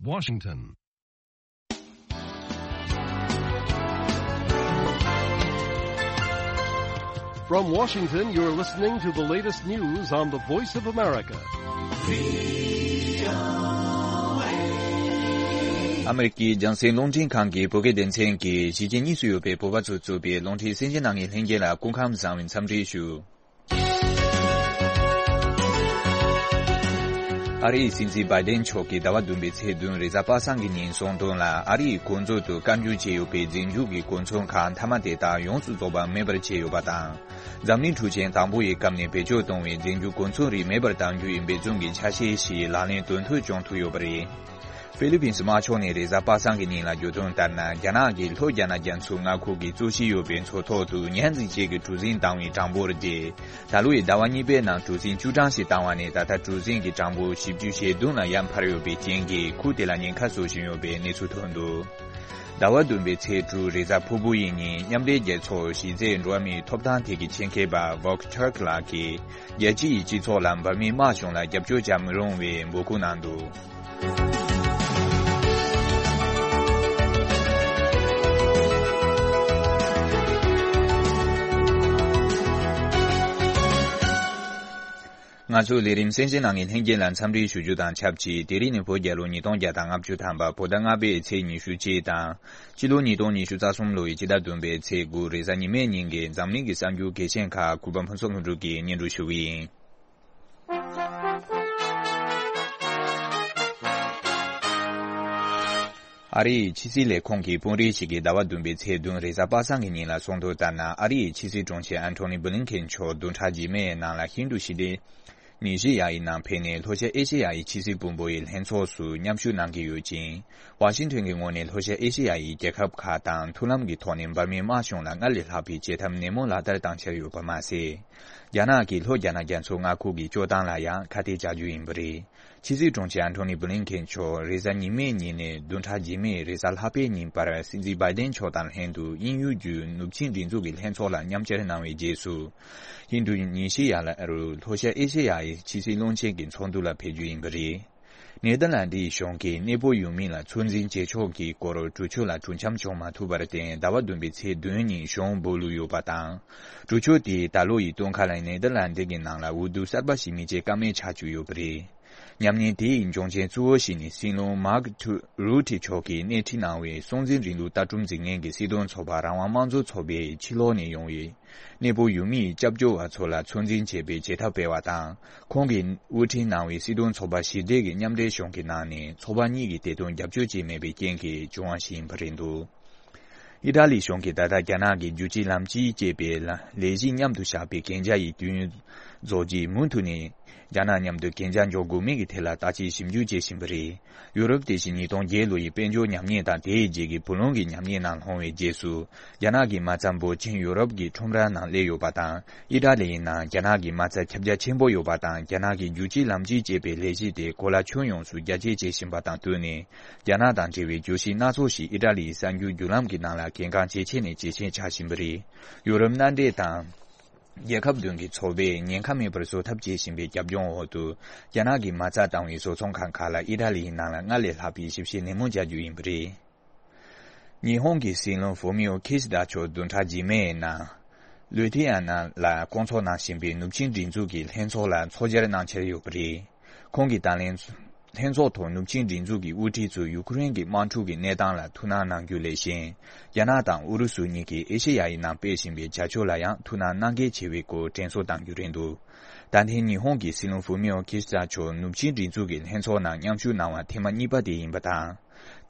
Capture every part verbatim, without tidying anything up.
Washington. From Washington, you're listening to the latest news on the Voice of America. ཨ་མེ་རི་ཀའི་རྒྱང་སྲིང་རླུང་འཕྲིན་ཁང་གི་བོད་སྐད་སྡེ་ཚན་གྱིས་གཞིས་བྱེས་གཉིས་སུ་ཡོད་པའི་བོད་པ་ཚོས་གཙོས་པའི་རླུང་འཕྲིན་གསན་བཞེས་གནང་མཁན་ལྷན་རྒྱས་ལ་སྐུ་ཁམས་བཟང་བའི་འཚམས་འདྲི་ཞུ། ཨ་རིའི་སྲིད་འཛིན་བྷའི་ཌེན་མཆོག་གིས་ཟླ་བ་བདུན་པའི་ཚེས་བདུན་རེས་གཟའ་པ་སངས་ཀྱི་ཉིན་གསུངས་དོན་ལ། ཨ་རིའི་གོ་མཛོད་དུ་བཀའ་འགྱུར་བྱས་ཡོད་པའི་རྫས་འགྱུར་གྱི་གོ་མཚོན་ཁག་མཐའ་མ་དེ་དག་ཡོངས་སུ་རྫོགས་པ་མེད་པར་བྱས་ཡོད་པ་དང་། འཛམ་གླིང་འཕྲུལ་ཆས་དང་པོ་ཡི་སྐབས་ནས་བེད་སྤྱོད་གཏོང་བའི་རྫས་འགྱུར་གོ་མཚོན་རིགས་མེད་པར་གཏང་རྒྱུ་ཡི་འབད་བརྩོན་གྱི་ཆ་ཤས་ཤིག་ལག་ལེན་དོན་ཐོག་བྱུང་ཐུབ་ཡོད་པ་རེད། ཧྥི་ལི་པིན་སི་དམར་ཕྱོགས་ནས་རེས་གཟའ་པ་སངས་ཀྱི་ཉིན་ལ་བརྗོད་དོན་ལྟར་ན། རྒྱ་ནག་གིས་ལྷོ་རྒྱ་ནག་རྒྱ་མཚོའི་མངའ་ཁུལ་གྱི་རྩོད་གཞི་ཡོད་པའི་མཚོ་ཐོག་ཏུ་ཉ་འཛིན་ཆས་ཀྱི་གྲུ་གཟིངས་བཏང་བའི་གྲངས་འབོར་དེ། ད་ལོ་ཡི་ཟླ་བ་གཉིས་པའི་ནང་གྲུ་གཟིངས་བཅུ་གྲངས་ཤིག་བཏང་བ་ནས། ད་ལྟ་གྲུ་གཟིངས་ཀྱི་གྲངས་འབོར་བཞི་བཅུ་ཞེ་བདུན་ལ་ཡར་འཕར་ཡོད་པའི་རྐྱེན་གྱིས་ཁུལ་དེ་ལ་ཉེན་ཁ་བཟོ་བཞིན་ཡོད་པའི་གནས་ཚུལ་ཐོན་འདུག་ཟླ་བ་བདུན་པའི་ཚེས་དྲུག་རེས་གཟའ་ཕུར་བུ་ཡི་ཉིན། མཉམ་འབྲེལ་རྒྱལ་ཚོགས་གཞི་རྩའི་འགྲོ་བ་མིའི་ཐོབ་ཐང་ཐད་ཀྱི་ཆེད་མཁས་པ་Volker Turk ལགས་ཀྱིས། རྒྱལ་སྤྱིའི་སྤྱི་ཚོགས་ལ་འབར་མའི་དམག་གཞུང་ལ་རྒྱབ་སྐྱོར་བྱ་མི་རུང་བའི་འབོད་སྐུལ་གནང་འདུག་ང་ཚོའི་ལས་རིམ་གསན་བཞེས་གནང་མཁན་ལྷན་རྒྱས་ལ་འཚམས་འདྲི་ཞུ་རྒྱུ་དང་ཆབས་ཅིག་དེ་རིང་ནི་བོད་རྒྱལ་ལོ་ཉིས་སྟོང་བརྒྱ་དང་ལྔ་བཅུ་ཐམ་པ་བོད་ཟླ་ལྔ་པའི་ཚེས་ཉི་ཤུ་གཅིག་དང་། སྤྱི་ལོ་ཉིས་སྟོང་ཉི་ཤུ་རྩ་གསུམ་ལོའི་སྤྱི་ཟླ་བདུན་པའི་ཚེས་དགུ་རེས་གཟའ་ཉི་མའི་ཉིན་གྱི་འཛམ་གླིང་གི་གསར་འགྱུར་གལ་ཆེན་ཁག་གུས་པ་ཕུན་ཚོགས་ལྷུན་གྲུབ་ཀྱིས་སྙན་སྒྲོན་ཞུ་གི་ཡིན། ཨ་རིའི་ཕྱི་སྲིད་ལས་ཁུངས་ཀྱི་དཔོན་རིགས་ཤིག་གིས་ཟླ་བ་བདུན་པའི་ཚེས་བདུན་རེས་གཟའ་པ་སངས་ཀྱི་ཉིན་ལ་གསུངས་དོན་ལྟར་ན། ཨ་རིའི་ཕྱི་སྲིད་དྲུང་ཆེ་ཨན་ཐོ་ནི་བྷི་ལིན་ཁེན་མཆོག་བདུན་ཕྲག་རྗེས་མའི་ནང་ལ་ཧིན་རྡུ་ཞི་བདེ་ནི་ཤི་ཡ་ཡི་ནང་ཕེབས་ནས། ལྷོ་ཤར་ཨེ་ཤེ་ཡ་ཡི་ཕྱི་སྲིད་དཔོན་པོ་ཡི་ལྷན་ཚོགས་སུ་མཉམ་ཞུགས་གནང་གི་ཡོད་ཅིང་། ཝ་ཤིང་ཊོན་གྱི་ངོས་ནས་ལྷོ་ཤར་ཨེ་ཤེ་ཡ་ཡི་རྒྱལ་ཁབ་ཁག་དང་མཐུན་ལམ་གྱི་ཐོག་ནས་འབར་མའི་དམག་གཞུང་ལ་སྔར་ལས་ལྷག་པའི་བྱེད་ཐབས་ནན་མོ་ལག་བསྟར་བཏང་འཆར་ཡོད་པ་མ་ཟད། རྒྱ་ནག་གིས་ལྷོ་རྒྱ་ནག་རྒྱ་མཚོ་མངའ་ཁུལ་གྱི་སྤྱོད་སྟངས་ལ་ཡང་ཁ་གཏད་བཅག་རྒྱུ་ཡིན་པ་རེད། ཕྱི་སྲིད་དྲུང་ཆེ་ཨན་ཐོ་ནི་བྷི་ལིན་ཁེན་མཆོག་རེས་གཟའ་ཉི་མའི་ཉིན་ནས་བདུན་ཕྲག་རྗེས་མའི་རེས་གཟའ་ལྷག་པའི་ཉིན་བར། སྲིད་འཛིན་བྷའི་ཌེན་མཆོག་དང་ལྷན་དུ་དབྱིན་ཡུལ་བརྒྱུད་ནུབ་ཆིངས་སྒྲིག་འཛུགས་ཀྱི་ལྷན་ཚོགས་ལ་མཉམ་ཞུགས་གནང་བའི་རྗེས་སུ། ཧིན་རྡུ་ཉི་ཤི་ཡ་ལ་རུ་ལྷོ་ཤར་ཨེ་ཤེ་ཡ་ཡི་ཕྱི་སྲིད་བློན་ཆེན་གྱི་ཚོགས་འདུ་ལ་ཕེབས་རྒྱུ་ཡིན་པ་རེད། ནེ་དར་ལན་ཌིའི་གཞུང་གིས་གནས་སྤོ་ཡུལ་མི་ལ་ཚོད་འཛིན་བྱེད་ཕྱོགས་ཀྱི་སྐོར་གྲོས་ཆོད་ལ་གྲོས་འཆམ་བྱུང་མ་ཐུབ་པར་བརྟེན། ཟླ་བ་བདུན་པའི་ཚེས་བདུན་ཉིན་གཞུང་སྦོ་ལུས་ཡོད་པ་དང་། གྲོས་ཆོད་དེས་ད་ལོ་ཡི་སྟོན་ཁ་ལ་ནེ་དར་ལན་ཌི་གི་ནང་ལ་འོས་བསྡུ་གསར་པ་ཞིག་མི་བྱེད་ཀ་མེད་ཆགས་བཅུག་ཡོད་པ་རེད། ཉམས་ཉེས་དེ་ཡི་འབྱུང་རྐྱེན་གཙོ་བོ་ཞིག་ནི་སྲིད་བློན་མཱག་ཐུ་རུ་ཐི་མཆོག་གིས་སྣེ་ཁྲིད་གནང་བའི་སྲོང་བཙན་རིང་ལུགས་ལྟ་གྲུབ་འཛིན་མཁན་གྱི་སྲིད་དོན་ཚོགས་པ་རང་དབང་དམངས་གཙོ་ཚོགས་པས་ཕྱི་ལོགས་ནས་ཡོང་བའི་གནས་སྤོ་ཡུལ་མིའི་སྐྱབས་བཅོལ་བ་ཚོ་ལ་ཚོད་འཛིན་བྱེད་པའི་བྱེད་ཐབས་སྤེལ་བ་དང་། ཁོང་གིས་དབུ་ཁྲིད་གནང་བའི་སྲིད་དོན་ཚོགས་པ་ཞི་བདེ་གི་མཉམ་འབྲེལ་གཞུང་གི་ནང་ནས་ཚོགས་པ་གཉིས་ཀྱི་བདེ་དོན་རྒྱབ་སྐྱོར་བྱས་མེད་པའི་རྐྱེན་གྱིས་བྱུང་བ་ཞིག་ཡིན་པ་རེད་འདུག་ཨི་ཏྲ་ལི་གཞུང་གིས་ད་ལྟ་རྒྱ་ནག་གི་རྒྱུད་གཅིག་ལམ་གཅིག་ཅེས་པའི་ལ་ལས་གཞི་མཉམ་དུ་བཞག་པའི་གན་རྒྱ་ཡི་དུས་ཡུན་རྫོགས་རྗེས་མུ་མཐུད་ནས་རྒྱ་ནག་མཉམ་དུ་གན་རྒྱ་འཇོག་དགོས་མིན་གྱི་ཐད་ལ་བརྟག་དཔྱད་ཞིབ་འཇུག་བྱེད་བཞིན་པ་རེད། ཡུ་རོབ་དེ་བཞིན་ཉིས་སྟོང་བརྒྱད་ལོ་ཡི་དཔལ་འབྱོར་ཉམས་ཉེས་དང་དེའི་རྗེས་ཀྱི་བུ་ལོན་གྱི་ཉམས་ཉེས་ནང་ལྷུང་བའི་རྗེས་སུ། རྒྱ་ནག་གི་མ་རྩ་འབོར་ཆེན་ཡུ་རོབ་ཀྱི་ཁྲོམ་ར་ནང་སླེབས་ཡོད་པ་དང་། ཨི་ཏྲ་ལི་ཡི་ནང་རྒྱ་ནག་གི་མ་རྩ་ཁྱབ་རྒྱ་ཆེན་པོ་ཡོད་པ་དང་། རྒྱ་ནག་གི་རྒྱུད་གཅིག་ལམ་གཅིག་ཅེས་པའི་ལས་གཞི་དེ་གོ་ལ་ཁྱོན་ཡོངས་སུ་རྒྱ་སྐྱེད་བྱེད་བཞིན་པ་དང་བསྟུན་ནས། རྒྱ་ནག་དང་འབྲེལ་བའི་གྱོད་གཞི་སྣ་ཚོགས་ཤིག་ཨི་ཏྲ་ལིའི་གསར་འགྱུར་བརྒྱུད་ལམ་གྱི་ནང་ལ་གལ་འགངས་ཇེ་ཆེ་ནས་ཇེ་ཆེར་ཆགས་བཞིན་པ་རེད། ཡུ་རོབ་མནའ་འབྲེལ་དང་། རྒྱལ་ཁབ་བདུན་གྱི་ཚོགས་པས་ཉེན་ཁ་མེད་པར་བཟོ་ཐབས་བྱེད་བཞིན་པའི་རྒྱབ་ལྗོངས་འོག་ཏུ། རྒྱ་ནག་གིས་མ་རྩ་བཏང་བའི་བཟོ་ཚོང་ཁང་ཁག་ལ་ཨི་ཏྲ་ལིའི་ནང་ལ་སྔར་ལས་ལྷག་པའི་ཞིབ་བཤེར་ནན་མོ་བྱ་རྒྱུ་ཡིན་པ་རེད། ཉི་ཧོང་གི་སྲིད་བློན་ཧྥུ་མིའོ་ཁི་ཤི་དཱ་མཆོག་བདུན་ཕྲག་རྗེས་མའི་ནང་། ལུའི་ཐི་ཨ་ན་ལ་བསྐོང་ཚོགས་གནང་བཞིན་པའི་ནུབ་ཆིངས་སྒྲིག་འཛུགས་ཀྱི་ལྷན་ཚོགས་ལ་ཚོགས་བཅར་གནང་འཆར་ཡོད་པ་རེད། ཁོང་གིས་ད་ལན་ལྷན་ཚོགས་ཐོག་ནུབ་ཆིངས་སྒྲིག་འཛུགས་ཀྱི་དབུ་ཁྲིད་ཚོས་ཡུ་ཁུ་རེན་གྱི་དམག་འཁྲུག་གི་གནས་སྟངས་ལ་ཐུགས་སྣང་གནང་རྒྱུ་ལས་གཞན། རྒྱ་ནག་དང་ཨུ་རུ་སུ་གཉིས་ཀྱིས་ཨེ་ཤེ་ཡ་ཡི་ནང་སྤེལ་བཞིན་པའི་བྱ་སྤྱོད་ལ་ཡང་ཐུགས་སྣང་གནང་གལ་ཆེ་བའི་སྐོར་དྲན་གསོ་གཏང་རྒྱུ་རེད་འདུག་ད་ཐེངས་ཉི་ཧོང་གི་སྲིད་བློན་ཧྥུ་མིའོ་ཁི་ཤི་དཱ་མཆོག་ནུབ་ཆིངས་སྒྲིག་འཛུགས་ཀྱི་ལྷན་ཚོགས་ནང་མཉམ་ཞུགས་གནང་བ་ཐེངས་མ་གཉིས་པ་དེ་ཡིན་པ་དང་།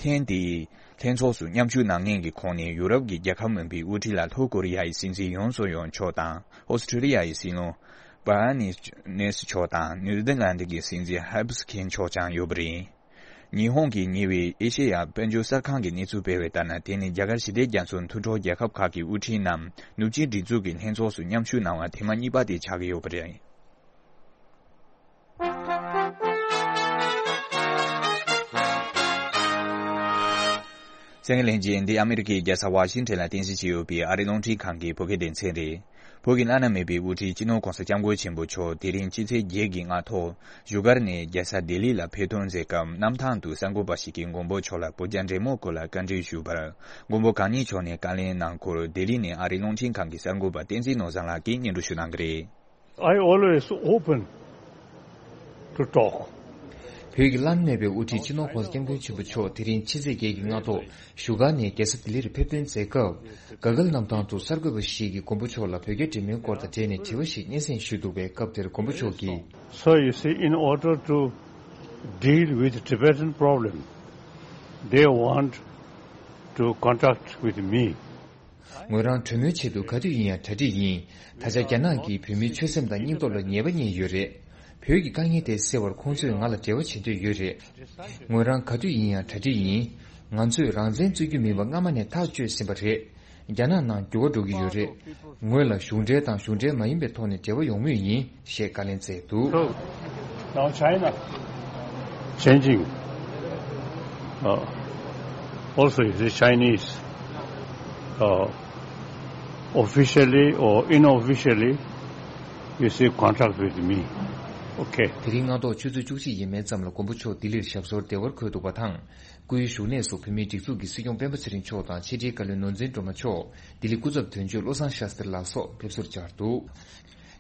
ཐེངས་འདིའི་ལྷན་ཚོགས་སུ་མཉམ་ཞུགས་གནང་མཁན་གྱི་ཁོངས་ནས་ཡུ་རོབ་ཀྱི་རྒྱལ་ཁབ་མིན་པའི་དབུ་ཁྲིད་ལ་ལྷོ་ཀོ་རི་ཡ་ཡི་སྲིད་འཛིན་ཡོན་སུག་ཡོལ་མཆོག་དང་། ཨོ་སི་ཁྲི་ལི་ཡ་ཡི་སྲིད་བློན་བྷ་ནི་ནེ་སི་མཆོག་དང་། ནེ་དར་ལན་ཌི་གི་སྲིད་འཛིན་ཧེབ་སི་ཁིན་མཆོག་ཀྱང་ཡོད་པ་རེད། ཉི་ཧོང་གི་ཉེ་བའི་ཨེ་ཤེ་ཡ་དཔལ་འབྱོར་གསར་ཁང་གིས་གནས་ཚུལ་སྤེལ་བའི་ལྟར་ན། དེ་ནི་རྒྱ་གར་ཞི་བདེ་རྒྱ་མཚོའི་མཐུན་གྲོགས་རྒྱལ་ཁབ་ཁག་གི་དབུ་ཁྲིད་རྣམས་ནུབ་ཆིངས་སྒྲིག་འཛུགས་ཀྱི་ལྷན་ཚོགས་སུ་མཉམ་ཞུགས་གནང་བ་ཐེངས་མ་གཉིས་པ་དེ་ཆགས་ཀྱི་ཡོད་པ་རེད། གསན་མཁན་ལྷན་རྒྱས། འདི་ཨ་མེ་རི་ཁའི་རྒྱལ་ས་ཝ་ཤིང་ཊོན་ལ་རྟེན་གཞི་བྱས་ཡོད་པའི་ཨ་རིའི་རླུང་འཕྲིན་ཁང་གི་བོད་སྐད་སྡེ་ཚན་རེད། བོད་ཀྱི་བླ་ན་མེད་པའི་དབུ་ཁྲིད་སྤྱི་ནོར་༸གོང་ས་༸སྐྱབས་མགོན་ཆེན་པོ་མཆོག་དེ་རིང་ཕྱི་ཚེས་བརྒྱད་ཀྱི་སྔ་དྲོ་བཞུགས་སྒར་ནས་རྒྱལ་ས་ལྡི་ལི་ལ་ཕེབས་ཐོན་མཛད་སྐབས། གནམ་ཐང་དུ་གསར་འགོད་པ་ཞིག་གིས་མགོན་པོ་མཆོག་ལ་བོད་རྒྱ་འབྲེལ་མོལ་སྐོར་ལ་བཀའ་འདྲི་ཞུས་པར། མགོན་པོ་གང་ཉིད་མཆོག་ནས་བཀའ་ལན་གནང་སྐོར་ལྡི་ལི་ནས་ཨ་རིའི་རླུང་འཕྲིན་ཁང་གི་གསར་འགོད་པ་བསྟན་འཛིན་ནོར་བཟང་ལགས་ཀྱིས་སྙན་སྒྲོན་ཞུ་གནང་གི་རེད། I always open to talk. བོད་ཀྱི་བླ་ན་མེད་པའི་དབུ་ཁྲིད་སྤྱི་ནོར་༸གོང་ས་༸སྐྱབས་མགོན་ཆེན་པོ་མཆོག་དེ་རིང་ཕྱི་ཚེས་བརྒྱད་ཀྱི་སྔ་དྲོ་བཞུགས་སྒར་ནས་རྒྱལ་ས་ལྡི་ལིར་ཕེབས་ཐོན་མཛད་སྐབས། ག་གལ་གནམ་ཐང་དུ་གསར་འགོད་པ་ཞིག་གིས་མགོན་པོ་མཆོག་ལ་བོད་རྒྱ་འབྲེལ་མོལ་སྐོར་དང་འབྲེལ་ནས་དྲི་བ་ཞིག་སྙན་སེང་ཞུས་འདུག་པས། སྐབས་དེར་མགོན་པོ་མཆོག་གིས། So you see, in order to deal with Tibetan problem, they want to contact with me. ངོས་རང་གྲོས་མོལ་ཆེད་དུ་ག་དུས་ཡིན་ཡང་གྲ་སྒྲིག་ཡིན། ད་ཆ་རྒྱ་ནག་གིས་བོད་མིའི་ཆོད་སེམས་དང་སྙིང་སྟོབས་ལ་ཉེས་པ་བསྙད་ཡོད་རེད། བོད་ཀྱི་དཀའ་ངལ་དེ་སེལ་བར་ཁོང་ཚོས་ང་ལ་འབྲེལ་བ་བྱེད་འདོད་ཡོད་རེད། ངོས་རང་ག་དུས་ཡིན་ཡང་གྲ་སྒྲིག་ཡིན། ང་ཚོས་རང་བཙན་རྩོད་རྒྱུ་མིན་པ་སྔ་མ་ནས་ཐག་གཅོད་ཟིན་པ་རེད། རྒྱ་ནག་ནང་འགྱུར་བ་འགྲོ་གི་ཡོད་རེད། ངོས་ལ་གཞུང་འབྲེལ་དང་གཞུང་འབྲེལ་མ་ཡིན་པའི་ཐོག་ནས་འབྲེལ་བ་ཡོང་མུས་ཡིན། ཞེས་བཀའ་ལན་སྩལ་འདུག། So, now China changing, uh, also is a Chinese, uh, officially or unofficially, you see, contact with me. Okay. དེ་རིང་སྔ་དྲོ་ཆུ་ཚོད་བཅུ་གཅིག་ཡས་མས་ཙམ་ལ་མགོན་པོ་མཆོག་ལྡི་ལིར་ཞབས་སོར་བདེ་བར་འཁོད་འདུག་པ་དང་། སྐུའི་བཞུགས་གནས་སུ་བོད་མིའི་སྒྲིག་འཛུགས་ཀྱི་སྲིད་སྐྱོང་སྤེན་པ་ཚེ་རིང་མཆོག་དང་ཕྱི་དྲིལ་བཀའ་བློན་ནོར་འཛིན་སྒྲོལ་མ་མཆོག་ལྡི་ལི་སྐུ་ཚབ་དོན་གཅོད་བློ་བཟང་ཤཱསྟྲི་ལགས་སོགས་ཕེབས་བསུར་བཅར་འདུག།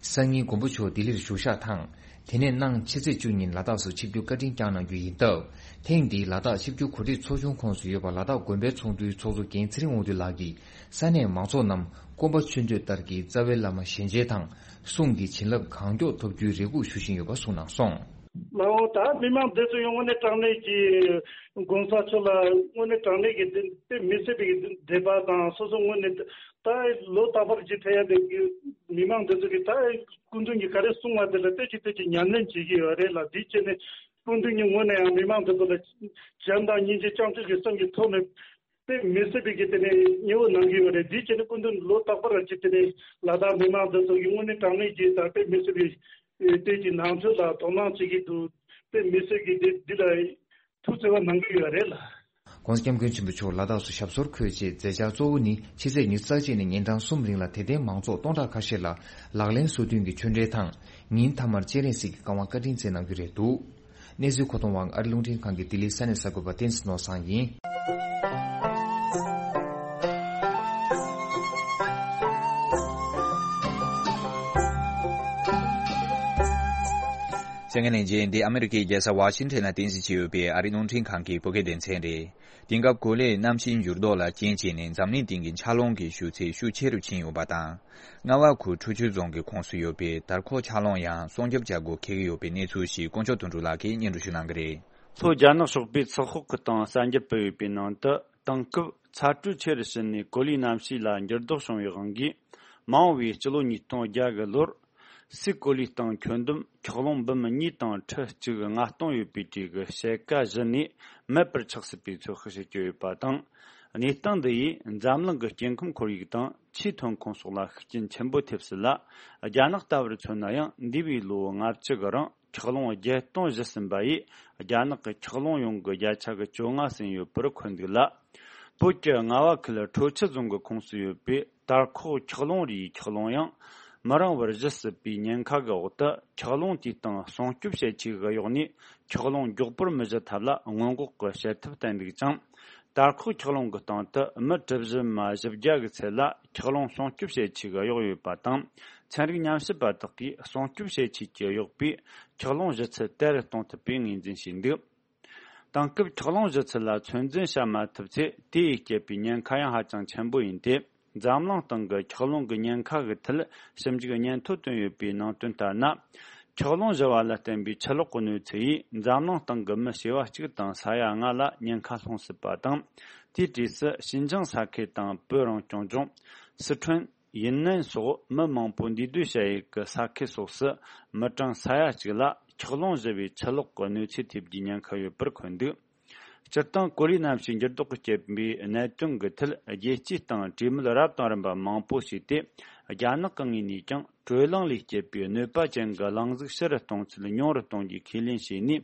སང་ཉིན་མགོན་པོ་མཆོག་ལྡི་ལིར་བཞུགས་ཞག་དང་། དེ་ནས་གནངས་ཕྱི་ཚེས་བཅུ་ཉིན་ལ་དྭགས་སུ་ཆིབས་བསྒྱུར་བཀའ་དྲིན་བསྐྱངས་གནང་རྒྱུ་ཡིན་སྟབས། ཐེངས་འདིའི་ལ་དྭགས་ཆིབས་བསྒྱུར་གོ་སྒྲིག་ཚོགས་ཆུང་ཁོངས་སུ་ཡོད་པ་ལ་དྭགས་དགོན་པའི་ཚོགས་འདུའི་ཚོགས་གཙོ་རྒན་ཚེ་རིང་དབང་འདུས་ལགས་ཀྱིས། ས་གནས་མང་ཚོགས་རྣམས་སྐོམ་པ་ཆུ་འདོད་ལྟར་གྱི་རྩ་བའི་བླ་མ་ཞལ་མཇལ་དང་གསུང་གི་བྱིན་རླབས་གང་མགྱོགས་ཐོབ་རྒྱུའི་རེ་སྒུག་ཞུ་བཞིན་ཡོད་པ་གསུངས་གནང་སོང་། ལའོ་ད་མི་མང་འདི་ཚོ་ཡང་དངོས་གནས་དྲང་གནས་ཀྱི་༸གོང་ས་མཆོག་ལ་དངོས་གནས་དྲང་གནས་ཀྱི་དེ་དེ་མི་སྲིད་པའི་འདོད་པ་དང་། སོ་སོ་དངོས་གནས་ད་ལོ་རྟག་པར་གྱི་ཐེ་ཡ་དེ་མི་མང་འདི་ཚོ་གི་ད་སྐུ་མདུན་གྱི་ག་རེ་གསུང་བ་དེ་ལ་ལྟོས་ཀྱི་ལྟོས་ཀྱི་ཉམས་ལེན་བྱེད་ཀྱི་ཡོད་རེད་ལ། དེའི་ཆེད་ནས་སྐུ་མདུན་གྱི་ངོས་ནས་ཡང་མི་མང་འདི་ཚོ་ལ་བྱམས་དང་སྙིང་རྗེ་བྱང་ཆུབ་ཀྱི་སེམས་ཀྱི་ཐོག་ནས། དཔེ་མི་སྲིད་པའི་གི་དེ་ནས་མཉེས་པོ་གནང་གི་ཡོད་རེད། དེའི་ཆེད་ནས་སྐུ་མདུན་ལོ་རྟག་པར་གྱི་དེ་ནས་ལ་དྭགས་མི་མང་འདི་ཚོ་གི་དངོས་གནས་དྲང་གནས་ཀྱི་ད་དཔེ་མི་སྲིད་པའི་དེ་གི་ནང་ཆོས་ལ་དོ་སྣང་བྱེད་ཀྱི་འདུག། དཔེ་མི་སྲིད་ཀྱི་དེ་འདི་ལ་ཐུགས་བརྩེ་བ་གནང་གི་ཡོད་རེད་ལ། ༸གོང་ས་༸སྐྱབས་མགོན་ཆེན་པོ་མཆོག་ལ་དྭགས་སུ་ཞབས་སོར་འཁོད་རྗེས་མཛད་འཆར་གཙོ་བོ་ནི་ཕྱི་ཚེས་ཉི་ཤུ་རྩ་གཅིག་ནས་ཉིན་གྲངས་གསུམ་རིང་ལ་དད་ལྡན་མང་ཚོགས་སྟོང་ཕྲག་ཁ་ཤས་ལ་ལག་ལེན་སོ་བདུན་གྱི་ཆོས་འབྲེལ་དང་། ཉིན་མཐའ་མར་སྤྱན་རས་གཟིགས་ཀྱི་བཀའ་དབང་བཀའ་དྲིན་སྩལ་གནང་རྒྱུ་རེད་འདུག། གནས་ཚུལ་མཁོ་གཏོང་བ་ཨ་རི་རླུང་འཕྲིན་ཁང་གི་ལྡི་ལིའི་ས་གནས་གསར་འགོད་པ་བསྟན་འཛིན་ནོར་བཟང་ཡིན། གསན་མཁན་ལྷན་རྒྱས། འདི་ཨ་མི་རི་ཀའི་རྒྱལ་ས་ཝ་ཤིང་ཊོན་ལ་རྟེན་གཞི་བྱས་ཡོད་པའི་ཨ་རི་རླུང་འཕྲིན་ཁང་གི་བོད་སྐད་སྡེ་ཚན་རེད། དེང་སྐབས་གོ་ལའི་གནམ་གཤིས་འགྱུར་ལྡོག་ལ་རྐྱེན་བྱས་ནས་འཛམ་གླིང་སྟེང་གི་ཆར་རླུང་གི་ཤུགས་ཚད་ཤུགས་ཆེ་རུ་ཕྱིན་ཡོད་པ་དང་། རྔ་བ་ཁུལ་ཁྲོ་ཆུ་རྫོང་གི་ཁོངས་སུ་ཡོད་པའི་དར་ཁོག་ཆར་རླུང་ཡང་སྲུང་སྐྱོབ་བྱ་སྒོ་འཁེལ་གྱི་ཡོད་པའི་གནས་ཚུལ་ཞིག་དཀོན་མཆོག་དོན་གྲུབ་ལགས་ཀྱིས་སྙན་སྒྲོན་ཞུ་གནང་གི་རེད། ལྷོ་རྒྱ་ནག་ཕྱོགས་པའི་ཚི་ཧོག་གི་སྟེང་གསར་འགྱུར་སྤེལ་ཡོད་པའི་ནང་དུ། དེང་སྐབས་ཚ་དྲོད་ཆེ་རུ་ཕྱིན་ནས་གོ་ལའི་གནམ་གཤིས་ལ་འགྱུར་ལྡོག་བྱུང་བའི་དབང་གིས། མ་འོངས་པའི་སྤྱི་ལོ་ཉིས་སྟོང་བརྒྱ་གི་ལོར། སི་ཀོ་ལིའི་སྟེང་ཁྱོན་བསྡོམས་འཁྱགས་རླུང་འབུམ་གཉིས་དང་ཁྲི་གཅིག་ལྔ་སྟོང་ཡོད་པའི་གྲས་ཀྱི་ཕྱེད་ཀ་བཞི་ནས་མེད་པར་ཆགས་སྲིད་པའི་ཚོད་དཔག་བྱེད་ཀྱི་ཡོད་པ་དང་། གནས་སྟངས་འདི་ཡིས་འཛམ་གླིང་གི་སྐྱེ་ཁམས་ཁོར་ཡུག་དང་ཆུའི་ཐོན་ཁུངས་སོགས་ལ་ཤུགས་རྐྱེན་ཆེན་པོ་ཐེབས་སྲིད་ལ། རྒྱ་ནག་ལྟ་བུར་མཚོན་ན་ཡང་འདས་པའི་ལོ་ལྔ་བཅུ་གི་རིང་འཁྱགས་རླུང་བརྒྱད་སྟོང་བཞི་ཟིན་པ་ཡིས་རྒྱ་ནག་གི་འཁྱགས་རླུང་ཡོང་གི་བརྒྱ་ཆ་གི་བཅོ་ལྔ་ཟིན་ཡོད་པར་འཁོད་འདུག་ལ། བོད་ཀྱི་རྔ་བ་ཁུལ་ཁྲོ་ཆུ་རྫོང་གི་ཁོངས་སུ་ཡོད་པའི་དར་ཁོག་འཁྱགས་རླུང་རིའི་འཁྱགས་རླུང་ཡང་མི་རིང་བར་བཞི་སྲིད་པའི་ཉེན་ཁ་གི་འོག་ཏུ། འཁྱགས་རླུང་དེའི་སྟེང་སྲུང་སྐྱོབ་བྱེད་ཆས་ཤིག་གཡོགས་ནས་འཁྱགས་རླུང་མགྱོགས་པོར་མི་བཞུད་ཐབས་ལ་སྔོན་འགོག་གི་བྱེད་ཐབས་བསྟན་འདུག་ཅིང་། དར་ཁོག་འཁྱགས་རླུང་གི་སྟེང་དུ་མི་གྲུ་བཞི་མ་བཞི་བརྒྱ་གི་ཚད་ལ་འཁྱགས་རླུང་སྲུང་སྐྱོབ་བྱེད་ཆས་ཤིག་གཡོགས་ཡོད་པ་དང་། ཚན་རིག་ཉམས་ཞིབ་པ་དག་གིས་སྲུང་སྐྱོབ་བྱེད་ཆས་ཀྱིས་གཡོགས་པའི་འཁྱགས་རླུང་ཞི་ཚད་དལ་དུ་གཏོང་ཐུབ་པའི་ངོས་འཛིན་བྱས་འདུག། དེང་སྐབས་འཁྱགས་རླུང་ཞི་ཚད་ལ་ཚོད་འཛིན་བྱ་མ་ཐུབ་ཚེ། དེ་ཡིས་བསྐྱེད་པའི་ཉེན་ཁ་ཡང་ཧ་ཅང་ཆེན་པོ་ཡིན་ཏེ། འཛམ་གླིང་སྟེང་གི་འཁྱགས་རླུང་གི་ཉེན་ཁ་གི་ཐད་ཞིབ་འཇུག་སྙན་ཐོ་བཏོན་ཡོད་པའི་ནང་དོན་ལྟར་ན། འཁྱགས་རླུང་ཞི་བ་ལ་བརྟེན་པའི་ཆུ་ལོག་གི་གནོད་འཚེ་ཡིས་འཛམ་གླིང་སྟེང་གི་མི་བྱེ་བ་གཅིག་དང་ས་ཡ་ལྔ་ལ་ཉེན་ཁ་སློང་སྲིད་པ་དང་། དེའི་གྲས་སུ་ཞིན་ཅང་ས་ཁུལ་དང་བོད་རང་སྐྱོང་ལྗོངས། སི་ཁྲོན། ཡུན་ནན་སོགས་མི་མང་པོ་འདུས་སྡོད་བྱ་ཡུལ་གྱི་ས་ཁུལ་སོགས་སུ་མི་གྲངས་ས་ཡ་གཅིག་ལ་འཁྱགས་རླུང་ཞི་བའི་ཆུ་ལོག་གི་གནོད་འཚེ་ཐེབས་རྒྱུའི་ཉེན་ཁ་ཡོད་པར་འཁོད་འདུག། སྤྱིར་བཏང་གོ་ལའི་གནམ་གཤིས་འགྱུར་ལྡོག་གིས་བསྐྱེད་པའི་གནད་དོན་གྱི་ཐད་རྒྱལ་སྤྱིའི་སྟེང་གྲོས་མོལ་རབ་དང་རིམ་པ་མང་པོ་བྱས་ཏེ། རྒྱ་ནག་གི་ངོས་ནས་ཀྱང་དྲོད་རླངས་ལས་བསྐྱེད་པའི་གནོད་པ་ཅན་གྱི་རླུང་གཟུགས་ཕྱི་རུ་གཏོང་ཚད་ཉུང་རུ་གཏོང་རྒྱུའི་ཁས་ལེན་བྱས་ནས།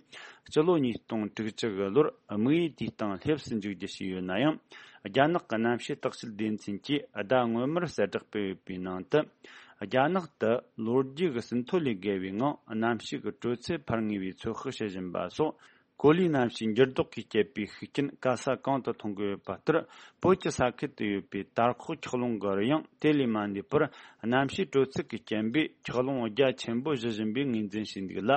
སྤྱི་ལོ་ཉིས་སྟོང་དྲུག་ཅུ་གི་ལོར་དམིགས་ཡུལ་དེའི་སྟེང་སླེབས་སུ་འཇུག་རྒྱུ་བྱས་ཡོད་ན་ཡང་། རྒྱ་ནག་གི་གནམ་གཤིས་བརྟག་དཔྱད་སྡེ་ཚན་གྱིས་ཟླ་སྔོན་མར་གསལ་བསྒྲགས་སྤེལ་ཡོད་པའི་ནང་དུ། རྒྱ་ནག་ཏུ་ལོ་རྒྱུས་ཀྱི་ཟིན་ཐོ་ལས་བརྒལ་བའི་ངང་གནམ་གཤིས་ཀྱི་དྲོད་ཚད་འཕར་ངེས་པའི་ཚོད་དཔག་བྱེད་བཞིན་པ་སོགས། གོ་ལའི་གནམ་གཤིས་འགྱུར་ལྡོག་གིས་བསྐྱེད་པའི་ཤུགས་རྐྱེན་ག་ས་གང་དུ་མཐོང་གི་ཡོད་པ་ལྟར། བོད་ཀྱི་ས་ཁུལ་དུ་ཡོད་པའི་དར་ཁོག་འཁྱགས་ཀླུང་གི་རི་ཡང་དེ་ལས་མ་འདས་པར། གནམ་གཤིས་དྲོད་ཚད་ཀྱི་རྐྱེན་པས་འཁྱགས་ཀླུང་རྒྱ་ཆེན་པོ་བཞུ་བཞིན་པའི་ངོས་འཛིན་བྱས་འདུག་ལ།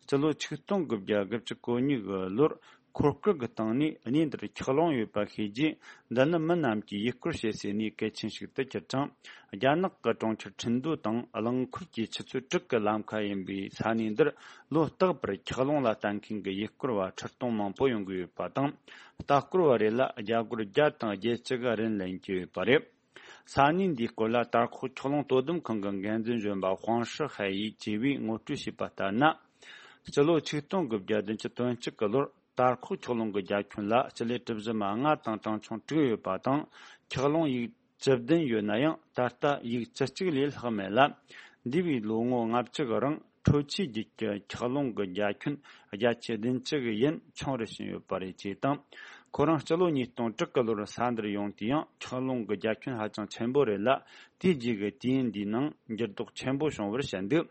སྤྱི་ལོ་ཆིག་སྟོང་དགུ་བརྒྱ་དགུ་བཅུ་གོ་གཉིས་ཀྱི་ལོར། འཁོར་སྐར་གྱི་སྟེང་ནས་གནས་འདིར་འཁྱགས་ཀླུང་ཡོད་པ་ཤེས་རྗེས། འདི་ནི་མི་རྣམས་ཀྱིས་ཡུལ་སྐོར་བྱེད་སའི་གནས་གལ་ཆེན་ཞིག་ཏུ་གྱུར་ཅིང་། རྒྱ་ནག་གི་གྲོང་ཁྱེར་ཁྲིན་ཏུའུ་དང་རླངས་འཁོར་གྱི་ཆུ་ཚོད་དྲུག་གི་ལམ་ཁ་ཡིན་པའི་ས་གནས་འདིར། ལོ་རྟག་པར་འཁྱགས་ཀླུང་ལ་ལྟ་མཁན་གྱི་ཡུལ་སྐོར་བ་ཁྲི་སྟོང་མང་པོ་ཡོང་གི་ཡོད་པ་དང་། ལྟ་སྐོར་བ་རེ་ལ་རྒྱ་སྒོར་བརྒྱ་དང་བརྒྱད་ཅུ་གི་རིན་ལེན་གྱི་ཡོད་པ་རེད། ས་གནས་འདིའི་སྐོར་ལ་དར་ཁོག་འཁྱགས་ཀླུང་དོ་དམ་ཁང་གི་འགན་འཛིན་གཞོན་པ་ཧུང་ཧྲི་ཧའེ་ཡིས་བཅས་པས་ངོ་སྤྲོད་བྱས་པ་ལྟར་ན། སྤྱི་ལོ་ཆིག་སྟོང་དགུ་བརྒྱ་བདུན་ཅུ་དོན་གཅིག་གི་ལོར། དར་ཁོག་འཁྱགས་ཀླུང་གི་རྒྱ་ཁྱོན་ལ་སྤྱི་ལེ་གྲུ་བཞི་མ་ལྔ་དང་གྲངས་ཆུང་དྲུག་ཡོད་པ་དང་། འཁྱགས་ཀླུང་ཡིག་བཅུ་བདུན་ཡོད་ན་ཡང་ད་ལྟ་ཡིག་བཅུ་གཅིག་ལས་ལྷག་མེད་ལ། འདས་པའི་ལོ་ངོ་ལྔ་བཅུ་གི་རིང་། ཁྲོ་ཆུའི་རྒྱུད་ཀྱི་འཁྱགས་ཀླུང་གི་རྒྱ་ཁྱོན་བརྒྱ་ཆ་བདུན་ཅུ་གི་ཡན་ཆུང་རུ་ཕྱིན་ཡོད་པ་རེད་ཅེས་དང་། ཁོ་རང་སྤྱི་ལོ་ཉིས་སྟོང་དྲུག་གི་ལོར་ས་འདིར་ཡོང་དུས་ཡང་འཁྱགས་ཀླུང་གི་རྒྱ་ཁྱོན་ཧ་ཅང་ཆེན་པོ་རེད་ལ། དེའི་རྗེས་ཀྱི་དུས་ཡུན་འདིའི་ནང་འགྱུར་ལྡོག་ཆེན་པོ་བྱུང་བར་བཤད་འདུག།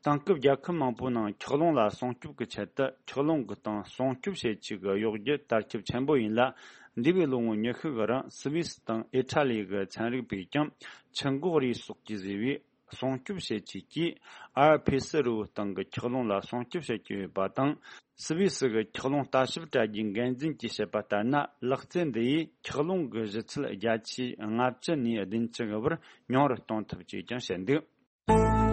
དེང་སྐབས་རྒྱལ་ཁབ་མང་པོའི་ནང་འཁྱགས་ཀླུང་ལ་སྲུང་སྐྱོབ་ཀྱི་ཆེད་དུ། འཁྱགས་ཀླུང་གི་སྟེང་སྲུང་སྐྱོབ་བྱེད་ཆེད་ཀྱི་གཡོ་སྒྱུ་དར་ཁྱབ་ཆེན་པོ་ཡིན་ལ། འདས་པའི་ལོ་ངོ་ཉི་ཤུ་གི་རིང་སུད་སི་དང་ཨི་ཊ་ལི་གི་ཚན་རིག་པས་ཀྱང་ཆུ་འགོ་རིས་སོགས་ཀྱིས་བཟོས་པའི་སྲུང་སྐྱོབ་བྱེད་ཆེད་ཀྱིས་ཨར་ཕེ་སི་རི་བོའི་སྟེང་གི་འཁྱགས་ཀླུང་ལ་སྲུང་སྐྱོབ་བྱེད་ཀྱི་ཡོད་པ་དང་། སུད་སི་གི་འཁྱགས་ཀླུང་ལྟ་ཞིབ་དྲ་རྒྱའི་འགན་འཛིན་གྱིས་བཤད་པ་ལྟར་ན། ལག་རྩལ་འདི་ཡིས་འཁྱགས་ཀླུང་གི་ཞུ་ཚད་བརྒྱ་ཆ་ལྔ་བཅུ་ནས་བདུན་ཅུ་གི་བར་ཉུང་རུ་གཏོང་ཐུབ་ཅེས་ཀྱང་བཤད་འདུག།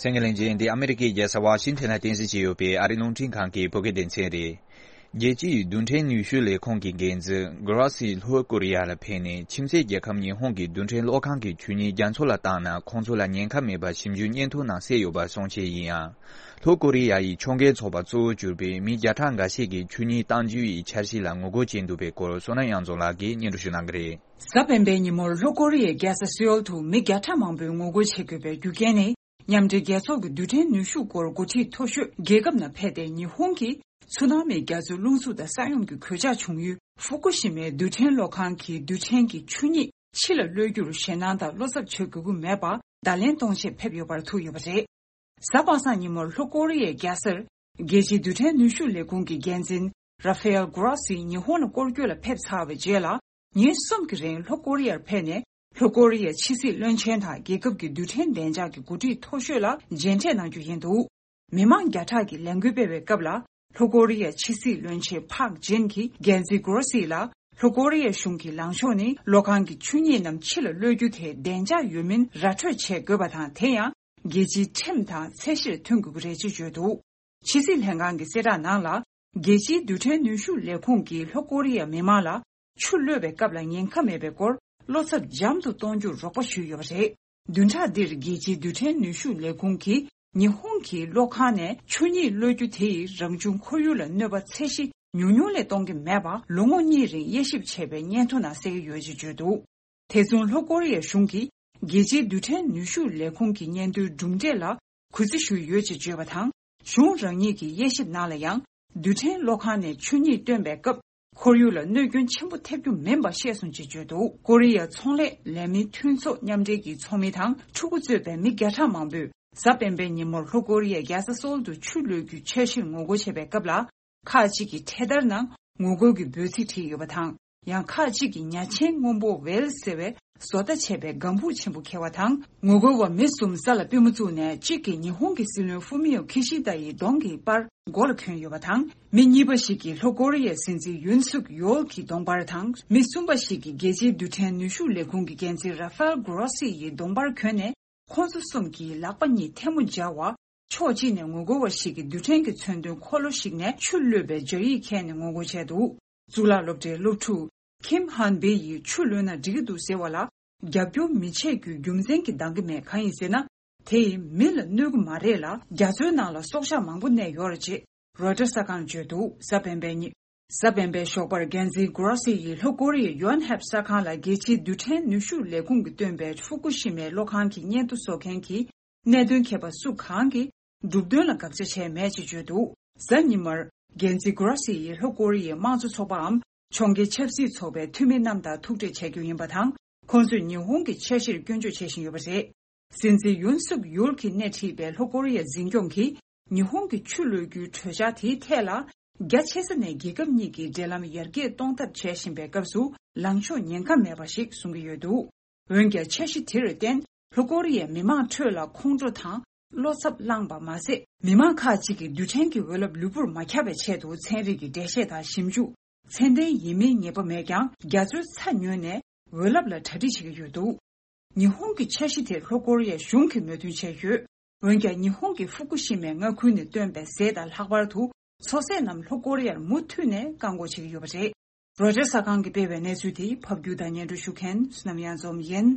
གསན་མཁན་ལྷན་རྒྱས། འདི་ཨ་མི་རི་ཀའི་རྒྱལ་ས་ཝ་ཤིང་ཐན་ལ་རྟེན་གཞི་བྱས་ཡོད་པའི་ཨ་རིའི་རླུང་འཕྲིན་ཁང་གི་བོད་སྐད་སྡེ་ཚན་རེད། རྒྱལ་སྤྱིའི་རྡུལ་ཕྲན་ནུས་ཤུགས་ལས་ཁུངས་ཀྱི་འགན་འཛིན་གྷ་རོ་སི་ལྷོ་ཀོ་རི་ཡ་ལ་ཕེབས་ནས། ཁྱིམ་མཚེས་རྒྱལ་ཁབ་ཉི་ཧོང་གི་རྡུལ་ཕྲན་གློག་ཁང་གི་ཆོས་ཉིད་རྒྱ་མཚོ་ལ་བཏང་ན། ཁོང་ཚོ་ལ་ཉེན་ཁ་མེད་པ་ཞིབ་འཇུག་སྙན་ཐོ་ནང་གསལ་ཡོད་པ་གསུང་བཤད་ཡིན་ཡང་། ལྷོ་ཀོ་རི་ཡ་ཡི་ཕྱོགས་འགལ་ཚོགས་པ་གཙོ་བོར་གྱུར་པའི་མི་བརྒྱ་ཕྲག་འགའ་ཤས་ཀྱིས་ཆོས་ཉིད་གཏང་རྒྱུ་ཡི་འཆར་གཞི་ལ་ངོ་རྒོལ་བྱས་འདུག་པའི་སྐོར། བསོད་ནམས་དབྱངས་འཛོམས་ལགས་ཀྱིས་སྙན་སྒྲོན་ཞུ་གནང་གི་རེད། གཟའ་སྤེན་པའི་ཉིན་མོར་ལྷོ་ཀོ་རི་ཡའི་རྒྱལ་ས་སེའོལ་དུ་མི་བརྒྱ་ཕྲག་མང་པོས་ངོ་རྒོལ་བྱེད་དགོས་པའི་རྒྱུ་རྐྱེན་ནི། མཉམ་འབྲེལ་རྒྱལ་ཚོགས་ཀྱི་རྡུལ་ཕྲན་ནུས་ཤུགས་སྐོར་འགོ་ཁྲིད་མཐོ་ཤོས་རྒྱལ་ཁབ་ནང་ཕེབས་ཏེ། ཉི་ཧོང་གིས་ཚུ་ནང་མིའི་རྒྱ་མཚོའི་རླུང་འཚུབ་དང་ས་ཡོམ་གྱི་གོད་ཆག་བྱུང་ཡུལ་ཧྥུ་ཀུ་ཤི་མའི་རྡུལ་ཕྲན་གློག་ཁང་གི་རྡུལ་ཕྲན་གྱི་ཆུ་གཉིས་ཕྱི་ལ་གློད་རྒྱུར་ཞེད་སྣང་དང་བློ་འཚབ་བྱེད་དགོས་ཀྱི་མེད་པ་བརྡ་ལན་གཏོང་ཆེད་ཕེབས་ཡོད་པར་ཐུག་ཡོད་པ་རེད། གཟའ་པ་སངས་ཉིན་མོར་ལྷོ་ཀོ་རི་ཡའི་རྒྱལ་སར་རྒྱལ་སྤྱིའི་རྡུལ་ཕྲན་ནུས་ཤུགས་ལས་ཁུངས་ཀྱི་འགན་འཛིན་ར་ཧྥེལ་གྷོ་རོ་སི་ཉི་ཧོང་ལ་སྐོར་སྐྱོད་ལ་ཕེབས་ཚར་བའི་རྗེས་ལ། ཉིན་གསུམ་གྱི་རིང་ལྷོ་ཀོ་རི་ཡར་ཕེབས་ནས། ལྷོ་ཀོ་རི་ཡའི་ཕྱི་སྲིད་བློན་ཆེན་དང་རྒྱལ་ཁབ་ཀྱི་རྡུལ་ཕྲན་བདེ་འཇགས་ཀྱི་འགོ་ཁྲིད་མཐོ་ཤོས་ལ་མཇལ་འཕྲད་གནང་རྒྱུ་ཡིན་འདུག། མི་མང་བརྒྱ་ཕྲག་གིས་ལས་འགུལ་སྤེལ་བའི་སྐབས་ལ། ལྷོ་ཀོ་རི་ཡའི་ཕྱི་སྲིད་བློན་ཆེན་ཕག་ཇིན་གྱིས་འགན་འཛིན་གྷོ་རོ་སི་ལ། ལྷོ་ཀོ་རི་ཡའི་གཞུང་གི་ལངས་ཕྱོགས་ནི། གློག་ཁང་གི་ཆུ་གཉིས་རྣམས་ཕྱི་ལ་གློད་རྒྱུ་དེ་བདེ་འཇགས་ཡོད་མིན་ར་འཕྲོད་བྱེད་དགོས་པ་དང་། དེ་ཡང་རྒྱལ་སྤྱིའི་ཁྲིམས་དང་ཚད་གཞིར་མཐུན་དགོས་ཀྱི་རེད་ཅེས་བརྗོད་འདུག། ཕྱི་སྲིད་ལྷན་ཁང་གི་གསལ་བསྒྲགས་ནང་ལ། རྒྱལ་སྤྱིའི་རྡུལ་ཕྲན་ནུས་ཤུགས་ལས་ཁུངས་ཀྱིས་ལྷོ་ཀོ་རི་ཡའི་མི་མང་ལ་ཆུ་གློད་པའི་སྐབས་ལ་ཉེན་ཁ་མེད་པའི་སྐོར་བློ་འཚབ་འཇམ་དུ་གཏོང་རྒྱུར་རོགས་པ་ཞུས་ཡོད་པ་རེད། བདུན་ཕྲག་འདིར་རྒྱལ་སྤྱིའི་རྡུལ་ཕྲན་ནུས་ཤུགས་ལས་ཁུངས་ཀྱིས་ཉི་ཧོང་གི་གློག་ཁང་ནས་ཆུ་གཉིས་གློད་རྒྱུ་དེ་ཡིས་རང་བྱུང་ཁོར་ཡུག་ལ་གནོད་པ་ཚད་གཞི་ཉུང་ཉུང་ལས་གཏོང་གི་མེད་པ་ལོ་ངོ་གཉིས་རིང་དབྱེ་ཞིབ་བྱས་པའི་སྙན་ཐོ་ནང་གསལ་གྱི་ཡོད་ཅེས་བརྗོད་འདུག། དེ་མཚུངས་ལྷོ་ཀོ་རི་ཡའི་གཞུང་གིས་རྒྱལ་སྤྱིའི་རྡུལ་ཕྲན་ནུས་ཤུགས་ལས་ཁུངས་ཀྱི་སྙན་ཐོའི་གྲུབ་འབྲས་ལ་གུས་བརྩི་ཞུས་ཡོད་ཅེས་བརྗོད་པ་དང་། གཞུང་རང་ཉིད་ཀྱི་དབྱེ་ཞིབ་ནང་ལ་ཡང་། རྡུལ་ཕྲན་གློག་ཁང་ནས་ཆུ་གཉིས་བཏོན་པའི་སྐབས། ཁོར་ཡུག་ལ་གནོད་སྐྱོན་ཆེན་པོ་ཐེབས་རྒྱུ་མིན་པ་བཤད་སོང་ཅེས་བརྗོད་འདུག། ཀོ་རི་ཡ་ཚོང་ལས་ལས་མིའི་མཐུན་ཚོགས་མཉམ་འབྲེལ་གྱི་ཚོགས་མི་དང་ཕྲུ་གུ་གཙོས་པའི་མི་བརྒྱ་ཕྲག་མང་པོས་གཟའ་སྤེན་པའི་ཉིན་མོར་ལྷོ་ཀོ་རི་ཡའི་རྒྱལ་ས་སོལ་དུ་ཆུ་གློད་རྒྱུའི་འཆར་གཞིར་ངོ་རྒོལ་བྱེད་པའི་སྐབས་ལ། ཁག་ཅིག་གིས་འཕྲེད་དར་ནང་ངོ་རྒོལ་གྱི་འབོད་ཚིག་བྲིས་ཡོད་པ་དང་། ཡང་ཁག་ཅིག་གིས་ཉ་ཆེན་སྔོན་པོ་ཝེལ་ཟེར་བའི་བཟོ་ལྟ་བྱས་པའི་ལྒང་ཕུག་ཆེན་པོ་འཁྱེར་བ་དང་། ངོ་རྒོལ་བ་མི་གསུམ་ས་ལ་པུས་མོ་བཙུགས་ནས། གཅིག་གིས་ཉི་ཧོང་གི་སྲིད་བློན་ཧྥུ་མི་ཡོ་ཁི་ཤི་ད་ཡི་གདོང་གི་པར་མགོ་ལ་གྱོན་ཡོད་པ་དང་། མི་གཉིས་པ་ཞིག་གིས་ལྷོ་ཀོ་རི་ཡའི་སྲིད་འཛིན་ཡུན་སུག་ཡོལ་གྱི་གདོང་པར་དང་། མི་གསུམ་པ་ཞིག་གིས་རྒྱལ་སྤྱིའི་རྡུལ་ཕྲན་ནུས་ཤུགས་ལས་ཁུངས་ཀྱི་འགན་འཛིན་ར་ཧྥེལ་གྷོ་རོ་སི་ཡི་གདོང་པར་གྱོན་ནས། ཁོང་ཚོ་གསུམ་གྱིས་ལག་པ་གཉིས་ཐལ་མོ་སྦྱར་བ། ཕྱོགས་གཅིག་ནས་ངོ་རྒོལ་བ་ཞིག་གིས་རྡུལ་ཕྲན་གྱི་མཚོན་དོན་འཁོར་ལོ་ཞིག་ནས་ཆུ་གློད་པའི་སྦྱར་ཡིག་འཁྱེར་ནས་ངོ་རྒོལ་བྱས་འདུག། གཙུག་ལག་སློབ་གྲྭའི་སློབ་ཕྲུག་ཁིམ་ཧན་བེ་ཡིས་ཆུ་གློད་ན་འགྲིག་གི་འདུག་ཟེར་བ་ལ། རྒྱབ་སྐྱོར་མི་བྱེད་རྒྱུའི་རྒྱུ་མཚན་གྱིས་འདང་གི་མེད། གང་ཡིན་ཟེར་ན། དེ་ཡིས་མི་ལ་གནོད་ཀྱི་མ་རེད་ལ། རྒྱ་མཚོའི་ནང་ལ་སྲོག་ཆགས་མང་པོ་གནས་ཡོད་རེད་ཅེས་རོའི་ཊར་གསར་ཁང་ལ་བརྗོད་འདུག། གཟའ་སྤེན་པའི་ཉིན། གཟའ་སྤེན་པའི་ཞོགས་པར་འགན་འཛིན་གྷོ་རོ་སི་ཡིས་ལྷོ་ཀོ་རི་ཡའི་ཡོན་ཧེབ་གསར་ཁང་ལ་རྒྱལ་སྤྱིའི་རྡུལ་ཕྲན་ནུས་ཤུགས་ལས་ཁུངས་ཀྱིས་བཏོན་པའི་ཧྥུ་ཀུ་ཤི་མའི་གློག་ཁང་གི་སྙན་ཐོ་བཟོ་མཁན་གྱི་གནད་དོན་མཁས་པ་སུ་གང་གིས་ གྲུབ་དོན་ལ་དགག་བྱ་བྱས་མེད་ཅེས་བརྗོད་འདུག། གཟའ་ཉི་མར་རྒན་ཛི་གྷི་རོ་སི་ཡིས་ལྷོ་ཀོ་རི་ཡའི་དམངས་གཙོ་ཚོགས་པའམ་ཕྱོགས་འགལ་ཆབ་སྲིད་ཚོགས་པའི་འཐུས་མི་རྣམས་དང་ཐུག་འཕྲད་བྱ་རྒྱུ་ཡིན་པ་དང་། ཁོང་ཚོས་ཉི་ཧོང་གི་འཆར་གཞིར་སྐྱོན་བརྗོད་བྱེད་བཞིན་ཡོད་པ་རེད། སྲིད་འཛིན་ཡུན་སུག་ཡུལ་གྱིས་སྣེ་ཁྲིད་པའི་ལྷོ་ཀོ་རི་ཡ་འཛིན་སྐྱོང་གིས་ཉི་ཧོང་གི་ཆུ་གློད་རྒྱུའི་གྲོས་འཆར་དེའི་ཐད་ལ། རྒྱ་ཆེ་ས་ནས་རྒྱལ་ཁབ་གཉིས་ཀྱི་འབྲེལ་ལམ་ཡར་རྒྱས་གཏོང་ཐབས་བྱེད་བཞིན་པའི་སྐབས་སུ་ལངས་ཕྱོགས་ཉེན་ཁ་མེད་པ་ཞིག་བཟུང་གི་ཡོད་འདུག། འོན་ཀྱང་། འཆར་གཞི་དེར་བརྟེན། ལྷོ་ཀོ་རི་ཡའི་མི་མང་ཁྲོད་ལ་ཁོང་ཁྲོ་དང་བློ་འཚབ་བསླངས་པ་མ་ཟད། མི་མང་ཁག་ཅིག་གིས་རྡུལ་ཕྲན་གྱི་འོད་རླབས་ལུས་པོར་མ་ཁྱབ་པའི་ཆེད་དུ་ཚན་རིག་གི་འགྲེལ་བཤད་དང་ཞིབ་འཇུག། ཚད་ལྡན་ཡིན་མིན་ངེས་པ་མེད་ཀྱང་། རྒྱ་མཚོའི་ཚ་ཉུལ་ནས་འོད་རླབས་ལ་གྲ་སྒྲིག་བྱེད་ཀྱི་ཡོད་འདུག། ཉི་ཧོང་གི་འཆར་གཞི་དེར་ལྷོ་ཀོ་རི་ཡ་གཞུང་གིས་མོས་མཐུན་བྱས་ཡོད། འོན་ཀྱང་། ཉི་ཧོང་གི་ཧྥུ་ཀུ་ཤི་མའི་མངའ་ཁུལ་ནས་བཏོན་པའི་ཟས་དང་། ལྷག་པར་དུ་མཚོ་ཟས་རྣམས་ལྷོ་ཀོ་རི་ཡར་མུ་མཐུད་ནས་བཀག་འགོག་བྱེད་ཀྱི་ཡོད་པ་རེད། རོའི་ཊར་གསར་ཁང་གིས་སྤེལ་བའི་གནས་ཚུལ་དེ་ཕབ་སྒྱུར་དང་སྙན་སྒྲོན་ཞུ་མཁན་བསོད་ནམས་གཡང་འཛོམས་ཡིན།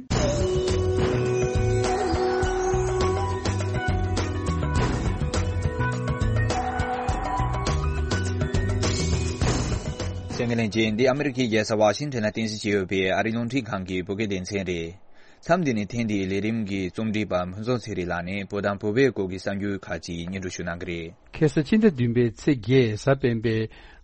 གསན་མཁན་ལྷན་རྒྱས། འདི་ཨ་མི་རི་ཀའི་རྒྱལ་ས་ཝ་ཤིང་ཊོན་ལ་རྟེན་གཞི་བྱས་ཡོད་པའི་ཨ་རིའི་རླུང་འཕྲིན་ཁང་གི་བོད་སྐད་སྡེ་ཚན་རེད། མཚམས་འདི་ནས་ཐེངས་འདིའི་ལས་རིམ་གྱི་རྩོམ་སྒྲིག་པ་ཕུན་ཚོགས་ཚེ་རིང་ལགས་ནས་བོད་དང་བོད་པའི་སྐོར་གྱི་གསར་འགྱུར་ཁག་ཅིག་སྙན་སྒྲོན་ཞུ་གནང་གི་རེད། ཁ་སང་ཕྱི་ཟླ་བདུན་པའི་ཚེས་བརྒྱད་གཟའ་སྤེན་པའི་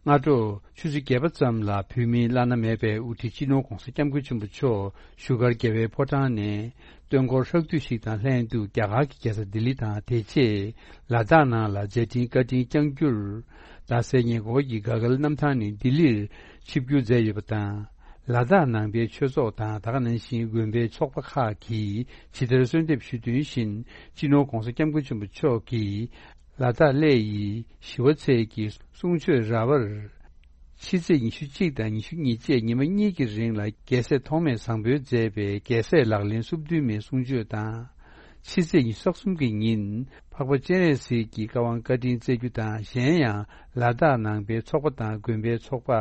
སྔ་དྲོ་ཆུ་ཚོད་བརྒྱད་པ་ཙམ་ལ་བོད་མིའི་བླ་ན་མེད་པའི་དབུ་ཁྲིད་སྤྱི་ནོར་༧གོང་ས་༧སྐྱབས་མགོན་ཆེན་པོ་མཆོག་བཞུགས་སྒར་རྒྱལ་བའི་ཕོ་བྲང་ནས་སྟོན་འཁོར་ཧྲག་བསྡུས་ཤིག་དང་ལྷན་དུ་རྒྱ་གར་གྱི་རྒྱལ་ས་ལྡི་ལི་དང་། དེ་རྗེས་ལ་དྭགས་ནང་ལ་མཛད་འཕྲིན་བཀའ་དྲིན་བསྐྱངས་རྒྱུར། རྡ་སའི་ཉེ་འཁོར་གྱི་ག་གལ་གནམ་ཐང་ནས་ལྡི་ལིར་ཆིབས་བསྒྱུར་མཛད་ཡོད་པ་དང་། ལ་དྭགས་ནང་པའི་ཆོས་ཚོགས་དང་། ད་ག་ནང་བཞིན་དགོན་པའི་ཚོགས་པ་ཁག་གིས་ཇི་ལྟར་གསོལ་འདེབས་ཞུས་དོན་བཞིན། སྤྱི་ནོར་༧གོང་ས་༧སྐྱབས་མགོན་ཆེན་པོ་མཆོག་གིས་ལ་དྭགས་གླེ་ཡི་ཞི་བ་འཚལ་གྱི་གསུང་ཆོས་ར་བར། ཕྱི་ཚེས་ཉི་ཤུ་གཅིག་དང་ཉི་ཤུ་གཉིས་བཅས་ཉི་མ་གཉིས་ཀྱི་རིང་ལ་རྒྱལ་སྲས་ཐོགས་མེད་བཟང་པོས་མཛད་པའི་རྒྱལ་སྲས་ལག་ལེན་སོ་བདུན་མའི་གསུང་ཆོས་དང་། ཕྱི་ཚེས་ཉི་ཤུ་རྩ་གསུམ་གྱི་ཉིན་འཕགས་པ་སྤྱན་རས་གཟིགས་ཀྱི་བཀའ་དབང་བཀའ་དྲིན་སྩལ་རྒྱུ་དང་། གཞན་ཡང་ལ་དྭགས་ནང་པའི་ཚོགས་པ་དང་དགོན་པའི་ཚོགས་པ་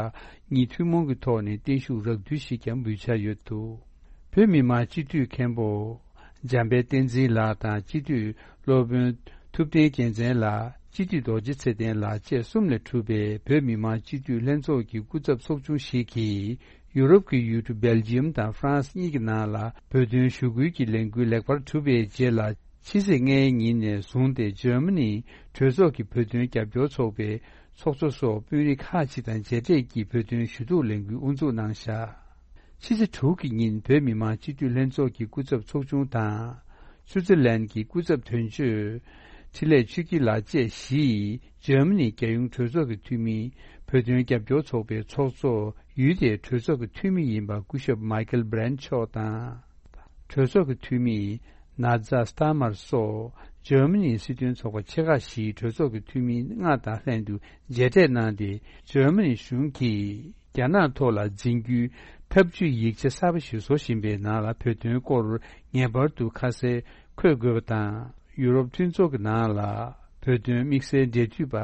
གཉིས་ཐུན་མོང་གི་ཐོག་ནས་བརྟན་བཞུགས་རགས་བསྡུས་ཤིག་ཀྱང་འབུལ་འཆར་ཡོད་འདུག། བོད་མི་མང་སྤྱི་འཐུས་མཁན་པོ་འཇམ་དཔལ་བསྟན་འཛིན་ལགས་དང་། སྤྱི་འཐུས་སློབ་དཔོན་ཐུབ་བསྟན་རྒྱལ་མཚན་ལགས། སྤྱི་འཐུས་རྡོ་རྗེ་ཚེ་བརྟན་ལགས་བཅས་གསུམ་ལས་གྲུབ་པའི་བོད་མི་མང་སྤྱི་འཐུས་ལྷན་ཚོགས་ཀྱི་སྐུ་ཚབ་ཚོགས་ཆུང་ཞིག་གིས། ཡུ་རོབ་ཀྱི་ཡུལ་གྲུ་སྦེལ་ཇི་ཡམ་དང་ཧྥ་རན་སི་གཉིས་ཀྱི་ནང་ལ་བོད་དོན་ཞུ་སྐུལ་གྱི་ལས་འགུལ་ལེགས་པར་གྲུབ་པའི་རྗེས་ལ། ཕྱི་ཚེས་ལྔའི་ཉིན་ནས་བཟུང་སྟེ། འཇར་མ་ནི་གྲོས་ཚོགས་ཀྱི་བོད་དོན་རྒྱབ་སྐྱོར་ཚོགས་པའི་ཚོགས་གཙོ་སོགས་དཔོན་རིགས་ཁག་ཅིག་དང་མཇལ་འཕྲད་ཀྱིས་བོད་དོན་ཞུ་གཏུག་ལས་འགུལ་དབུ་འཛུགས་གནང་བཞག། ཕྱི་ཚེས་དྲུག་གི་ཉིན་བོད་མི་མང་སྤྱི་འཐུས་ལྷན་ཚོགས་ཀྱི་སྐུ་ཚབ་ཚོགས་ཆུང་དང་། སུའུ་ཙེར་ལན་གྱི་སྐུ་ཚབ་དོན་གཅོད་འཕྲིན་ལས་ཆོས་སྐྱིད་ལགས་བཅས་བཞི་ཡིས་འཇར་མ་ནི་རྒྱལ་ཡོངས་གྲོས་ཚོགས་ཀྱི་འཐུས་མི། བོད་དོན་རྒྱབ་སྐྱོར་ཚོགས་པའི་ཚོགས་གཙོ། ཡུལ་དེའི་གྲོས་ཚོགས་ཀྱི་འཐུས་མི་ཡིན་པ་སྐུ་ཞབས་མཱི་ཀལ་བྷི་རན་མཆོག་དང་། གྲོས་ཚོགས་ཀྱི་འཐུས་མི་ན་ཛ་སྟ་མར་སོགས་འཇར་མ་ནིའི་སྲིད་དོན་ཚོགས་པ་ཆེ་ཁག་བཞིའི་གྲོས་ཚོགས་ཀྱི་འཐུས་མི་ལྔ་དང་ལྷན་དུ་མཇལ་འཕྲད་གནང་སྟེ། འཇར་མ་ནི་གཞུང་གིས་རྒྱ་ནག་ཐོག་ལ་འཛིན་རྒྱུའི་ཐབས་ཇུས་ཡིག་ཆ་གསར་པ་ཞིག་བཟོ་བཞིན་པའི་ནང་ལ་བོད་དོན་སྐོར་ངེས་པར་དུ་ཁ་གསལ་འཁོད་དགོས་པ་དང་། ཡུ་རོབ་མཐུན་ཚོགས་ཀྱི་ནང་ལ་བོད་དོན་དམིགས་བསལ་འབྲེལ་མཐུད་པ་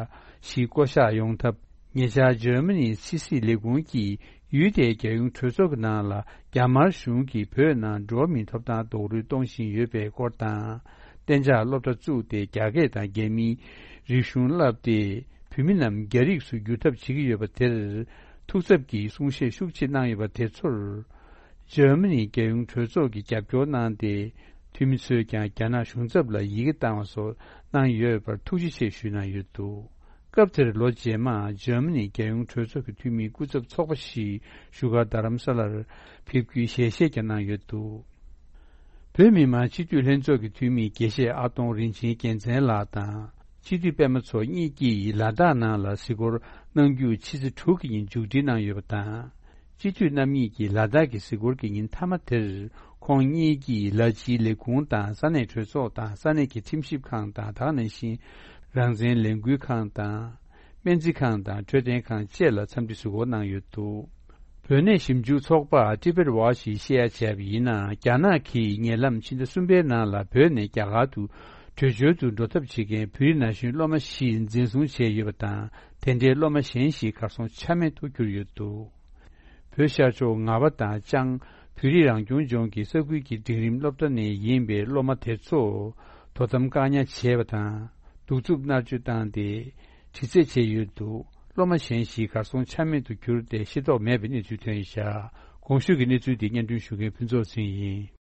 ཞིག་བསྐོ་གཞག་ཡོང་ཐབས། ཉེ་ཆར་འཇར་མ་ནིའི་ཕྱི་སྲིད་ལས་ཁུངས་ཀྱིས་ཡུལ་དེའི་རྒྱལ་ཡོངས་གྲོས་ཚོགས་ཀྱི་ནང་ལ་རྒྱ་དམར་གཞུང་གིས་བོད་ནང་འགྲོ་བ་མིའི་ཐོབ་ཐང་རྡོག་རོལ་གཏོང་བཞིན་ཡོད་པའི་སྐོར་དང་། གཏན་འཇགས་སློབ་གྲྭ་བཙུགས་ཏེ་རྒྱ་སྐད་དང་རྒྱ་མིའི་རིག་གཞུང་བསླབས་ཏེ། བོད་མི་རྣམས་རྒྱ་རིགས་སུ་བསྒྱུར་ཐབས་བྱེད་ཀྱི་ཡོད་པ་དེར་ཐུགས་འཚབ་ཀྱིས་གསུང་བཤད་ཤུགས་ཆེ་གནང་ཡོད་པ་དེ་ཚོར། འཇར་མ་ནིའི་རྒྱལ་ཡོངས་གྲོས་ཚོགས་ཀྱིས་རྒྱབ་སྐྱོར་གནང་སྟེ། འཐུས་མི་ཚོས་ཀྱང་རྒྱ་ནག་གཞུང་ཚབ་ལ་ཡི་གེ་བཏང་བ་སོགས་གནང་ཡོད་པར་ཐུགས་རྗེ་ཆེ་ཞུས་གནང་ཡོད་འདུག། སྐབས་དེར་ལོ་རྗེས་མར་འཇར་མ་ནིའི་རྒྱལ་ཡོངས་གྲོས་ཚོགས་ཀྱི་འཐུས་མིའི་སྐུ་ཚབ་ཚོགས་པ་ཞིག་བཞུགས་སྒར་རྡ་རམ་ས་ལར་ཕེབས་རྒྱུའི་ཞལ་བཞེས་ཀྱང་གནང་ཡོད་འདུག། བོད་མི་མང་སྤྱི་འཐུས་ལྷན་ཚོགས་ཀྱི་འཐུས་མི་དགེ་བཤེས་ཨ་སྟོང་རིན་ཆེན་རྒྱལ་མཚན་ལགས་དང་། སྤྱི་འཐུས་པད་མ་མཚོ་གཉིས་ཀྱིས་ལ་དྭགས་ནང་ལ་གཟིགས་སྐོར་གནང་རྒྱུ་ཕྱི་ཚེས་དྲུག་གི་ཉིན་མཇུག་སྒྲིལ་གནང་ཡོད་པ་དང་། སྤྱི་འཐུས་རྣམ་གཉིས་ཀྱིས་ལ་དྭགས་ཀྱི་གཟིགས་སྐོར་གྱི་ཉིན་མཐའ་མ་དེར། ཁོང་གཉིས་ཀྱིས་ལ་སྤྱིའི་ལས་ཁུངས་དང་། ས་གནས་གྲོས་ཚོགས་དང་། ས་གནས་ཀྱི་ཁྲིམས་ཞིབ་ཁང་དང་། ད་ག་ནང་བཞིན་རང་བཙན་ལས་འགུལ་ཁང་དང་། སྨན་རྩིས་ཁང་དང་འཕྲོད་བསྟེན་ཁང་བཅས་ལ་འཚམས་འདྲི་གཟིགས་སྐོར་གནང་ཡོད་འདུག། བོད་གནས་ཞིབ་འཇུག་ཚོགས་པ་Tibet Watch་ཡིས་བཤད་ཡ་བྱས་པ་ཡིན་ན། རྒྱ་ནག་གིས་ཉེ་ལམ་ཕྱི་ཟླ་གསུམ་པའི་ནང་ལ་བོད་ནས་རྒྱ་གར་དུ་བྲོས་བྱོལ་དུ་འགྲོ་ཐབས་བྱེད་མཁན་བོད་རིགས་ན་གཞོན་སློབ་མ་བཞི་འཛིན་བཟུང་བྱས་ཡོད་པ་དང་། དེ་འདྲའི་སློབ་མ་གཞན་ཞིག་གར་སོང་ཆ་མེད་དུ་གྱུར་ཡོད་འདུག། བོད་ཤར་ཕྱོགས་ངར་པ་དང་ལྕང་བོད་རིགས་རང་སྐྱོང་ལྗོངས་ཀྱི་ས་ཁུལ་གྱི་འབྲིང་རིམ་སློབ་གྲྭ་ནས་ཡིན་པའི་སློབ་མ་དེ་ཚོ་དོ་དམ་བཀག་ཉར་བྱས་པ་དང་། གདུག་རྩུབ་མནར་གཅོད་བཏང་སྟེ་དྲི་རྩད་བྱས་ཡོད་འདུག། སློབ་མ་གཞན་ཞིག་གར་སོང་ཆ་མེད་དུ་གྱུར་ཏེ་ཤེས་རྟོགས་མེད་པའི་གནས་ཚུལ་ཐོན་ཡོད་ཤག། གོང་ཞུས་ཀྱི་གནས་ཚུལ་འདི་སྙན་སྒྲོན་ཞུ་མཁན་ཕུན་ཚོགས་ཚེ་རིང་ཡིན།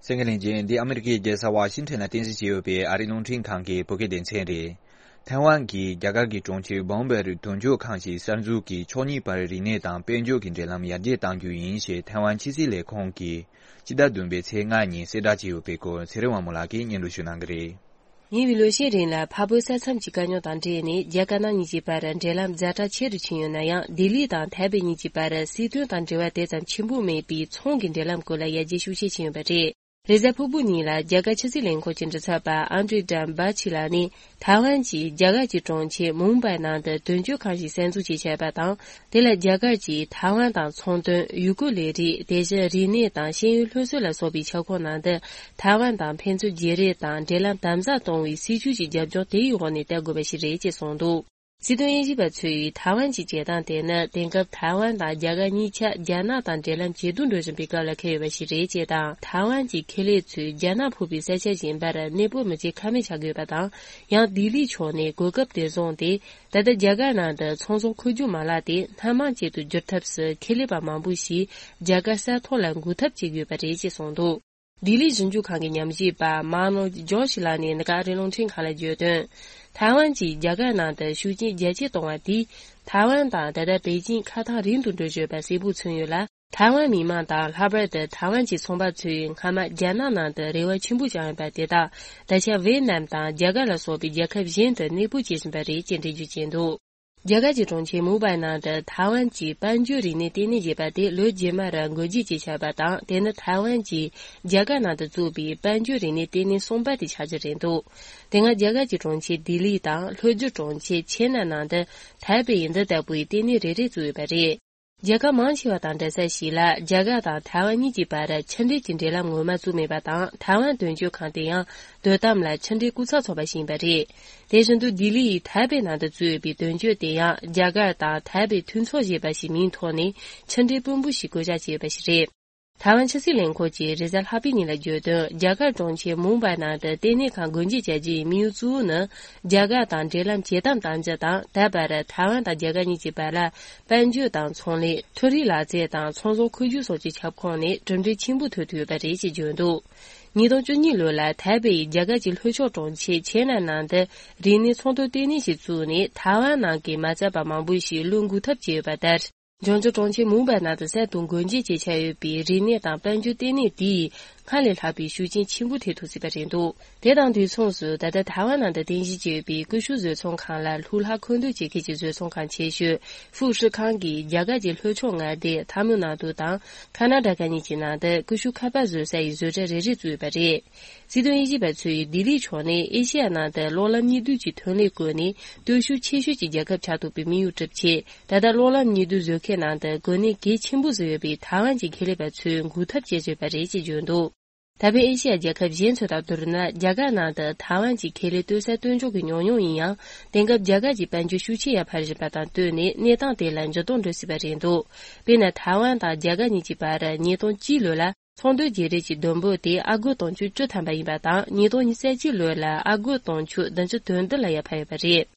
གསན་མཁན་ལྷན་རྒྱས། འདི་ཨ་མི་རི་ཀའི་རྒྱལ་ས་ཝ་ཤིང་ཊོན་ལ་རྟེན་གཞི་བྱས་ཡོད་པའི་ཨ་རིའི་རླུང་འཕྲིན་ཁང་གི་བོད་སྐད་སྡེ་ཚན་རེད། ཐའེ་ཝན་གྱིས་རྒྱ་གར་གྱི་གྲོང་ཁྱེར་བོམ་བེ་རུ་དོན་གཅོད་ཁང་ཞིག་གསར་འཛུགས་ཀྱིས་ཕྱོགས་གཉིས་བར་རིག་གནས་དང་དཔལ་འབྱོར་གྱི་འབྲེལ་ལམ་ཡར་རྒྱས་གཏང་རྒྱུ་ཡིན་ཞེས་ཐའེ་ཝན་ཕྱི་སྲིད་ལས་ཁུངས་ཀྱིས་སྤྱི་ཟླ་བདུན་པའི་ཚེས་ལྔ་ཉིན་གསལ་བསྒྲགས་བྱས་ཡོད་པའི་སྐོར་ཚེ་རིང་དབང་མོ་ལགས་ཀྱིས་སྙན་སྒྲོན་ཞུ་གནང་གི་རེད། ཉེ་བའི་ལོ་ཤས་རིང་ལ་འཕགས་བོད་ས་མཚམས་ཀྱི་དཀའ་རྙོག་དང་འབྲེལ་ནས་རྒྱ་དཀར་ནག་གཉིས་ཀྱི་བར་འབྲེལ་ལམ་ཛ་དྲག་ཆེ་རུ་ཕྱིན་ཡོད་ན་ཡང་། ལྡི་ལི་དང་ཐའེ་པེ་གཉིས་ཀྱི་བར་སྲིད་དོན་དང་འབྲེལ་བ་དེ་ཙམ་ཆེན་པོ་མེད་པའི་ཚོང་གི་འབྲེལ་ལམ་སྐོར་ལ་ཡར་རྒྱས་ཤུགས་ཆེ་ཕྱིན་ཡོད་པ་རེད། རེས་གཟའ་ཕུར་བུ་ཉིན་ལ་རྒྱ་གར་ཕྱི་སྲིད་ལས་ཁུངས་ཀྱི་མགྲིན་ཚབ་པ་ཨན་ཌྲེ་ཌམ་བྷ་ཆི་ལགས་ནས། ཐའེ་ཝན་གྱིས་རྒྱ་གར་གྱི་གྲོང་ཁྱེར་མུམ་བྷའི་ནང་དུ་དོན་གཅོད་ཁང་ཞིག་གསར་འཛུགས་བྱེད་འཆར་བ་དང་། དེ་ལ་རྒྱ་གར་གྱིས་ཐའེ་ཝན་དང་ཚོང་དོན། ཡུལ་སྐོར་ལས་རིགས། དེ་བཞིན་རིག་གནས་དང་ཤེས་ཡོན་སློབ་གསོ་ལ་སོགས་པའི་ཁྱབ་ཁོངས་ནང་དུ་ཐའེ་ཝན་དང་ཕན་ཚུན་བརྗེ་རེས་དང་འབྲེལ་ལམ་དམ་ཟབ་གཏོང་བའི་སྲིད་ཇུས་ཀྱི་རྒྱབ་ལྗོངས་དེ་ཡི་འོག་ནས་བལྟ་དགོས་པ་ཞིག་རེད་ཅེས་གསུངས་འདུག། སྲིད་དོན་དབྱེ་ཞིབ་པ་ཚོས་ཐའེ་ཝན་གྱི་བྱེད་སྟངས་དེ་ནི་དེང་སྐབས་ཐའེ་ཝན་དང་རྒྱ་གར་གཉིས་ཆ་རྒྱ་ནག་དང་འབྲེལ་ལམ་ཇེ་སྡུག་འགྲོ་བཞིན་པའི་སྐབས་ལ་འཁེལ་ཡོད་པ་ཞིག་རེད་ཅེས་དང་། ཐའེ་ཝན་གྱི་ཁེ་ལས་ཚོས་རྒྱ་ནག་ཕུད་པའི་ས་ཆ་གཞན་པར་གནས་སྤོ་མི་བྱེད་ཁ་མེད་ཆགས་ཀྱི་ཡོད་པ་དང་། ཡང་ལྡི་ལི་ཕྱོགས་ནས་གོ་སྐབས་དེ་བཟུང་སྟེ། ད་ལྟ་རྒྱ་གར་ནང་དུ་ཚོང་ཟོང་མཁོ་སྒྲུབ་མ་ལག་དེ་སྣ་མང་ཅན་དུ་བསྒྱུར་ཐབས་སུ་ཁེ་ལས་པ་མང་པོ་ཞིག་རྒྱ་གར་ས་ཐོག་ལ་འགུག་ཐབས་བྱེད་ཀྱི་ཡོད་པ་རེད་ཅེས་གསུངས་འདུག། ལྡི་ལི་ཞིབ་འཇུག་ཁང་གི་ཉམས་ཞིབ་པ་མཱ་ནོ་ཇོ་ཤི་ལགས་ནས་འདི་ག་ཨ་རིའི་རླུང་འཕྲིན་ཁང་ལ་བརྗོད་དོན། ཐའེ་ཝན་གྱིས་རྒྱ་གར་ནང་དུ་ཤུགས་རྐྱེན་རྒྱ་སྐྱེད་གཏོང་བ་དེས། ཐའེ་ཝན་དང་ད་ལྟ་པེ་ཅིང་ཁ་ཐག་རིང་དུ་འགྲོ་བཞིན་ཡོད་པ་གསལ་པོ་མཚོན་ཡོད་ལ། ཐའེ་ཝན་མི་མང་དང་ལྷག་པར་དུ་ཐའེ་ཝན་གྱི་ཚོང་པ་ཚོས་སྔ་མ་རྒྱ་ནག་ནང་དུ་རེ་བ་ཆེན་པོ་བཅངས་ཡོད་པ་དེ་དག་ད་ཆ་ཝེ་ནམ་དང་རྒྱ་གར་ལ་སོགས་པའི་རྒྱལ་ཁབ་གཞན་དུ་གནས་སྤོ་བྱེད་བཞིན་པ་རེད་ཅེས་འགྲེལ་བརྗོད་བྱས་འདུག། རྒྱ་གར་གྱི་གྲོང་ཁྱེར་མུམ་བྷའི་ནང་དུ་ཐའེ་ཝན་གྱི་དཔལ་འབྱོར་རིག་གནས་ལྟེ་གནས་ཞེས་པ་དེ་ལོ་རྗེས་མར་འགོ་འབྱེད་བྱས་བཞག་པ་དང་། དེ་ནི་ཐའེ་ཝན་གྱིས་རྒྱ་གར་ནང་དུ་བཙུགས་པའི་དཔལ་འབྱོར་རིག་གནས་ལྟེ་གནས་གསུམ་པ་དེ་ཆགས་རྒྱུ་རེད་འདུག། དེ་སྔ་རྒྱ་གར་གྱི་གྲོང་ཁྱེར་ལྡི་ལི་དང་ལྷོ་རྒྱུད་གྲོང་ཁྱེར་ཆེ་ནན་ནང་དུ་ཐའེ་པེ་ཡི་འདི་ལྟ་བུའི་ལྟེ་གནས་རེ་རེ་བཙུགས་ཡོད་པ་རེད། རྒྱལ་ཁབ་མང་ཆེ་བ་དང་འདྲ་ས་ཞིག་ལ་རྒྱ་གར་དང་ཐའེ་ཝན་གཉིས་ཀྱི་བར་ཕྱི་འབྲེལ་གྱི་འབྲེལ་ལམ་ངོ་མ་བཙུགས་མེད་པ་དང་། ཐའེ་ཝན་དོན་གཅོད་ཁང་དེ་ཡང་དོ་དམ་ལ་ཕྱི་འབྲེལ་སྐུ་ཚབ་ཚོགས་པ་ཞིག་ཡིན་པ་རེད། དེ་བཞིན་དུ་ལྡི་ལི་ཡི་ཐའེ་པེ་ནང་དུ་བཙུགས་ཡོད་པའི་དོན་གཅོད་དེ་ཡང་རྒྱ་གར་དང་ཐའེ་པེ་མཐུན་ཚོགས་ཞེས་པ་ཞིག་མིང་ཐོག་ནས་ཕྱི་འབྲེལ་དཔོན་པོ་ཞིག་བསྐོ་གཞག་བྱས་ཡོད་པ་ཞིག་རེད། ཐའེ་ཝན་ཕྱི་སྲིད་ལས་ཁུངས་ཀྱིས་རེས་གཟའ་ལྷག་པའི་ཉིན་ལ་བརྗོད་དོན། རྒྱ་གར་གྲོང་ཁྱེར་མུམ་བྷའི་ནང་དུ་ལྟེ་གནས་ཁང་སྒོ་འབྱེད་བྱ་རྒྱུའི་དམིགས་ཡུལ་གཙོ་བོ་ནི། རྒྱ་གར་དང་འབྲེལ་ལམ་ཇེ་དམ་གཏང་རྒྱུ་དང་། ད་བར་ཐའེ་ཝན་དང་རྒྱ་གར་གཉིས་ཀྱི་བར་ལ་དཔལ་འབྱོར་དང་ཚོང་ལས། མཐོ་རིམ་ལག་རྩལ་དང་ཚོང་ཟོག་མཁོ་སྒྱུར་སོགས་ཀྱི་ཁྱབ་ཁོངས་ནས་གྲུབ་འབྲས་ཆེན་པོ་ཐོན་ཐུབ་ཡོད་པ་རེད་ཅེས་བརྗོད་འདུག། ཉིས་སྟོང་བཅུ་གཉིས་ལོ་ལ་ཐའེ་པེ་ཡིས་རྒྱ་གར་གྱི་ལྷོ་ཕྱོགས་གྲོང་ཁྱེར་ཆེ་ནན་ནང་དུ་རིག་གནས་ཚོང་དོན་ལྟེ་གནས་ཤིག་བཙུགས་ནས། ཐའེ་ཝན་ནང་གི་མ་རྩ་པ་མང་པོ་ཞིག་བློས་འགུག་ཐབས་བྱས་ཡོད་པ་ལྟར། འབྱུང་འགྱུར་གྲོང་ཁྱེར་མུམ་བྷའི་ནང་དུ་གསར་དུ་སྒོ་འབྱེད་བྱས་ཆགས་ཡོད་པའི་རིག་གནས་དང་དཔལ་འབྱོར་ལྟེ་གནས་དེས་སྔར་ལས་ལྷག་པའི་ཤུགས་རྐྱེན་ཆེན་པོ་ཐེབས་ཐུབ་སྲིད་པ་རེད་འདུག། དེ་དང་དུས་མཚུངས་སུ། ད་ལྟ་ཐའེ་ཝན་ནང་དུ་རྟེན་གཞི་བྱས་ཡོད་པའི་ཀུ་ཤུ་བཟོ་ཚོང་ཁང་ལ་ལྷུག་ལྷ་མཁོ་འདོན་བྱེད་མཁན་གྱི་བཟོ་ཚོང་ཁང་ཆེ་ཤོས་ཧྥུ་ཧྲི་ཁང་གིས་རྒྱ་གར་གྱི་ལྷོ་ཕྱོགས་མངའ་སྡེ་ཐ་མིལ་ནཱ་ཏུ་དང་ཁ་ན་ཌ་ཀ་གཉིས་ཀྱི་ནང་དུ་ཀུ་ཤུ་ཁ་པར་བཟོ་ས་ཡི་བཟོ་གྲྭ་རེ་རེ་བཙུགས་ཡོད་པ་རེད། སྲིད་དོན་དབྱེ་ཞིབ་པ་ཚོས་ལྡི་ལིའི་ཕྱོགས་ནས་ཨེ་ཤེ་ཡ་ནང་དུ་གློག་ལམ་གཉིས་འདུས་ཀྱི་ཐོན་ལས་བཀོལ་ནས་སྟོབས་ཤུགས་ཆེ་ཤོས་ཀྱི་རྒྱལ་ཁབ་ཆགས་ཐུབ་པའི་དམིགས་ཡུལ་གྲུབ་ཆེད། ད་ལྟ་གློག་ལམ་གཉིས་འདུས་བཟོ་མཁན་ནང་དུ་གོ་གནས་གལ་ཆེན་པོ་བཟུང་ཡོད་པའི་ཐའེ་ཝན་གྱི་ཁེ་ལས་པ་ཚོས་འགུག་ཐབས་བྱེད་བཟོས་པ་རེད་ཅེས་བརྗོད་འདུག། ད་ཕན་ཨེ་ཤེ་ཡ་རྒྱལ་ཁབ་གཞན་ཚོ་དང་བསྡུར་ན། རྒྱ་གར་ནང་དུ་ཐའེ་ཝན་གྱི་ཁེ་ལས་གཏོད་ས་བསྟུན་འཇོག་གི་ཉུང་ཉུང་ཡིན་ཡང་། དེང་སྐབས་རྒྱ་གར་གྱི་དཔལ་འབྱོར་ཤུགས་ཆེ་ཡར་འཕར་བཞིན་པ་དང་བསྟུན་ནས། གནས་སྟངས་དེ་ལ་འགྱུར་ལྡོག་འགྲོ་སྲིད་པ་རེད་འདུག། དཔེར་ན། ཐའེ་ཝན་དང་རྒྱ་གར་གཉིས་ཀྱི་བར་ཉིས་སྟོང་གཅིག་ལོ་ལ་ཚོང་དོན་བརྗེ་རེས་ཀྱི་བསྡོམས་འབོར་དེ་ཨ་སྒོར་དུང་ཕྱུར་བཅུ་ཐམ་པ་ཡིན་པ་དང་། ཉིས་སྟོང་ཉི་ཤུ་རྩ་གཅིག་ལོ་ལ་ཨ་སྒོར་དུང་ཕྱུར་བདུན་ཅུ་དོན་བདུན་ལ་ཡར་འཕར་ཡོད་པ་རེད།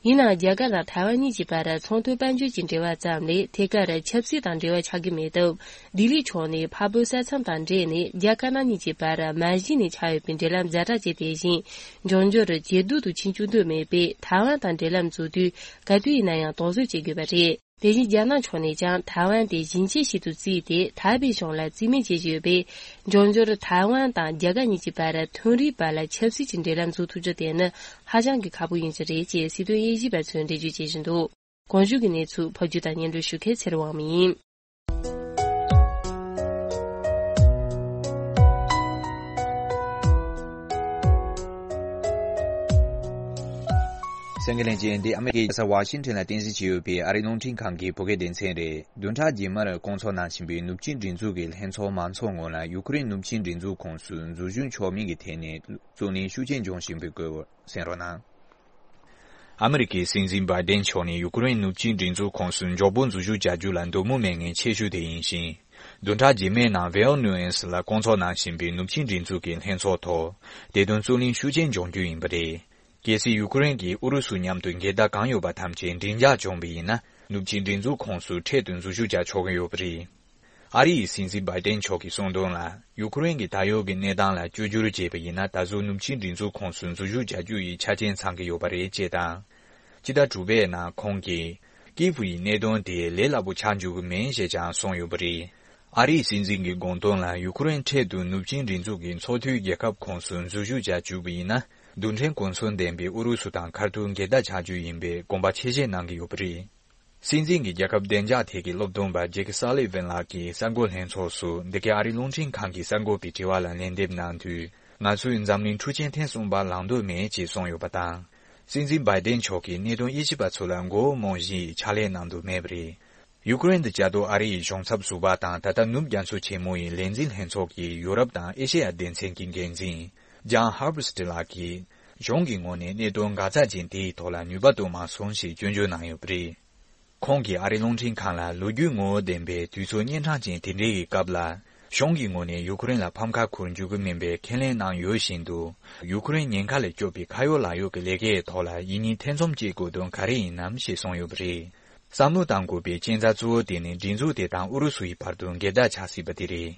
ཡིན་ནའང་། རྒྱ་གར་དང་ཐའེ་ཝན་གཉིས་ཀྱི་བར་ཚོང་དོན་དཔལ་འབྱོར་གྱི་འབྲེལ་བ་ཙམ་ལས། ཐད་ཀར་ཆབ་སྲིད་དང་འབྲེལ་བ་ཆགས་ཀྱི་མེད་སྟབས། ལྡི་ལིའི་ཕྱོགས་ནས་འཕགས་བོད་ས་མཚམས་དང་འབྲེལ་ནས་རྒྱ་དཀར་ནག་གཉིས་ཀྱི་བར་མ་གཞི་ནས་ཆགས་ཡོད་པའི་འབྲེལ་ལམ་ཛ་དྲག་ཅན་དེ་བཞིན་འབྱུང་འགྱུར་ཇེ་སྡུག་ཏུ་ཕྱིན་བཅུག་འདོད་མེད་པས། ཐའེ་ཝན་དང་འབྲེལ་ལམ་འཛུགས་དུས་ག་དུས་ཡིན་ན་ཡང་དོགས་ཟོན་བྱེད་དགོས་པ་རེད། དེ་བཞིན་རྒྱ་ནག་ཕྱོགས་ནས་ཀྱང་ཐའེ་ཝན་དེ་ཞིང་ཆེན་ཞིག་ཏུ་བརྩིས་ཏེ། ཐའེ་པེ་གཞུང་ལ་རྩིས་མེད་བྱེད་བཞིན་ཡོད་པས། འབྱུང་འགྱུར་ཐའེ་ཝན་དང་རྒྱ་གར་གཉིས་ཀྱི་བར་མཐུན་རིག་བར་ལ་ཆབ་སྲིད་ཀྱི་འབྲེལ་ལམ་འཛུགས་ཐུབ་རྒྱུ་དེ་ནི་ཧ་ཅང་གི་ཁག་པོ་ཡིན་རྒྱུ་རེད་ཅེས་སྲིད་དོན་དབྱེ་ཞིབ་པ་ཚོས་འགྲེལ་བརྗོད་བྱེད་བཞིན་འདུག། གོང་ཞུས་ཀྱི་གནས་ཚུལ་ཕབ་སྒྱུར་དང་སྙན་སྒྲོན་ཞུ་མཁན་ཚེ་རིང་དབང་མོ་ཡིན། གསན་མཁན་ལྷན་རྒྱས། འདི་ཨ་མེ་རི་ཀའི་རྒྱལ་ས་ཝ་ཤིང་ཊོན་ལ་རྟེན་གཞི་བྱས་ཡོད་པའི་ཨ་རིའི་རླུང་འཕྲིན་ཁང་གི་བོད་སྐད་སྡེ་ཚན་རེད། བདུན་ཕྲག་རྗེས་མར་བསྐོང་ཚོགས་གནང་བཞིན་པའི་ནུབ་ཕྱོགས་སྒྲིག་འཛུགས་ཀྱི་ལྷན་ཚོགས་མང་ཚོགས་ངོས་ལ་ཡུ་ཀེ་རེན་ནུབ་ཕྱོགས་སྒྲིག་འཛུགས་ཁོངས་སུ་འཛུལ་ཞུགས་ཆོག་མིན་གྱི་ཐད་ནས་རྩོད་གླེང་ཤུགས་ཆེན་འབྱུང་བཞིན་པའི་སྐོར་གསན་རོགས་གནང་། ཨ་མི་རི་ཀའི་སྲིད་འཛིན་བྷའི་ཌེན་མཆོག་ནས་ཡུ་ཀེ་རེན་ནུབ་ཕྱོགས་སྒྲིག་འཛུགས་ཁོངས་སུ་མགྱོགས་པོ་འཛུལ་ཞུགས་བྱ་རྒྱུ་ལ་འདོད་མོས་མེད་མཁན་ཆེ་ཤོས་དེ་ཡིན་ཞིང་། བདུན་ཕྲག་རྗེས་མའི་ནང་ཝེ་ཨོ་ནུ་ཨེན་སི་ལ་བསྐོང་ཚོགས་གནང་བཞིན་པའི་ནུབ་ཕྱོགས་སྒྲིག་འཛུགས་ཀྱི་ལྷན་ཚོགས་ཐོག་དེ་དོན་རྩོད་གླེང་ཤུགས་ཆེན་འབྱུང་རྒྱུ་ཡིན་པ་རེད། གལ་སྲིད་ཡུ་ཀེ་རེན་གྱིས་ཨུ་རུ་སུ་མཉམ་དུ་འགལ་ཟླ་གང་ཡོད་པ་ཐམས་ཅད་མགྲིན་འཇགས་བྱུང་བ་ཡིན་ན། ནུབ་ཕྱོགས་སྒྲིག་འཛུགས་ཁོངས་སུ་འཕྲལ་དུ་འཛུལ་ཞུགས་བྱ་ཆོག་གི་ཡོད་པ་རེད། ཨ་རི་ཡི་སྲིད་འཛིན་བྷའི་ཏན་མཆོག་གིས་གསུངས་དོན་ལ། ཡུ་ཁུ་རེན་གྱི་ད་ཡོད་ཀྱི་གནས་སྟངས་ལ་བཅོས་བསྒྱུར་བྱས་པ་ཡིན་ན། ད་གཟོད་ནུབ་ཆིངས་སྒྲིག་འཛུགས་ཁོངས་སུ་འཛུལ་ཞུགས་བྱ་རྒྱུ་ཡི་ཆ་རྐྱེན་ཚང་གི་ཡོད་པ་རེད་ཅེས་དང་། སྤྱི་ཟླ་དྲུག་པའི་ནང་ཁོང་གིས། ཀིབ་ཡི་གནད་དོན་དེ་ལས་སླ་པོ་ཆགས་འཇུག་གི་མིན་ཞེས་ཀྱང་གསུངས་ཡོད་པ་རེད། ཨ་རིའི་སྲིད་འཛིན་གྱི་དགོངས་དོན་ལ། ཡུ་ཁུ་རེན་འཕྲལ་དུ་ནུབ་ཆིངས་སྒྲིག་འཛུགས་ཀྱི་ཚོགས་འཐུས་རྒྱལ་ཁབ་ཁོངས་སུ་འཛུལ་ཞུགས་བྱ་བཅུག་པ་ཡིན་ན། རྡུལ་ཕྲན་གོ་མཚོན་ལྡན་པའི་ཨུ་རུ་སུ་དང་ཁ་ཐུག་འགལ་ཟླ་ཆགས་རྒྱུ་ཡིན་པའི་དགོངས་པ་ཆེ་བཞེས་གནང་གི་ཡོད་པ་རེད། སྲིད་འཛིན་གྱི་རྒྱལ་ཁབ་བདེ་འཇགས་ཐད་ཀྱི་སློབ་སྟོན་པ་ཇེཀ་སཱ་ལི་ཝན་ལགས་ཀྱིས་གསར་འགོད་ལྷན་ཚོགས་སུ། འདི་གའི་ཨ་རིའི་རླུང་འཕྲིན་ཁང་གི་གསར་འགོད་པའི་དྲི་བ་ལ་ལན་འདེབས་གནང་དུས། ང་ཚོས་འཛམ་གླིང་འཁྲུག་ཆེན་ཐེངས་གསུམ་པ་ལངས་འདོད་མེད་ཅེས་གསུངས་ཡོད་པ་དང་། སྲིད་འཛིན་བྷའི་ཏན་མཆོག་གིས་གནད་དོན་དབྱེ་ཞིབ་པ་ཚོ་ལ་མགོ་བོ་རྨོངས་གཞིའི་ཕྱག་ལས་གནང་འདོད་མེད་པ་རེད། ཡུ་ཀེ་རེན་དུ་བཅའ་སྡོད་ཨ་རི་ཡི་གཞུང་ཚབ་ཟུར་པ་དང་། ད་ལྟ་ནུབ་རྒྱ་མཚོ་ཆེན་མོ་ཡི་ལས་འཛིན་ལྷན་ཚོགས་ཀྱི་ཡུ་རོབ་དང་ཨེ་ཤེ་ཡ་སྡེ་ཚན་གྱི་འགན་འཛིན་ཇཱན་ཧར་བྷར་སི་ལགས་ཀྱིས། གཞུང་གི་ངོས་ནས་གནད་དོན་འགག་རྩ་ཅན་དེའི་ཐོག་ལ་ནུས་པ་གཏོང་མ་སོང་ཞེས་སྐྱོན་བརྗོད་གནང་ཡོད་པ་རེད། ཁོང་གིས་ཨ་རིའི་རླུང་འཕྲིན་ཁང་ལ། ལོ་རྒྱུས་ངོ་བོ་ལྡན་པའི་དུས་ཚོད་གཉན་འཕྲང་ཅན་དེ་འདྲའི་སྐབས་ལ། གཞུང་གི་ངོས་ནས་ཡུ་ཁུ་རེན་ལ་ཕམ་ཁ་འཁུར་འཇུག་གི་མིན་པའི་ཁས་ལེན་གནང་ཡོད་བཞིན་དུ། ཡུ་ཁུ་རེན་ཉེན་ཁ་ལས་སྐྱོབ་པའི་ཁ་ཡོད་ལག་ཡོད་ཀྱི་ལས་ཀའི་ཐོག་ལ་ཡིན་ཉིན་ཐེ་ཚོམ་སྐྱེ་དགོས་དོན་ག་རེ་ཡིན་ནམ་ཞེས་གསུངས་ཡོད་པ་རེད། བསམ་བློ་གཏང་དགོས་པའི་རྐྱེན་རྩ་གཙོ་བོ་དེ་ནི། སྒྲིག་འཛུགས་དེ་དང་ཨུ་རུ་སུ་ཡི་བར་དུ་འགལ་ཟླ་ཆགས་སྲིད་པ་དེ་རེད།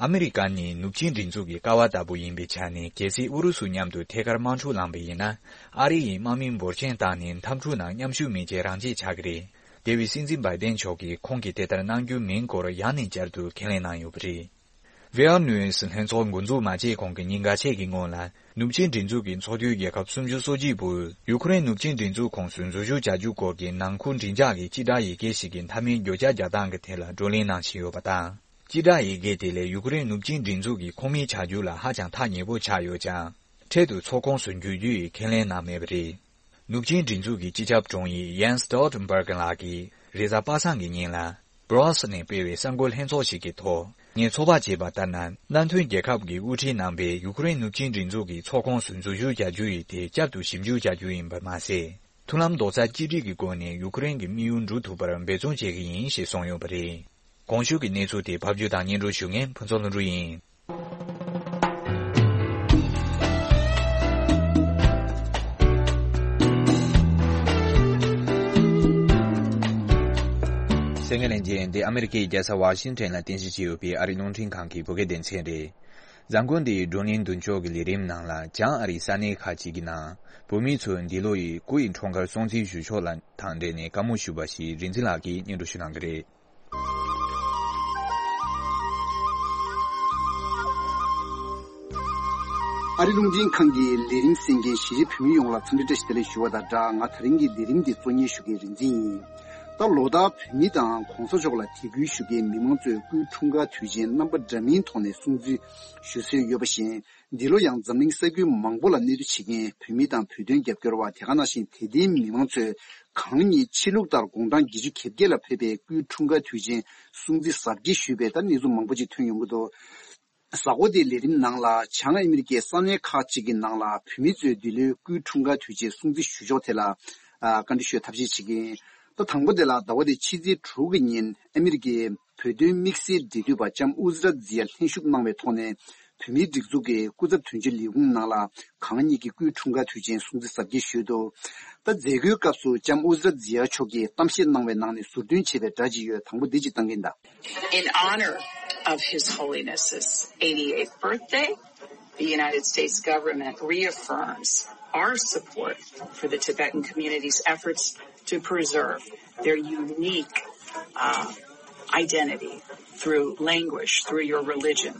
ཨ་མི་རི་ཀ་ནི་ནུབ་ཆིངས་སྒྲིག་འཛུགས་ཀྱི་ཀ་བ་ལྟ་བུ་ཡིན་པའི་ཆ་ནས། གལ་སྲིད་ཨུ་རུ་སུ་མཉམ་དུ་ཐད་ཀར་དམག་འཁྲུག་ལངས་པ་ཡིན་ན། ཨ་རི་ཡིས་དམག་མི་འབོར་ཆེན་བཏང་ནས་འཐབ་འཁྲུག་ནང་མཉམ་ཞུགས་མེད་ཅེས་རང་བརྗེད་ཆགས་ཀྱི་རེད། དེ་བས་སྲིད་འཛིན་བྷའི་ཏན་མཆོག་གིས་ཁོང་གིས་དེ་ལྟར་གནང་རྒྱུ་མིན་སྐོར་ཡང་ནས་བསྐྱར་དུ་ཁས་ལེན་གནང་ཡོད་པ་རེད། ཝེ་ཨར་ནུས་ལྷན་ཚོགས་འགོ་འཛུགས་མ་བྱས་གོང་གི་ཉིན་འགའ་ཤས་ཀྱི་སྔོན་ལ། ནུབ་ཆིངས་སྒྲིག་འཛུགས་ཀྱི་ཚོགས་འཐུས་རྒྱལ་ཁབ་སུམ་ཅུ་སོ་གཅིག་པོས་ཡུ་ཁུ་རེན་ནུབ་ཆིངས་སྒྲིག་འཛུགས་ཁོངས་སུ་འཛུལ་ཞུགས་བྱ་རྒྱུ་སྐོར་གྱི་ནང་ཁུལ་མགྲིན་ཚབ་ཀྱི་སྤྱི་བསྒྲགས་ཡི་གེ་ཞིག་གི་མཐའ་མའི་བརྗོད་བྱ་རྒྱག་སྟངས་ཀྱི་ཐད་ལ་བགྲོ་གླེང་གནང་བཞིན་ཡོད་པ་དང་། སྤྱི་བསྒྲགས་ཡི་གེ་དེ་ལས་ཡུ་ཁུ་རེན་ནུབ་ཆིངས་སྒྲིག་འཛུགས་ཀྱི་ཁོངས་མིའི་བྱ་རྒྱུ་ལ་ཧ་ཅང་ཐག་ཉེ་པོ་ཆགས་ཡོད་ཀྱང་། འཕྲལ་དུ་ཚོགས་ཁོངས་སུ་འཇུག་རྒྱུ་ཡི་ཁས་ལེན་གནང་མེད་པ་རེད། ནུབ་ཆིངས་སྒྲིག་འཛུགས་ཀྱི་སྤྱི་ཁྱབ་དྲུང་ཡིག་ཡན་སི་སྟོལ་ཊེན་བྷར་གྷི་ལགས་ཀྱིས་རེས་གཟའ་པ་སངས་ཀྱི་ཉིན་ལ། སྦྲུ་སེལ་སི་ནས་སྤེལ་བའི་གསར་འགོད་ལྷན་ཚོགས་ཤིག་གི་ཐོག་ངས་ཚོད་དཔག་བྱས་པ་ལྟར་ན། མནའ་མཐུན་རྒྱལ་ཁབ་ཀྱིས་དབུ་ཁྲིད་གནང་པའི་ཡུ་ཁུ་རེན་ནུབ་ཆིངས་སྒྲིག་འཛུགས་ཀྱི་ཚོགས་ཁོངས་སུ་འཛུལ་ཞུགས་བྱ་རྒྱུ་ཡི་ཐད་བསྐྱར་དུ་ཞིབ་འཇུག་བྱ་རྒྱུ་ཡིན་པ་མ་ཟད། མཐུན་ལམ་རྡོག་རྩ་གཅིག་སྒྲིལ་གྱི་སྒོ་ནས་ཡུ་ཁུ་རེན་གྱི་དམིགས་ཡུལ་འགྲུབ་ཐུབ་པར་འབད་བརྩོན་བྱེད་ཀྱི་ཡིན་ཞེས་གསུངས་ཡོད་པ་རེད། གོང་ཞུས་ཀྱི་གནས་ཚུལ་དེ་ཕབ་སྒྱུར་དང་སྙན་སྒྲོན་ཞུ་མཁན་ཕུན་ཚོགས་ལྷུན་གྲུབ་ཡིན། གསན་མཁན་ལྷན་རྒྱས། འདི་ཨ་མི་རི་ཀའི་རྒྱལ་ས་ཝ་ཤིང་ཊོན་ལ་རྟེན་གཞི་བྱས་ཡོད་པའི་ཨ་རིའི་རླུང་འཕྲིན་ཁང་གི་བོད་སྐད་སྡེ་ཚན་རེད། གཟའ་འཁོར་འདིའི་བགྲོ་གླེང་མདུན་ལྕོག་གི་ལས་རིམ་ནང་ལ། བྱང་ཨ་རིའི་ས་གནས་ཁག་ཅིག་གི་ནང་བོད་མི་ཚོས་འདི་ལོ་ཡི་སྐུ་ཡི་འཁྲུངས་སྐར་སྲུང་བརྩི་ཞུ་ཕྱོགས་ལ་དང་འབྲེལ་ནས་བཀའ་མོལ་ཞུས་པ་ཞིག་རིག་འཛིན་ལགས་ཀྱིས་སྙན་སྒྲོན་ཞུ་གནང་གི་རེད། ཨ་རི་རླུང་འཕྲིན་ཁང་གི་ལས་རིམ་གསན་མཁན་གཞིས་བྱེས་བོད་མི་ཡོངས་ལ་འཚམས་འདྲི་བཀྲ་ཤིས་བདེ་ལེགས་ཞུ་བ་དང་སྦྲགས། ང་དེ་རིང་གི་ལས་རིམ་འདི་གཙོ་གཉེར་ཞུ་མཁན་རིག་འཛིན་ཡིན། ད་ལོ་ལྟར་བོད་མི་དང་གོང་ས་མཆོག་ལ་དད་གུས་ཞུ་མཁན་མི་མང་ཚོས་སྐུའི་འཁྲུངས་སྐར་དུས་ཆེན་རྣམ་པ་འདྲ་མིན་ཐོག་ནས་སྲུང་བརྩི་ཞུ་སྲོལ་ཡོད་པ་བཞིན། འདི་ལོ་ཡང་འཛམ་གླིང་ས་ཁུལ་མང་པོ་ལ་གནས་སྡོད་བྱེད་མཁན་བོད་མི་དང་བོད་དོན་རྒྱབ་སྐྱོར་བ། དེ་ག་ནང་བཞིན་དད་ལྡན་མི་མང་ཚོས་གང་ཉིད་ཆོས་ལུགས་ལྟར་དགུང་གྲངས་བརྒྱད་ཅུ་གྱ་བརྒྱད་ལ་ཕེབས་པའི་སྐུའི་འཁྲུངས་སྐར་དུས་ཆེན་སྲུང་བརྩི་གཟབ་རྒྱས་ཞུས་པའི་ད་གནས་ཚུལ་མང་པོ་ཅིག་ཐོན་ཡོང་གི་འདུག། གཟའ་འཁོར་འདིའི་ལས་རིམ་ནང་ལ་བྱང་ཨ་མི་རི་ཀའི་ས་གནས་ཁག་ཅིག་གི་ནང་ལ་བོད་མི་ཚོས་འདི་ལོའི་སྐུའི་འཁྲུངས་སྐར་དུས་ཆེན་སྲུང་བརྩི་ཞུ་ཕྱོགས་ཐད་ལ། ཨ། བཀའ་འདྲི་ཞུ་ཐབས་ཤེས་བྱེད་ཀྱི་ཡིན། ད་དང་པོ་དེ་ལ་ཟླ་བ་འདིའི་ཕྱི་ཚེས་དྲུག་གི་ཉིན་ཨ་མི་རི་ཀའི་བོད་དོན་དམིགས་བསལ་འབྲེལ་མཐུད་པ་ལྕམ་ཨུ་ཛི་ར་ཛི་ཡ་ལྷན་ཞུགས་གནང་བའི་ཐོག་ནས་བོད་མིའི་སྒྲིག་འཛུགས་ཀྱི་སྐུ་ཚབ་དོན་གཅོད་ལས་ཁུངས་ནང་ལ་གང་ཉིད་ཀྱི་སྐུའི་འཁྲུངས་སྐར་དུས་ཆེན་སྲུང་བརྩི་གཟབ་རྒྱས་ཞུས་འདུག། ད་མཛད་སྒོའི་སྐབས་སུ་ལྕམ་ཨུ་ཛི་ར་ཛི་ཡ་མཆོག་གིས་གཏམ་བཤད་གནང་བའི་ནང་ནས་ཟུར་འདོན་བྱས་པའི་སྒྲ་ཅིག་ཡོད། དང་པོ་འདི་ཅིག་བཏང་གི་ཡིན་ད། In honor of His Holiness's eighty-eighth birthday, the United States government reaffirms our support for the Tibetan community's efforts to preserve their unique, uh, identity through language, through your religion,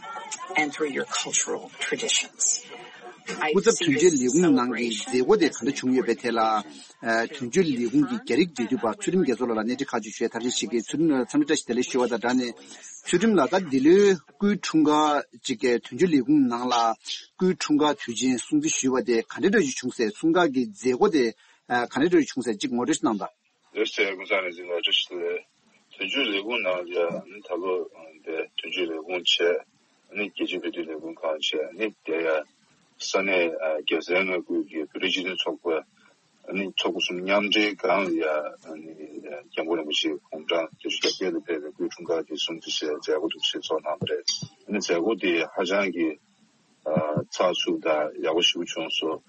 and through your cultural traditions. I see this celebration. སྐུ་ཚབ་དོན་གཅོད་ལས་ཁུངས་ནང་གི་མཛད་སྒོ་དེ་ག་འདྲ་བྱུང་ཡོད་པའི་ཐད་ལ། ཨ། དོན་གཅོད་ལས་ཁུངས་ཀྱི་རྒྱ་རིགས་འབྲེལ་མཐུད་པ་ཚུལ་ཁྲིམས་རྒྱ་མཚོ་ལགས་ལ་གནས་འདྲི་ཁག་ཅིག་ཞུ་ཡ་ཐབས་ཤེས་བྱེད་ཀྱི། ཚུལ་ཁྲིམས་ལགས་འཚམས་འདྲི་བཀྲ་ཤིས་བདེ་ལེགས་ཞུ་བ་དང་སྦྲགས་ནས། ཚུལ་ཁྲིམས་ལགས། ད་འདི་ལོའི་སྐུའི་འཁྲུངས་སྐར་ཅིག་གི་དོན་གཅོད་ལས་ཁུངས་ནང་ལ་སྐུའི་འཁྲུངས་སྐར་དུས་ཆེན་སྲུང་བརྩི་ཞུས་པ་དེ་ག་འདྲ་འདྲ་ཞིག་བྱུང་ཟེར། སྲུང་སྐར་གྱི་མཛད་སྒོ་དེ་ག་འདྲ་འདྲ་ཞིག་བྱུང་ཟེར་ཅིག་ངོ་སྤྲོད་ཞིག་གནང་དང་། ལགས་སོ། ཀུན་བཟང་རིག་འཛིན་ལགས་བཀྲ་ཤིས་བདེ་ལེགས། དོན་གཅོད་ལས་ཁུངས་ནང་ལ་ནི་ད་ལོ་དེ་དོན་གཅོད་ལས་ཁུངས་བྱས། ནི་རྒྱལ་སྤྱིའི་བོད་དོན་ལས་ཁུངས་ཁང་བྱས། ནི་དེ་ཡང་ས་གནས་རྒྱལ་སའི་མངའ་ཁུལ་གྱི་བོད་རིགས་སྤྱི་མཐུན་ཚོགས་པ། ནི་ཚོགས་པ་གསུམ་མཉམ་འབྲེལ་སྒང་ལ་ཡ། ནི་སྐྱབས་མགོན་རིན་པོ་ཆེ་དགུང་གྲངས་བརྒྱད་ཅུ་གྱ་བརྒྱད་ལ་ཕེབས་པའི་སྐུའི་འཁྲུངས་སྐར་དེ་སྲུང་བརྩི་བྱས་མཛད་སྒོ་འདུ་ཤེས་ཚོགས་གནང་བ་རེད། ནི་མཛད་སྒོ་དེ་ཧ་ཅང་གི་ཨ། ཚགས་ཚུད་དང་ཡག་པོ་ཞེ་པོ་བྱུང་སོང་།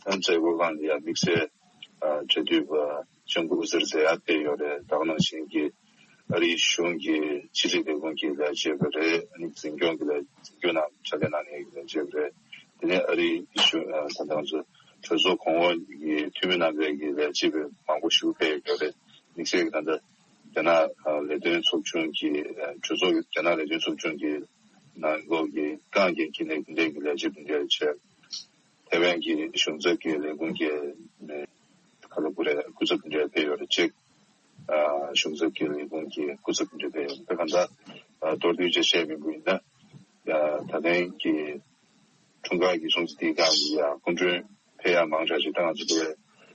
ཨ། མཛད་སྒོའི་སྒང་ལ་ཡ་དམིགས་བསལ་ཨ། འབྲེལ་མཐུད་པ་ལྕམ་སྐུ་ཨུ་ཛི་ར་ཛི་ཡ་ཕེབས་ཡོད་རེད། ད་ག་ནང་བཞིན་གྱི་ ཨ་རིའི་གཞུང་གི་ཕྱི་སྲིད་ལས་ཁུངས་ཀྱི་ལས་བྱེད་པ་རེད། ཨ་ནི་འཛིན་སྐྱོང་གི་ལས་འཛིན་སྐྱོང་ནང་ཕྱག་ལས་གནང་མཁན་གྱི་ལས་བྱེད་པ་རེད། དེ་ནས་ཨ་རིའི་གཞུང་ད་ལྟ་ང་ཚོ་གྲོས་ཚོགས་གོང་འོག་གི་འཐུས་མི་རྣམ་པའི་གི་ལས་བྱེད་པ་མང་པོ་ཞིག་ཕེབས་ཡོད་རེད། དམིགས་བསལ་གྱི་ད་ལྟ་རྒྱ་ནག་ལས་དོན་ཚོགས་ཆུང་གི་གྲོས་ཚོགས་རྒྱ་ནག་ལས་དོན་ཚོགས་ཆུང་གི་ནང་ལོགས་ཀྱི་ཏང་གི་དཀྱིལ་ནས་དེ་འདྲའི་གི་ལས་བྱེད་དེ་འདྲ་བྱས། ཐེ་ཝན་གྱི་གཞུང་ཚབ་ཀྱི་ལས་ཁུངས་ཀྱི་ཁ་ལོ་བུ་རེ་སྐུ་ཚབ་དེ་འདྲ་ཕེབས་ཡོད་རེད། གཅིག་གཞུང་ཚབ་ཀྱི་ལས་ཁུངས་ཀྱི་སྐུ་ཚབ་དེ་འདྲ་ཕེབས་ཡོད་རེད། གང་ལྟར་མདོར་བསྡུས་ཅིག་བཤད་པ་ཡིན་ན། ད་ཐེངས་ཀྱི་འཁྲུངས་སྐར་གྱི་སྲུང་བརྩི་དེའི་སྒང་ལ་ཡ་སྐུ་མགྲོན་ཕེབས་ཡག་མང་དྲགས་ཤིག་ད་ང་ཚོ་དེ་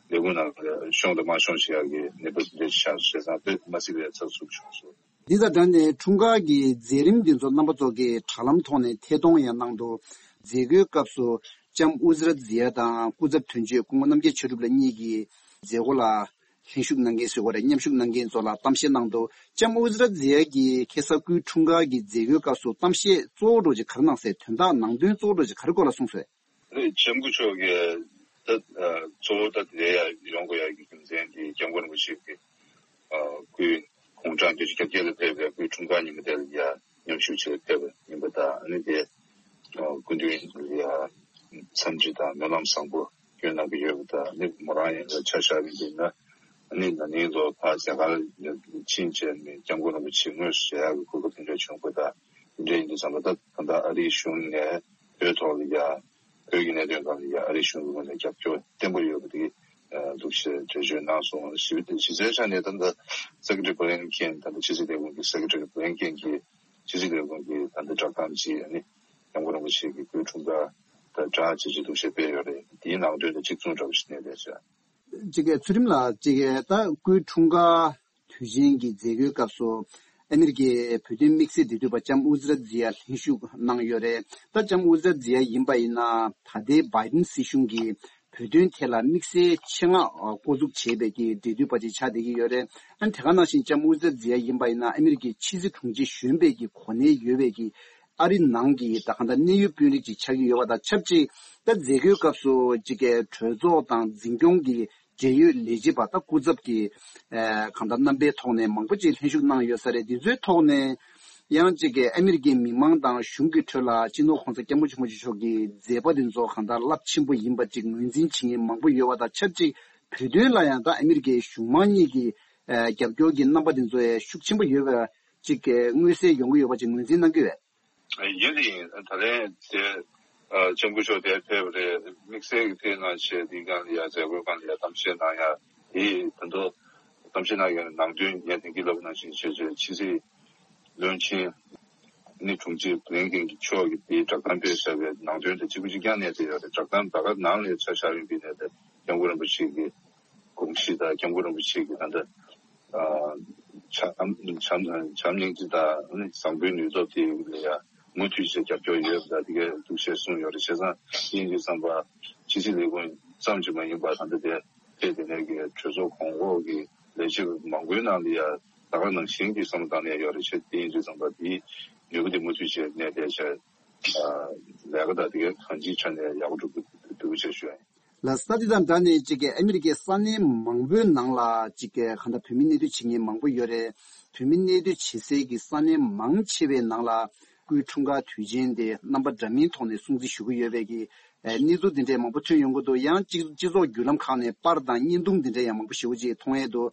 ལས་ཁུངས་ནང་ལ་ཤོང་དང་མ་ཤོང་ཞིག་ཡག་གི་གནས་བབ་དེ་འདྲ་ཞིག་ཆགས་སོང་། བྱས་ཙང་དཔེ་མ་སྲིད་པའི་ཚགས་ཚུད་བྱུང་སོང་། འདི་དང་སྦྲགས་ནས་འཁྲུངས་སྐར་གྱི་མཛད་རིམ་འདི་ཚོ་རྣམ་པ་ཚོ་གིས་དྲ་ལམ་ཐོག་ནས་ཐད་གཏོང་ཡང་གནང་འདུག་མཛད་སྒོའི་སྐབས་སུ་ལྕམ་ཨུ་ཛི་ར་ཛི་ཡ་དང་སྐུ་ཚབ་དོན་གཅོད་སྐུ་ངོ་རྣམ་རྒྱལ་ཆོས་གྲུབ་ལགས་གཉིས་ཀྱིས་མཛད་སྒོ་ལ་ལྷན་ཞུགས་གནང་མཁན་ཟེར་དགོས་རེད། མཉམ་ཞུགས་གནང་མཁན་ཚོ་ལ་གཏམ་བཤད་གནང་འདུག་ལྕམ་ཨུ་ཛི་ར་ཛི་ཡ་གིས་ཁ་སང་སྐུའི་འཁྲུངས་སྐར་གྱི་མཛད་སྒོའི་སྐབས་སུ་གཏམ་བཤད་གཙོ་བོ་འདྲ་ཅིག་ག་རེ་གནང་ཟེར། དོན་དག་ནང་དོན་གཙོ་བོ་འདྲ་ཅིག་ག་རེ་སྐོར་ལ་གསུངས་སོང་། ལྕམ་སྐུ་མཆོག་གིས་ད་གཙོ་བོ་ད་དེ་ལ་ཡ་ཡོང་དགོས་ཡ་གི་རྒྱུ་མཚན་དེ་སྐྱབས་མགོན་རིན་པོ་ཆེ་གི་སྐུའི་དགུང་གྲངས་བརྒྱད་ཅུ་གྱ་བརྒྱད་ལ་ཕེབས་པའི་སྐུའི་འཁྲུངས་སྐར་ཉིན་མོ་དེ་ལ་ཡ་མཉམ་ཞུགས་བྱེད་ཕེབས་པ་ཡིན་པ་དང་། ཨ་ནི་དེ་སྐུ་མདུན་ལ་ཡ་འཚམས་འདྲི་དང་སྨོན་ལམ་བཟང་པོ་སྐྱོན་གནང་གི་ཡོད་པ་དང་། ཨ་ནི་མོ་རང་ཡང་ཆ་བཞག་པ་ཡིན་ན་ཨ་ནི་ན་ནིང་ལོ་ཕར་རྒྱ་གར་ཕྱིན་བྱས་ནས་སྐྱབས་མགོན་རིན་པོ་ཆེ་དངོས་སུ་མཇལ་ཡག་གི་གོ་སྐབས་དེ་འདྲ་བྱུང་བ་དང་། དེ་འདྲ་ཡིན་དུས་ཙམ་པ་ད་ད་ལྟ་ཨ་རིའི་གཞུང་ནས་བོད་ཐོག་ལ་ཡ་བོད་ཀྱི་གནད་དོན་སྒང་ལ་ཡ་ཨ་རིའི་གཞུང་གི་ངོས་ནས་རྒྱབ་སྐྱོར་བརྟན་པོ་ཡོད་པ་དེ་འདུག་ཞེས་འགྲེལ་བརྗོད་གནང་སོང་། གཞི་གཞི་རྩའི་ཆ་ནས་ད་ལྟ་སེ་ཀེ་ཊ་རི་བྷི་ལིན་ཀེན་ད་ལྟ་ཕྱི་སྲིད་ལས་ཁུངས་ཀྱི་སེ་ཀེ་ཊ་རི་བྷི་ལིན་ཀེན་གྱིས་ཕྱི་སྲིད་ལས་ཁུངས་ཀྱི་ད་ལྟ་བསྒྲགས་གཏམ་ཅིག་ཨ་ནི་སྐྱབས་མགོན་རིན་པོ་ཆེ་གི་སྐུའི་འཁྲུངས་སྐར་དང་སྦྲགས་བྱས་ཅིག་འདུག་ཞེས་སྤེལ་ཡོད་རེད། དེའི་ནང་དོན་དང་གཅིག་མཚུངས་འདྲ་བོ་ཞིག་གནས་བསྡད་ཤག་ཅིག་གི་ཚུལ་ཁྲིམས་ལགས་ཅིག་གི་ད་སྐུའི་འཁྲུངས་སྐར་དུས་ཆེན་གྱི་མཛད་སྒོའི་སྐབས་སུ་ཨ་མི་རི་ཀའི་བོད་དོན་དམིགས་བསལ་འབྲེལ་མཐུད་པ་ལྕམ་ཨུ་ཛི་ར་ཛི་ཡ་ལྷན་ཞུགས་གནང་ཡོད་རེད། ད་ལྕམ་ཨུ་ཛི་ར་ཛི་ཡ་ཡིན་པ་ཡིན་ན་ད་ལྟའི་བྷའི་ཌེན་སྲིད་གཞུང་གིས་བོད་དོན་ཐད་ལ་དམིགས་བསལ་ཆེད་མངགས་འགོ་འཛུགས་བྱས་པའི་གི་འབྲེལ་མཐུད་པ་ཅིག་ཆགས་བསྡད་ཀྱི་ཡོད་རེད། ཨ་ནི་དེ་ག་ནང་བཞིན་ལྕམ་ཨུ་ཛི་ར་ཛི་ཡ་ཡིན་པ་ཡིན་ན་ཨ་མི་རི་ཀའི་ཕྱི་སྲིད་དྲུང་ཆེ་གཞོན་པའི་གི་གོ་གནས་ཡོད་པའི་གི་ཨ་རི་ནང་གི་ད་གང་ལྟར་གནད་ཡོད་དཔོན་རིགས་ཅིག་ཆགས་ཀྱི་ཡོད་པ་དང་ཆབས་ཅིག་ད་མཛད་སྒོའི་སྐབས་སུ་ཅིག་གི་གྲོས་ཚོགས་དང་འཛིན་སྐྱོང་གི་འབྲེལ་ཡོད་ལས་བྱེད་པ་ད་སྐུ་ཚབ་ཀྱི་ཨ་གང་ལྟར་རྣམ་པའི་ཐོག་ནས་མང་པོ་ཅིག་ལྷན་ཞུགས་གནང་ཡོད་ས་རེད། འདི་ཚོའི་ཐོག་ནས་ཡང་ཅིག་གི་ཨ་མི་རི་ཀའི་མི་མང་དང་གཞུང་གི་ཁྲོད་ལ་སྤྱི་ནོར་གོང་ས་སྐྱབས་མགོན་ཆེན་པོ་མཆོག་གི་མཛད་པ་འདི་ཚོ་གང་ལྟར་རླབས་ཆེན་པོ་ཡིན་པ་ཅིག་ངོས་འཛིན་བྱེད་མཁན་མང་པོ་ཡོད་པ་དང་ཆབས་ཅིག་བོད་དོན་ལ་ཡང་ད་ཨ་མི་རི་ཀའི་གཞུང་མང་གཉིས་ཀྱི་ཨ་རྒྱབ་སྐྱོར་གྱི་རྣམ་པ་འདི་ཚོ་ཡང་ཤུགས་ཆེན་པོ་ཡོད་པ་ཅིག་མངོན་གསལ་ཡོང་གི་ཡོད་པ་ཅིག་ངོས་འཛིན་གནང་གི་ཡོད། ཡིན་རེད། ད་ལན་དེ་ལྕམ་སྐུ་མཆོག་དེར་ཕེབས་པ་རེད། དམིགས་བསལ་གྱི་དེ་ནང་བཞིན་དེའི་སྒང་ལ་ཡ་མཛད་སྒོའི་སྒང་ལ་ཡ་གཏམ་བཤད་གནང་ཡ་དེ་ད་དུང་གཏམ་བཤད་གནང་ཡ་ནང་དོན་ངས་དེང་གི་ལབ་ནང་བཞིན་བྱས་བྱས་ཕྱི་སྲིད་བློན་ཆེན་ནི་དྲུང་ཆེ་བྷི་ལིན་ཀེན་གྱི་མཆོག་གིས་དེའི་བསྒྲགས་གཏམ་སྤེལ་བཞག་པའི་ནང་དོན་དེ་གཅིག་པུ་གཅིག་རྐྱང་གནས་བསྡད་ཡོད་རེད། བསྒྲགས་གཏམ་ད་ག་ནང་ལ་ཆ་བཞག་ཡོང་དུས་ནས་དེ་སྐྱབས་མགོན་རིན་པོ་ཆེ་གི་དགོངས་གཞི་དང་སྐྱབས་མགོན་རིན་པོ་ཆེ་གི་ད་ལྟ་བྱམས་བྱམས་བྱམས་སྙིང་རྗེ་དང་བཟང་པོའི་ནུས་སྟོབས་དེ་ལ་ཡང་མུ་མཐུད་བྱས་རྒྱབ་སྐྱོར་ཡོད་པ་དང་དེ་གས་འདུག་ཞེས་གསུངས་ཡོད་རེད། བྱས་ཙང་དེ་ཡིན་དུས་ཙམ་པ་ཕྱི་སྲིད་ལས་ཁུངས་ཙམ་གྱིས་མ་ཡིན་པར་ད་ལྟ་དེ་ཕེབས་དེ་ནས་ཀྱི་གྲོས་ཚོགས་གོང་འོག་གི་ལས་བྱེད་པ་མང་པོའི་ནང་ལ་ཡང་ད་ག་ནང་བཞིན་གྱི་བསམ་བློ་བཏང་ནས་ཡོད་རེད། བྱས་དེ་ཡིན་དུས་ཙམ་པ་དེའི་ནུས་པ་དེ་མུ་མཐུད་བྱས་གནས་བསྡད་བྱས་ལས་ཀ་དང་དེ་གས་གང་ཅིའི་ཆ་ནས་ཡག་པོ་འགྲུབ་ཀྱི་འདུག་ཅེས་ཞུ་ཡ་ཡིན། ལགས་སོ། ད་དེ་དང་སྦྲགས་ནས་ཅིག་གི་ཨ་མི་རི་ཀའི་ས་གནས་མང་པོའི་ནང་ལ་ཅིག་གི་གང་ལྟར་བོད་མི་གནས་སྡོད་བྱེད་མཁན་མང་པོ་ཡོད་རེད། བོད་མི་གནས་སྡོད་བྱེད་སའི་གི་ས་གནས་མང་ཆེ་བའི་ནང་ལ་སྐུའི་འཁྲུངས་སྐར་དུས་ཆེན་དེ་རྣམ་པ་འདྲ་མིན་ཐོག་ནས་སྲུང་བརྩི་ཞུ་གི་ཡོད་པའི་གི་ཨ་གནས་ཚུལ་འདི་འདྲའི་མང་པོ་ཐོན་ཡོང་གི་འདུག་ཡང་སྤྱི་སྤྱི་ཚོགས་བརྒྱུད་ལམ་ཁག་ནས་པར་དང་བརྙན་ཐུང་འདི་འདྲའི་ཡང་མང་པོ་ཞེ་པོ་ཅིག་མཐོང་ཡས་འདུག་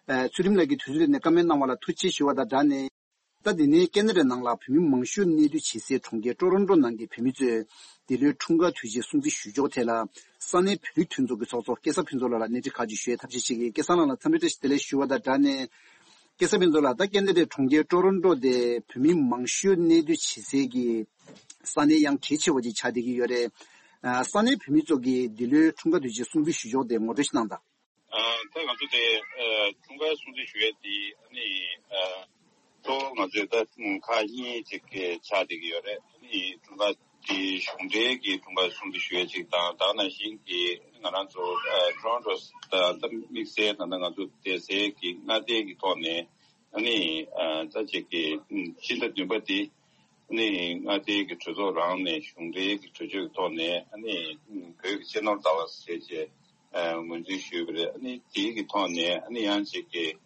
ཨ་ཚུལ་ཁྲིམས་ལགས་ཀྱིས་དུས་ཚོད་ནས་བཀའ་མོལ་གནང་བ་ལ་ཐུགས་རྗེ་ཆེ་ཞུ་བ་དང་སྦྲགས་ནས། ད་དེ་ནས་ཁེ་ན་ཌའི་ནང་ལ་བོད་མི་མང་ཤོས་གནས་སྡོད་བྱེད་སའི་གྲོང་ཁྱེར་ཀྲོ་རོན་ཀྲོ་ནང་གི་བོད་མི་ཚོས་འདི་ལོའི་འཁྲུངས་སྐར་དུས་ཆེན་སྲུང་བརྩི་ཞུ་ཕྱོགས་ཐད་ལ་ས་གནས་བོད་རིགས་མཐུན་ཚོགས་ཀྱི་ཚོགས་གཙོ་སྐལ་བཟང་ཕུན་ཚོགས་ལགས་ལ་སྣེ་ཁྲིད་ཁག་ཅིག་ཞུ་ཡའི་ཐབས་ཤེས་བྱེད་ཀྱི། སྐལ་བཟང་ལགས་ལ་འཚམས་འདྲི་བཀྲ་ཤིས་བདེ་ལེགས་ཞུ་བ་དང་སྦྲགས་ནས། སྐལ་བཟང་ཕུན་ཚོགས་ལགས། ད་ཁེ་ན་ཌའི་གྲོང་ཁྱེར་ཀྲོ་རོན་ཀྲོ་དེ་བོད་མི་མང་ཤོས་གནས་སྡོད་བྱེད་སའི་གི་ས་གནས་ཡང་གལ་ཆེ་བ་ཅིག་ཆགས་བསྡད་ཀྱི་ཡོད་རེད། ཨ་ས་གནས་བོད་མི་ཚོ་གིས་འདི་ལོའི་འཁྲུངས་སྐར་དུས་ཆེན་སྲུང་བརྩི་ཞུ་ཕྱོགས་དེ་ངོ་སྤྲོད་ཞིག་གནང་དང་། ཨ་ད་ང་ཚོ་དེ་ཨ་འཁྲུངས་སྐར་སྲུང་བརྩི་ཞུ་ཡས་དེ་ཨ་ནི་ཨ་གཙོ་བོ་ང་ཚོས་ད་ཁག་གཉིས་ཅིག་གི་ཆགས་བསྡད་ཀྱི་ཡོད་རེད། ཨ་ནི་འཁྲུངས་སྐར་དེ་གཞུང་འབྲེལ་གྱི་འཁྲུངས་སྐར་སྲུང་བརྩི་ཞུ་ཡས་ཅིག་དང་། ད་ག་ནང་བཞིན་གྱི་ང་རང་ཚོ་ཨ་ཊོ་རོན་ཊོ་ད་ད་དམིགས་བསལ་ད་ལྟ་ང་ཚོ་བསྡད་སའི་གི་མངའ་སྡེ་གི་ཐོག་ནས་ཨ་ནི་ཨ་ད་ཅིག་གི་ཕྱི་ཟླ་བདུན་པ་དེ་ནི་མངའ་སྡེ་གི་གྲོས་ཚོགས་རང་ནས་གཞུང་འབྲེལ་གྱི་གྲོས་ཆོད་ཀྱི་ཐོག་ནས་ཨ་ནི་བོད་ཀྱི་གཅེས་ནོར་ཟླ་བ་ཟེར་བྱས་ཨ་ངོས་འཛིན་ཞུས་པ་རེད། ཨ་ནི་དེའི་གི་ཐོག་ནས་ཨ་ནི་ཡང་ཅིག་གི་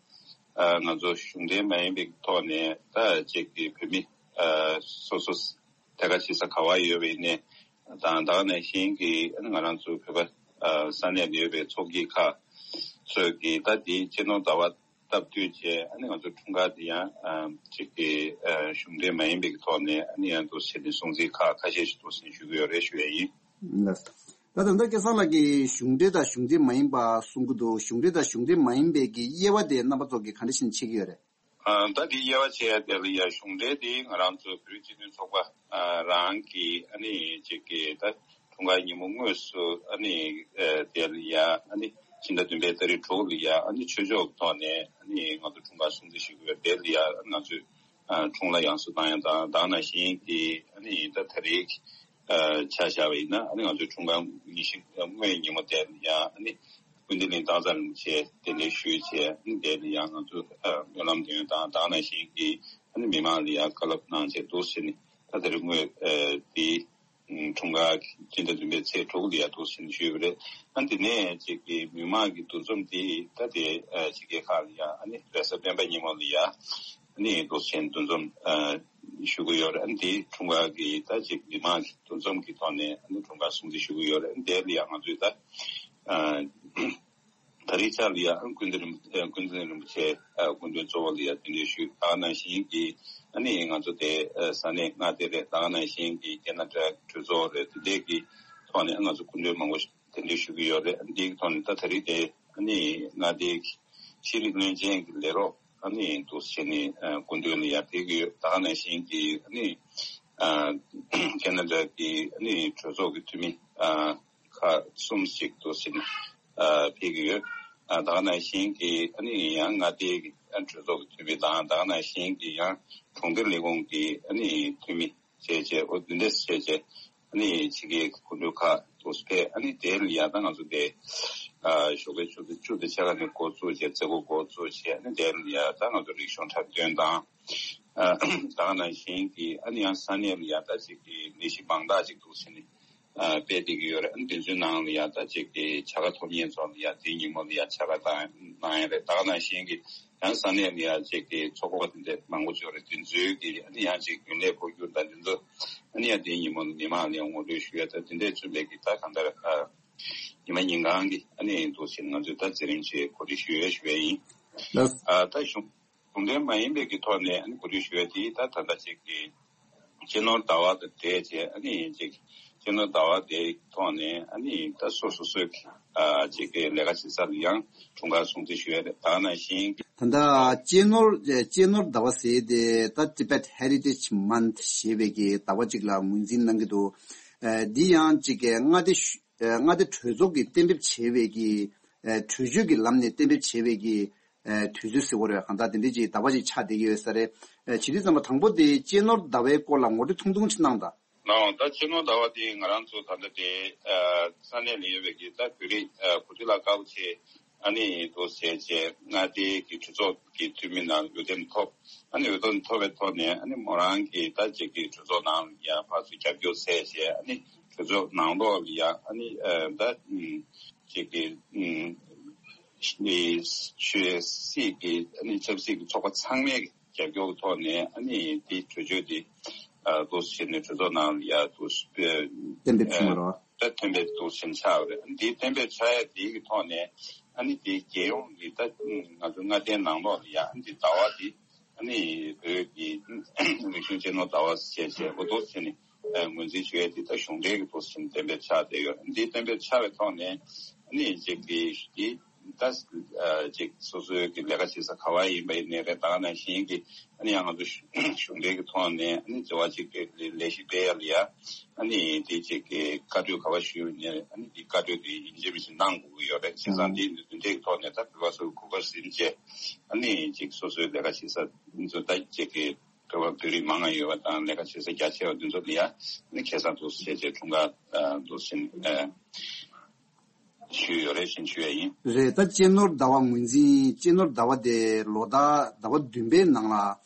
ཨ་ང་ཚོ་གཞུང་འབྲེལ་མ་ཡིན་པའི་ཐོག་ནས་ད་ཅིག་གི་བོད་མི་ཨ་སོ་སོ་ཐད་ཀར་ཆེ་ས་ག་བ་ཡོད་པའི་ནས་དང་ད་ག་ནང་བཞིན་གྱི་ཨ་ནི་ང་རང་ཚོ་བོད་པ་ཨ་ས་གནས་ལ་ཡོད་པའི་ཚོགས་སྐྱིད་ཁག་ཚོས་ཀྱི་ད་དེའི་སྤྱི་ནོར་ཟླ་བ་སྟབས་བསྟུན་བྱས་ཨ་ནི་ང་ཚོ་འཁྲུངས་སྐར་དེ་ཡང་ཨ་ཅིག་གི་ཨ་གཞུང་འབྲེལ་མ་ཡིན་པའི་ཐོག་ནས་ཨ་ནི་ཡང་འདུག་བྱས་ནས་སྲུང་བརྩི་ཁག་ཁ་ཤས་ཤིག་འདུག་བྱས་ནས་ཞུ་གི་ཡོད་རེད་ཞུ་ཡ་ཡིན། ལགས། ད་ད་ལྟ་སྐལ་བཟང་ལགས་ཀྱིས་གཞུང་འབྲེལ་དང་གཞུང་འབྲེལ་མ་ཡིན་པ་གསུང་གི་འདུག་གཞུང་འབྲེལ་དང་གཞུང་འབྲེལ་མ་ཡིན་པའི་གི་དབྱེ་བ་དེ་རྣམ་པ་ཚོ་གིས་ག་འདྲ་ཞིག་བྱེད་ཀྱི་ཡོད་རེད། ཨ་ད་དེ་དབྱེ་བ་ཕྱེ་ཡ་དེ་ལ་ཡ་གཞུང་འབྲེལ་དེ་ང་རང་ཚོ་བོད་རིགས་སྤྱི་མཐུན་ཚོགས་པ་ཨ་རང་གི་ཨ་ནི་ཅིག་གི་ད་འཁྲུངས་སྐར་ཉིན་མོ་དངོས་སུ་ཨ་ནི་ཨ་དེ་ལ་ཡ་ཨ་ནི་ཕྱི་ཟླ་བདུན་པའི་ཏ་རིག་དྲུག་ལ་ཡ་ཨ་ནི་ཆོས་ཕྱོགས་ཐོག་ནས་ཨ་ནི་ང་ཚོ་འཁྲུངས་སྐར་སྲུང་བརྩི་ཞུ་གི་ཡོད། དེ་ལ་ཡ་ང་ཚོས་ཨ་འཁྲུངས་ལྷ་ཡང་གསོལ་བཏང་ཡ་དང་ད་ག་ནང་བཞིན་གྱི་ཨ་ནི་ད་ད་རེས་ཨ་ཆ་བཞག་པ་ཡིན་ན་ཨ་ནི་ང་ཚོའི་འཁྲུངས་སྐར་ཉི་ཤུ་སྔོན་ཉིན་མོ་དེ་ལ་ཡ་ཨ་ནི་ཀུན་བདེ་གླིང་སྟག་འཚེར་རིན་པོ་ཆེ་གདན་འདྲེན་ཞུས་བྱས་ཨ་ནི་དེ་ལ་ཡ་ང་ཚོ་ཨ་སྨོན་ལམ་འདོན་ཡ་དང་ད་ག་ནང་བཞིན་གྱི་ཨ་ནི་མི་མང་ལ་ཡ་བཀའ་སློབ་གནང་བྱས་འདུག་བྱས་ནས་ད་དེ་རིང་དངོས་ཨ་དེ་འཁྲུངས་སྐར་སྤྱི་ཟླ་བདུན་པའི་ཚེས་དྲུག་ལ་ཡ་འདུག་བྱས་ནས་ཞུས་པ་རེད། ཨ་ནི་དེ་ནས་ཅིག་གི་མི་མང་གི་འདུ་འཛོམས་དེ་ད་དེ་ཨ་ཕྱི་རྒྱལ་ཁག་ལ་ཡ་ཨ་ནི་རེས་གཟའ་སྤེན་པ་ཉིན་མོ་ལ་ཡ་ཨ་ནི་འདུག་བྱས་འདུ་འཛོམས་ཨ་ཞུ་གི་ཡོད་རེད། ཨ་ནི་དེ་འཁྲུངས་སྐར་གྱི་ད་ཅིག་མི་མང་གི་འདུ་འཛོམས་ཀྱི་ཐོག་ནས་ཨ་ནི་འཁྲུངས་སྐར་སྲུང་བརྩི་ཞུ་གི་ཡོད་རེད། ཨ་ནི་དེ་ལ་ཡ་ང་ཚོས་ད་ཨ་ད་རེས་ཆ་ལ་ཡ་ཨ་ནི་ཀུན་བདེ་རིན་ཨ་ཀུན་བདེ་རིན་པོ་ཆེ་ཨ་སྐུ་མགྲོན་གཙོ་བོ་ལ་ཡ་གདན་འདྲེན་ཞུས། ད་ག་ནང་བཞིན་གྱི་ཨ་ནི་ང་ཚོ་དེ་ཨ་ས་གནས་མངའ་སྡེ་རེད། ད་ག་ནང་བཞིན་གྱི་ཁེ་ན་ཌ་གྲོས་ཚོགས་རེད། དེ་འདྲས་ཀྱི་ཐོག་ནས་ཨ་ང་ཚོ་སྐུ་མགྲོན་མང་པོ་གདན་འདྲེན་ཞུ་གི་ཡོད་རེད། ཨ་ནི་དེའི་ཐོག་ནས་ད་ད་རེས་དེ་ཨ་ནི་མངའ་སྡེའི་ཤེས་རིག་བློན་ཆེན་གྱི་ལས་རོགས་ཨ་ནི་འདུག་བྱས་ནས་ཨ་སྐུ་མདུན་ལ་ཡར་ཕེབས་ཀྱི་ཡོད། ད་ག་ནང་བཞིན་གྱི་ཨ་ནི་ཨ་ཁེ་ན་ཌ་གི་ཨ་ནི་གྲོས་ཚོགས་ཀྱི་འཐུས་མི་ཨ་ཁག་གསུམ་ཞིག་འདུག་བྱས་ནས་ཨ་ཕེབས་ཀྱི་ཡོད། ཨ་ད་ག་ནང་བཞིན་གྱི་ཨ་ནི་ཡང་མངའ་སྡེའི་གི་ཨ་གྲོས་ཚོགས་ཀྱི་འཐུས་མི་དང་ད་ག་ནང་བཞིན་གྱི་ཡང་གྲོང་སྡེ་ལས་ཁུངས་ཀྱི་ཨ་ནི་འཐུས་མི་བྱས་བྱས་འོ་འདི་འདྲས་བྱས་བྱས་ཨ་ནི་ཕྱི་རྒྱལ་གྱི་སྐུ་མགྲོན་ཁག་འདུག་སེ་ཕེབས། ཨ་ནི་དེ་ལ་ཡ་ད་ང་ཚོ་དེ་ཨ་ཞོགས་པའི་ཆུ་ཚོད་བཅུ་དང་ཕྱེད་ཀ་ནས་འགོ་བཙུགས་བྱས་མཛད་སྒོ་འགོ་བཙུགས་བྱས་ཨ་ནི་དེ་ལ་ཡ་ད་ང་ཚོ་རིག་གཞུང་འཁྲབ་སྟོན་དང་ཨ་ད་ག་ནང་བཞིན་གྱི་ཨ་ནི་ཡང་ས་གནས་ལ་ཡ་ད་ཅིག་གི་ལས་གཞི་མང་དག་ཅིག་འདུག་སེ་ནི་ཨ་སྤེལ་བསྡད་ཀྱི་ཡོད་རེད། ཨ་ནི་དེ་ཚོའི་ནང་ལ་ཡ་ད་ཅིག་གི་བྱ་དགའ་ཐོབ་མཁན་ཚོ་ལ་ཡ་དེའི་ཉིན་མོ་ལ་ཡ་བྱ་དགའ་བཏང་གནང་ཡ་རེད། ད་ག་ནང་བཞིན་གྱི་ཡང་ས་གནས་ལ་ཡ་ཅིག་གི་ཚོགས་པ་དེ་འདྲ་མང་པོ་ཅིག་ཡོད་རེད། དེ་ཚོའི་གི་ཨ་ནི་ཡང་ཅིག་རྒྱུན་ལས་འཁོར་རྒྱུག་དང་དེ་ཚོ་ཨ་ནི་ཡང་དེའི་ཉིན་མོ་ལ་མི་མང་ལ་ཡ་ངོ་སྤྲོད་ཞུ་ཡ་ད་དེ་འདྲས་བཙུན་པའི་གི་ད་གང་ལྟར་ཨ་ཉི་མ་ཉིན་གང་གི་ཨ་ནི་འདུག་སེ་ང་ཚོས་ད་མཛད་རིམ་ཅིག་གོ་སྒྲིག་ཞུ་ཡ་ཞུ་ཡ་ཡིན། ལགས། ཨ་ད་གཞུང་གཞུང་འབྲེལ་མ་ཡིན་པའི་གི་ཐོག་ནས་ཨ་ནི་གོ་སྒྲིག་ཞུ་ཡ་དེ་ད་ད་ལྟ་ཅིག་གི་སྤྱི་ནོར་ཟླ་བ་དང་འབྲེལ་བྱས་ཨ་ནི་ཅིག་སྤྱི་ནོར་ཟླ་བ་དེའི་ཐོག་ནས་ཨ་ནི་ད་སོ་སོ་སོའི་ཨ་ཅིག་གི་ལས་ཀ་བྱེད་ས་ལ་ཡང་འཁྲུངས་སྐར་སྲུང་བརྩི་ཞུ་ཡ་རེད། ད་ག་ནང་བཞིན་གྱི་ད་ལྟ་སྤྱི་ནོར་སྤྱི་ནོར་ཟླ་བ་ཟེར་དེ་ད་Tibet Heritage Month ཞེས་པའི་གི་ཟླ་བ་ཅིག་ལ་ངོས་འཛིན་གནང་གི་འདུག་ཨ་འདི་ཡང་ཅིག་གི་མངའ་སྡེ་ཤུ་ཨ་མངའ་སྡེ་གྲོས་ཚོགས་ཀྱིས་གཏན་འབེབས་བྱས་པའི་གི་ཨ་གྲོས་ཆོད་ཀྱི་ལམ་ནས་གཏན་འབེབས་བྱས་པའི་གི་ཨ་དུས་ཚོད་ཟེར་དགོས་རེད། གང་ལྟར་དེ་འདྲའི་ཅིག་ཟླ་བ་ཅིག་ཆགས་བསྡད་ཀྱི་ཡོད་ས་རེད། ཨ་བྱེད་དུས་ཙམ་པ་དང་པོ་དེ་སྤྱི་ནོར་ཟླ་བའི་སྐོར་ལ་ངོ་སྤྲོད་ཐུང་ཐུང་ཅིག་གནང་དང་། ནའོ་ད་སྤྱི་ནོར་ཟླ་བ་དེ་ང་རང་ཚོ་ད་ལྟ་དེ་ཨ་ས་གནས་ལ་ཡོད་པའི་གི་ད་བོད་རིགས་ཨ་གོ་སྒྲིག་ལ་དཀའ་བོ་ཆེ་ཨ་ནི་འདུག་ཟེར་བྱས་མངའ་སྡེའི་གི་གྲོས་ཚོགས་ཀྱི་འཐུས་མི་ནང་འོས་འདེམས་ཐོབ། ཨ་ནི་འོས་འདེམས་ཐོབ་པའི་ཐོག་ནས་ཨ་ནི་མོ་རང་གི་ད་ཅིག་གི་གྲོས་ཚོགས་ནང་ལ་ཡ་ཕར་ཚུར་རྒྱབ་སྐྱོར་བྱས་བྱས་ཨ་ནི་གྲོས་ཚོགས་ནང་ལོགས་ལ་ཡ་ཨ་ནི་ཨ་ད་ཅིག་གི་ཨ་ནི་ཆོས་སྲིད་ཀྱི་ཨ་ནི་ཆབ་སྲིད་ཀྱི་ཚོགས་པ་ཚང་མའི་རྒྱབ་སྐྱོར་གྱི་ཐོག་ནས་ཨ་ནི་དེ་གྲོས་ཆོད་དེ་ཨ་འདུག་སེ་བྱས་ནས་གྲོས་ཚོགས་ནང་ལ་ཡ་འདུག་སེ་གཏན་འབེབས་བྱུང་བ་རེད་བ། ད་གཏན་འབེབས་འདུག་སེ་བྱས་ནས་ཆགས་པ་རེད། ཨ་ནི་དེ་གཏན་འབེབས་ཆགས་ཡ་དེ་གི་ཐོག་ནས་ཨ་ནི་དེ་རྒྱལ་ཡོངས་ཀྱི་ད་ང་ཚོ་མངའ་སྡེའི་ནང་ལོགས་ལ་ཡ་ཨ་ནི་དེ་ཟླ་བ་དེ་ཨ་ནི་བོད་ཀྱི་རིག་གཞུང་སྤྱི་ནོར་ཟླ་བ་ཞེས་བྱས་འོ་འདུག་སེ་བྱས་ནས་ཨ་ངོས་འཛིན་ཞུ་ཡ་དེ་ད་གཞུང་འབྲེལ་གྱི་འདུག་སེ་བྱས་ནས་གཏན་འབེབས་ཆགས་བསྡད་ཡོད། ཨ་ནི་དེ་གཏན་འབེབས་ཆགས་པའི་ཐོག་ནས་ཨ་ནི་ཅིག་གི་དེ། ད་ཅིག་སོ་སོའི་གི་ལས་ཀ་བྱེད་ས་ག་བ་ཡིན་པ་ཡིན་ནའི་རེད། ད་ག་ནང་བཞིན་གྱི་ཨ་ནི་ཡང་ང་ཚོ་གཞུང་འབྲེལ་གྱི་ཐོག་ནས་ཨ་ནི་འབྲེལ་བ་ཅིག་ལས་གཞི་སྤེལ་ཡ་ལ་ཡ་ཨ་ནི་དེ་ཅིག་གི་བཀའ་འཁྲོལ་ག་བ་ཞུས་ཡོད་ནའི་ཨ་ནི་དེ་བཀའ་འཁྲོལ་དེ་ཡིན་གཅིག་མིན་གཅིག་གནང་དགོས་ཀྱི་ཡོད་རེད། བྱས་ཙང་དེ་འདི་འདྲའི་ཐོག་ནས་ད་བོད་པ་ཚོ་གུས་པ་ཟིན་བྱས་ཨ་ནི་ཅིག་སོ་སོའི་ལས་ཀ་བྱེད་ས་འདི་ཚོ་ད་ཅིག་གི་བོད་པ་བོད་རིགས་མང་ང་ཡོད་པ་དང་ལས་ཀ་བྱེད་ས་རྒྱ་ཆེ་བ་འདི་ཚོ་ལ་ཡ་ཨ་ནི་ཁེ་བཟང་འདུག་སེ་བྱས་བྱས་འཁྲུངས་སྐར་འདུག་སེ་ཨ། ཞུས་ཡོད་རེད་ཞེས་ཞུ་ཡ་ཡིན། རེད། ད་སྤྱི་ནོར་ཟླ་བ་ངོས་འཛིན་སྤྱི་ནོར་ཟླ་བ་དེ་ལོ་ཟླ་ཟླ་བ་བདུན་པའི་ནང་ལ་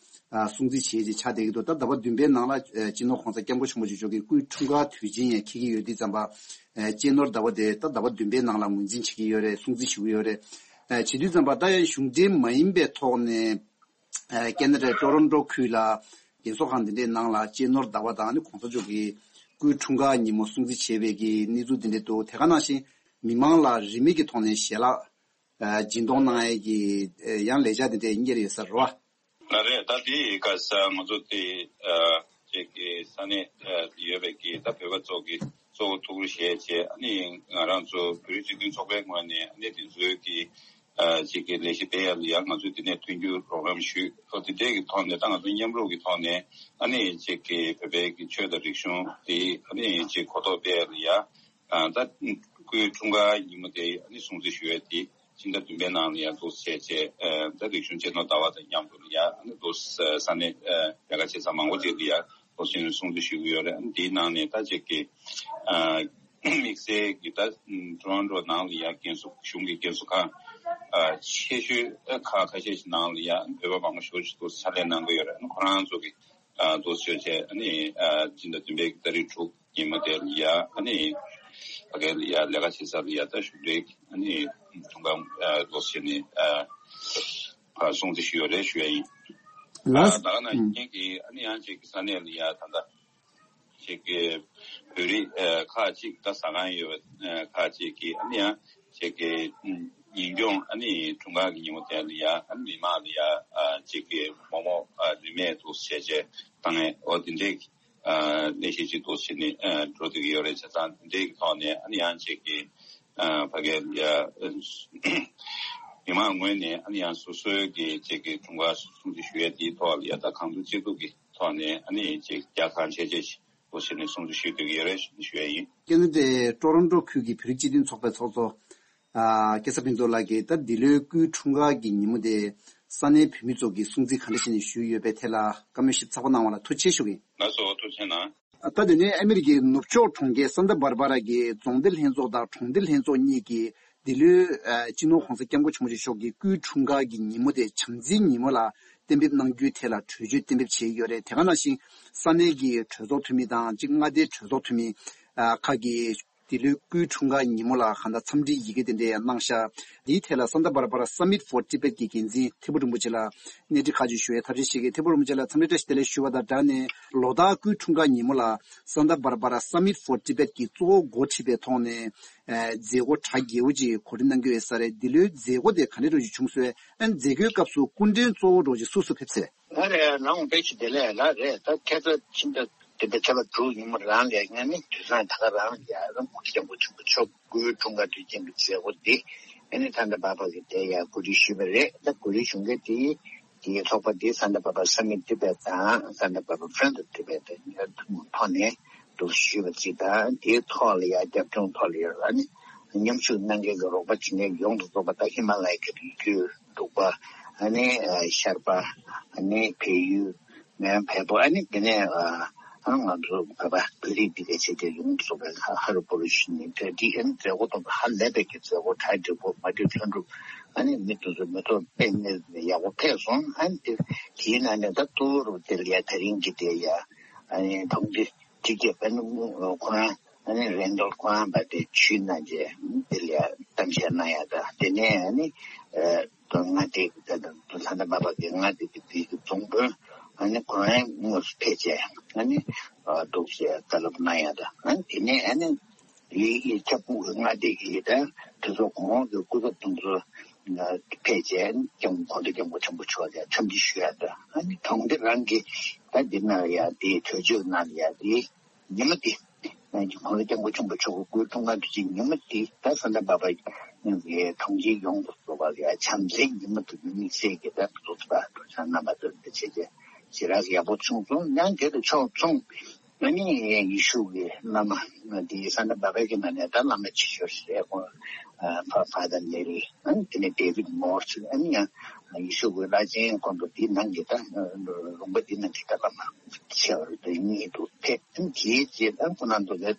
ཨ་སྲུང་བརྩི་བྱེད་ཅེས་ཆགས་བསྡད་ཀྱི་འདུག་ད་ཟླ་བ་བདུན་པའི་ནང་ལ་ཨ་སྤྱི་ནོར་༸གོང་ས་༸སྐྱབས་མགོན་ཆེན་པོ་མཆོག་གི་སྐུའི་འཁྲུངས་སྐར་དུས་ཆེན་ཡང་འཁེལ་གྱི་ཡོད་དུས་ཙམ་པ་ཨ་སྤྱི་ནོར་ཟླ་བ་དེ་ད་ཟླ་བ་བདུན་པའི་ནང་ལ་ངོས་འཛིན་བྱེད་ཀྱི་ཡོད་རེད། སྲུང་བརྩི་ཞུ་གི་ཡོད་རེད། བྱེད་དུས་ཙམ་པ་ད་ཡང་གཞུང་འབྲེལ་མ་ཡིན་པའི་ཐོག་ནས་ཨ་ཁེ་ན་ཌའི་ཊོ་རོན་ཊོ་ཁུལ་ལ་རྒན་གསོ་ཁང་འདི་འདྲའི་ནང་ལ་གཅེས་ནོར་ཟླ་བ་དང་ནི་གོང་ས་མཆོག་གི་སྐུའི་འཁྲུངས་སྐར་ཉིན་མོ་སྲུང་བརྩི་བྱས་པའི་གི་གནས་ཚུལ་འདི་འདྲ་འདུག་དེ་ག་ནང་བཞིན་མི་མང་ལ་རིན་མེད་ཀྱི་ཐོག་ནས་ཞལ་ལག་ཨ་སྦྱིན་གཏོང་གནང་ཡས་ཀྱི་ཨ་ཡང་ལས་འཆར་འདི་འདྲ་གཉེར་ཡོད་ས་རེད་བ། ལགས་རེད། ད་དེ་ག་ས་ང་ཚོ་དེ་ཨ་ཅིག་གི་ས་གནས་ཨ་ཡོད་པའི་གི་ད་བོད་པ་ཚོ་གི་གཙོ་བོ་ཐུགས་རེ་བཞེས་བྱས། ཨ་ནི་ང་རང་ཚོ་བོད་རིགས་སྤྱི་མཐུན་ཚོགས་པའི་ངོས་ནས་ཨ་ནི་དེ་ཚོའི་གི་ཨ་ཅིག་གི་ལས་གཞི་སྤེལ་ཡ་ལ་ཡང་ང་ཚོས་དེ་ནས་མཐུན་འགྱུར་རོགས་རམ་ཞུས། ཨོ་དེ་འདྲའི་གི་ཐོག་ནས་ད་ང་ཚོ་མཉམ་རུབ་ཀྱི་ཐོག་ནས་ཨ་ནི་ཅིག་གི་བོད་པའི་གི་ཆོས་དང་རིག་གཞུང་དེ་ཨ་ནི་ཅིག་གོ་རྟོགས་སྤེལ་ཡ་ལ་ཡ། ཨ་ད་སྐུའི་འཁྲུངས་སྐར་ཉིན་མོ་དེ་ཨ་ནི་སྲུང་བརྩི་ཞུ་ཡ་དེ་ཕྱི་ཟླ་བདུན་པའི་ནང་ལ་ཡ་འདུག་བྱས་བྱས། ཨ་ད་རིག་གཞུང་གཅེས་ནོར་ཟླ་བ་དང་མཉམ་དུ་ལ་ཡ་ཨ་ནི་འདུག་ས་གནས་ཨ་ལས་ཀ་བྱེད་ས་མང་པོ་ཅིག་ལ་ཡ་འདུག་བྱས་ནས་སྲུང་བརྩི་ཞུ་གི་ཡོད་རེད། ཨ་ནི་དེའི་ནང་ནས་ད་ཅིག་གི་ཨ་དམིགས་བསལ་གྱི་ད་ཊོ་རོན་ཊོ་ནང་ལ་ཡ་རྒན་གསོ་གཞུང་གི་རྒན་གསོ་ཁང་ཨ་ཆེ་ཤོས་ཨ་ཁག་ཁ་ཤས་ཤིག་ནང་ལ་ཡ་བོད་པ་མང་པོ་ཞེ་པོ་ཅིག་འདུག་ཕྱག་ལས་གནང་གི་ཡོད་རེད། ཨ་ནི་ཁོ་རང་ཚོ་གི་ཨ་འདུག་བྱས་བྱས། ཨ་ནི་ཨ་ཕྱི་ཟླ་བདུན་པའི་ཏ་རིག་དྲུག་ཉིན་མོ་དེ་ལ་ཡ་ཨ་ནི་ཕ་གི་ལ་ཡ་ལས་ཀ་བྱེད་ས་ལ་ཡ་ད་གཞུང་འབྲེལ་ཨ་ནི་འཁྲུངས་སྐར་ཨ་འདུག་བྱས་ནས་ཨ་ཕར་སྲུང་བརྩི་ཞུས་ཡོད་རེད་ཞུ་ཡ་ཡིན། ལགས། ད་ག་ནང་བཞིན་གྱི་ཨ་ནི་ཡང་ཅིག་གི་ས་གནས་ལ་ཡ་ད་ལྟ་ཅིག་གི་བོད་རིགས་ཨ་ཁག་ཅིག་ད་ཟ་ཁང་ཡོད་པ་ཨ་ཁག་ཅིག་གིས་ཨ་ནི་ཡང་ཅིག་གི་ཉིན་གུང་ཨ་ནི་འཁྲུངས་སྐར་གྱི་ཉིན་མོ་དེ་ལ་ཡ་ཨ་ནི་མི་མང་ལ་ཡ་ཨ་ཅིག་གི་མོག་མོག་ཨ་རིན་མེད་འདུག་བྱས་བྱས་བཏང་ཡས། འོ་དེ་འདྲས་ཀྱི་ཨ་ལས་གཞི་ཅིག་འདུག་བྱས་ནས་ཨ་འགྲོ་བསྡད་ཀྱི་ཡོད་རེད། བྱས་ཙང་དེ་འདྲས་ཀྱི་ཐོག་ནས་ཨ་ནི་ཡང་ཅིག་གི་ཨ་ཕ་གི་ལ་ཡ་མི་མང་ངོས་ནས་ཨ་ནི་ཡང་སོ་སོའི་གི་ཅིག་གི་འཁྲུངས་སྐར་སྲུང་བརྩི་ཞུ་ཡས་དེའི་ཐོག་ལ་ཡ་ད་གང་ཐུབ་ཅི་ཐུབ་ཀྱི་ཐོག་ནས་ཨ་ནི་ཅིག་རྒྱ་གང་ཆེ་ཆེ་ཞིག་འདུག་བྱས་ནས་སྲུང་བརྩི་ཞུ་སྡོད་ཀྱི་ཡོད་རེད་ཞུ་ཡ་ཡིན། ཁེ་ན་ཌའི་ཊོ་རོན་ཊོ་ཁུལ་གྱི་བོད་རིགས་སྤྱི་མཐུན་ཚོགས་པའི་ཚོགས་གཙོ་ཨ་སྐལ་བཟང་ཕུན་ཚོགས་ལགས་ཀྱིས་ད་འདི་ལོའི་སྐུའི་འཁྲུངས་སྐར་གྱི་ཉིན་མོ་དེ་ས་གནས་བོད་མི་ཚོ་གིས་སྲུང་བརྩི་ག་འདྲ་བྱས་ནས་ཞུས་ཡོད་པའི་ཐད་ལ་བཀའ་མོལ་ཞིབ་ཚགས་པོ་གནང་བ་ལ་ཐུགས་རྗེ་ཆེ་ཞུ་གི་ཡིན། ལགས་སོ། ཐུགས་རྗེ་གནང་། ད་དེ་ནས་ཨ་མི་རི་ཀའི་ནུབ་ཕྱོགས་གྲོང་ཁྱེར་སན་ཏཱ་སྦར་སྦ་ར་གི་རྫོང་སྡེ་ལྷན་ཚོགས་དང་གྲོང་སྡེ་ལྷན་ཚོགས་གཉིས་ཀྱིས་འདི་ལོའི་ཨ་སྤྱི་ནོར་༧གོང་ས་༧སྐྱབས་མགོན་ཆེན་པོ་མཆོག་གི་སྐུའི་འཁྲུངས་སྐར་གྱི་ཉིན་མོ་དེ་བྱམས་བརྩེའི་ཉིན་མོ་ལ་གཏན་འབེབས་གནང་རྒྱུའི་ཐད་ལ་གྲོས་ཆོད་གཏན་འབེབས་བྱས་ཡོད་རེད། དེ་ག་ནང་བཞིན་ས་གནས་ཀྱི་གྲོས་ཚོགས་འཐུས་མི་དང་གཅིག་མངའ་སྡེའི་གྲོས་ཚོགས་འཐུས་མི་ཨ་ཁག་གིས་འདི་ལོའི་སྐུའི་འཁྲུངས་སྐར་ཉིན་མོ་ལ་གང་ལྟར་འཚམས་འདྲིའི་ཡི་གེ་དེ་འདྲ་གནང་ཤག་འདིའི་ཐད་ལ་Santa Barbara Summit for Tibet གི་འགན་འཛིན་ཐད་པ་རིན་པོ་ཆེ་ལ་གནས་འདྲི་ཁག་ཅིག་ཞུ་བའི་ཐབས་ཤེས་བྱེད་ཀྱི། ཐད་པ་རིན་པོ་ཆེ་ལ་འཚམས་འདྲི་བཀྲ་ཤིས་བདེ་ལེགས་ཞུ་བ་དང་སྦྲགས་ནས་ལོ་ལྟར་སྐུའི་འཁྲུངས་སྐར་ཉིན་མོ་ལ་Santa Barbara Summit for Tibet གིས་གཙོ་བོ་འགོ་ཁྲིད་པའི་ཐོག་ནས་ཨ་མཛད་སྒོ་གྲ་རྒྱས་པོ་ཅིག་གོ་སྒྲིག་གནང་གི་ཡོད་ས་རེད། འདི་ལོའི་མཛད་སྒོ་དེ་ག་འདྲ་འདྲ་ཅིག་བྱུང་སོང་། ཨ་མཛད་སྒོའི་སྐབས་སུ་སྐུ་མགྲོན་གཙོ་བོ་འདྲ་ཅིག་སུ་སུ་ཕེབས་སོང་། ང་རེད། རང་དཔེ་ཆ་དེ་ལས་ལ་རེད། ད་ཁྱེད་ཚོ་ཕྱིན་ད་དེ་འདྲ་ཁྱེད་ལ་དྲུག་ཉིན་མོ་རང་ལས་ངས་ནི་དུས་སང་ད་ག་རང་ལ་ཡ་རང་སྐུ་སྐྱབས་མགོན་ཆེན་པོ་མཆོག་སྐུའི་འཁྲུངས་སྐར་དུས་ཆེན་གྱི་མཛད་སྒོ་འདི་ཨ་ནི་ད་ལྟ་བར་བར་གྱི་དེ་ཡ་གོ་སྒྲིག་ཞུས་པ་རེད། ད་གོ་སྒྲིག་ཞུ་མཁན་དེ་དེའི་ཚོགས་པ་དེ་Santa Barbara Summit Tibet དང་Santa Barbara Friends of Tibet ཐོག་ནས་འདུག་ཞུས་པ་ཅིག་དང་། དེའི་ཐོག་ལ་ཡ་རྒྱབ་ལྗོངས་ཐོག་ལ་ཡ་ཨ་ནི་མཉམ་ཞུགས་གནང་མཁན་གྱི་རོགས་པ་བྱེད་མཁན་ཡོངས་སུ་རྫོགས་པ་ད་ཧི་མ་ལ་ཡའི་གི་རི་རྒྱུད་འབྲུག་པ། ཨ་ནི་ཤར་པ། ཨ་ནི་བལ་ཡུལ། མེན་བལ་པོ། ཨ་ནི་དེ་ནས་ཨ་ང་ཚོ་བོད་པ་བོད་རིགས་འདི་གའི་ཆེད་དུ་ཡོངས་སུ་རྫོགས་པའི་ཧ་རུ་པོ་རུ་ཤི་ནི་དེ་འདི་ཨ་ནི་མཛད་སྒོ་དང་ཧ་ལས་པའི་གི་མཛད་སྒོ་གྲ་སྒྲིག་པོ་མ་བསྡུས་ལྷུན་གྲུབ། ཨ་ནི་མི་དེ་ཚོ་མི་ཐོག་དཔེ་ནི་ཡག་པོ་ཕེབས་སོང་། ཨ་ནི་དེ་དེའི་ནང་ནས་ད་ཏོ་རུ་དེ་ལ་ཡ་དེ་རིང་གི་དེ་ཡ་ཨ་ནི་གྲོང་སྡེ་དེ་གས་ཨ་ནི་ཁོ་རང་ཨ་ནི་རེན་ཌལ་ཁོ་རང་པ་དེ་ཆུའི་ནང་གི་དེ་ལ་ཡ་གཏམ་བཤད་གནང་ཡ་ད་དེ་ནས་ཨ་ནི་ཨ་དོ་མངའ་སྡེ་ད་ད་ད་ད་ད་པ་པ་གི་མངའ་སྡེ་གི་དེ་གི་རྫོང་དཔོན་ཨ་ནི་ཁོ་རང་དངོས་སུ་ཕེབས་བྱས་ཨ་ནི་འདུག་སེ་བཀའ་སློབ་གནང་ཡ་ད། ཨ་ནི་དེ་ནས་ཨ་ནི་དེའི་ཁྱབ་ཁོངས་ཀྱི་མངའ་སྡེ་གི་ད་དེ་ཚོ་གོང་འོག་གི་སྐུ་ཚབ་དེ་ཚོ་ཕེབས་བྱས་ཨ་ནི་སྐྱབས་གོང་ས་སྐྱབས་མགོན་ཆེན་པོ་མཆོག་ལ་འཚམས་འདྲི་ཞུ་ཡ་ད། ཨ་ནི་གྲོང་སྡེ་རང་གི་ད་འདི་ན་ཡ་དེའི་གྲོས་ཆོད་ནང་ལ་ཡ་དེ། ཉི་མ་དེ། ཁོང་ཚོ་སྐྱབས་མགོན་ཆེན་པོ་མཆོག་གི་སྐུའི་འཁྲུངས་སྐར་དུས་ཆེན་ཉི་མ་དེ་ད་ས་མཐའ་བར་པ་གྲོང་ཁྱེར་ཡོངས་སུ་རྫོགས་པ་ལ་བྱམས་བརྩེའི་ཉི་མ་དུ་དམིགས་བསལ་གྱི་ད་འདུག་པ་འདུག་ཆ་རྣམ་པ་ཚོ་འདི་བྱས་རྗེས་ཞེ་དྲག་ཡག་པོ་བྱུང་སོང་། ཡང་དེ་དང་ཕྱོགས་མཚུངས་ཨ་ནི་ཡེ་ཤུ་གི་བླ་མ་འདི་ས་མཐའ་བར་པའི་གི་ནང་ནས་ད་བླ་མ་ཆེ་ཤོས་རེད། ཁོང་ཕ་ཕ་དར་ལེ་རི་ཨ་ནི་དེ་ནས་ཌེ་བིད་མོར་ཨ་ནི་ཡང་ཡེ་ཤུ་གི་བླ་ཆེན་དཀོན་པོ་འདི་ནང་གི་ད་ལུང་པ་འདི་ནང་གི་ད་བླ་མ། ཆེ་བར་དུ་གཉིད་དུ་ཕེབས། དེའི་རྗེས་ད་ཁོ་ན་ཚོ་ལས་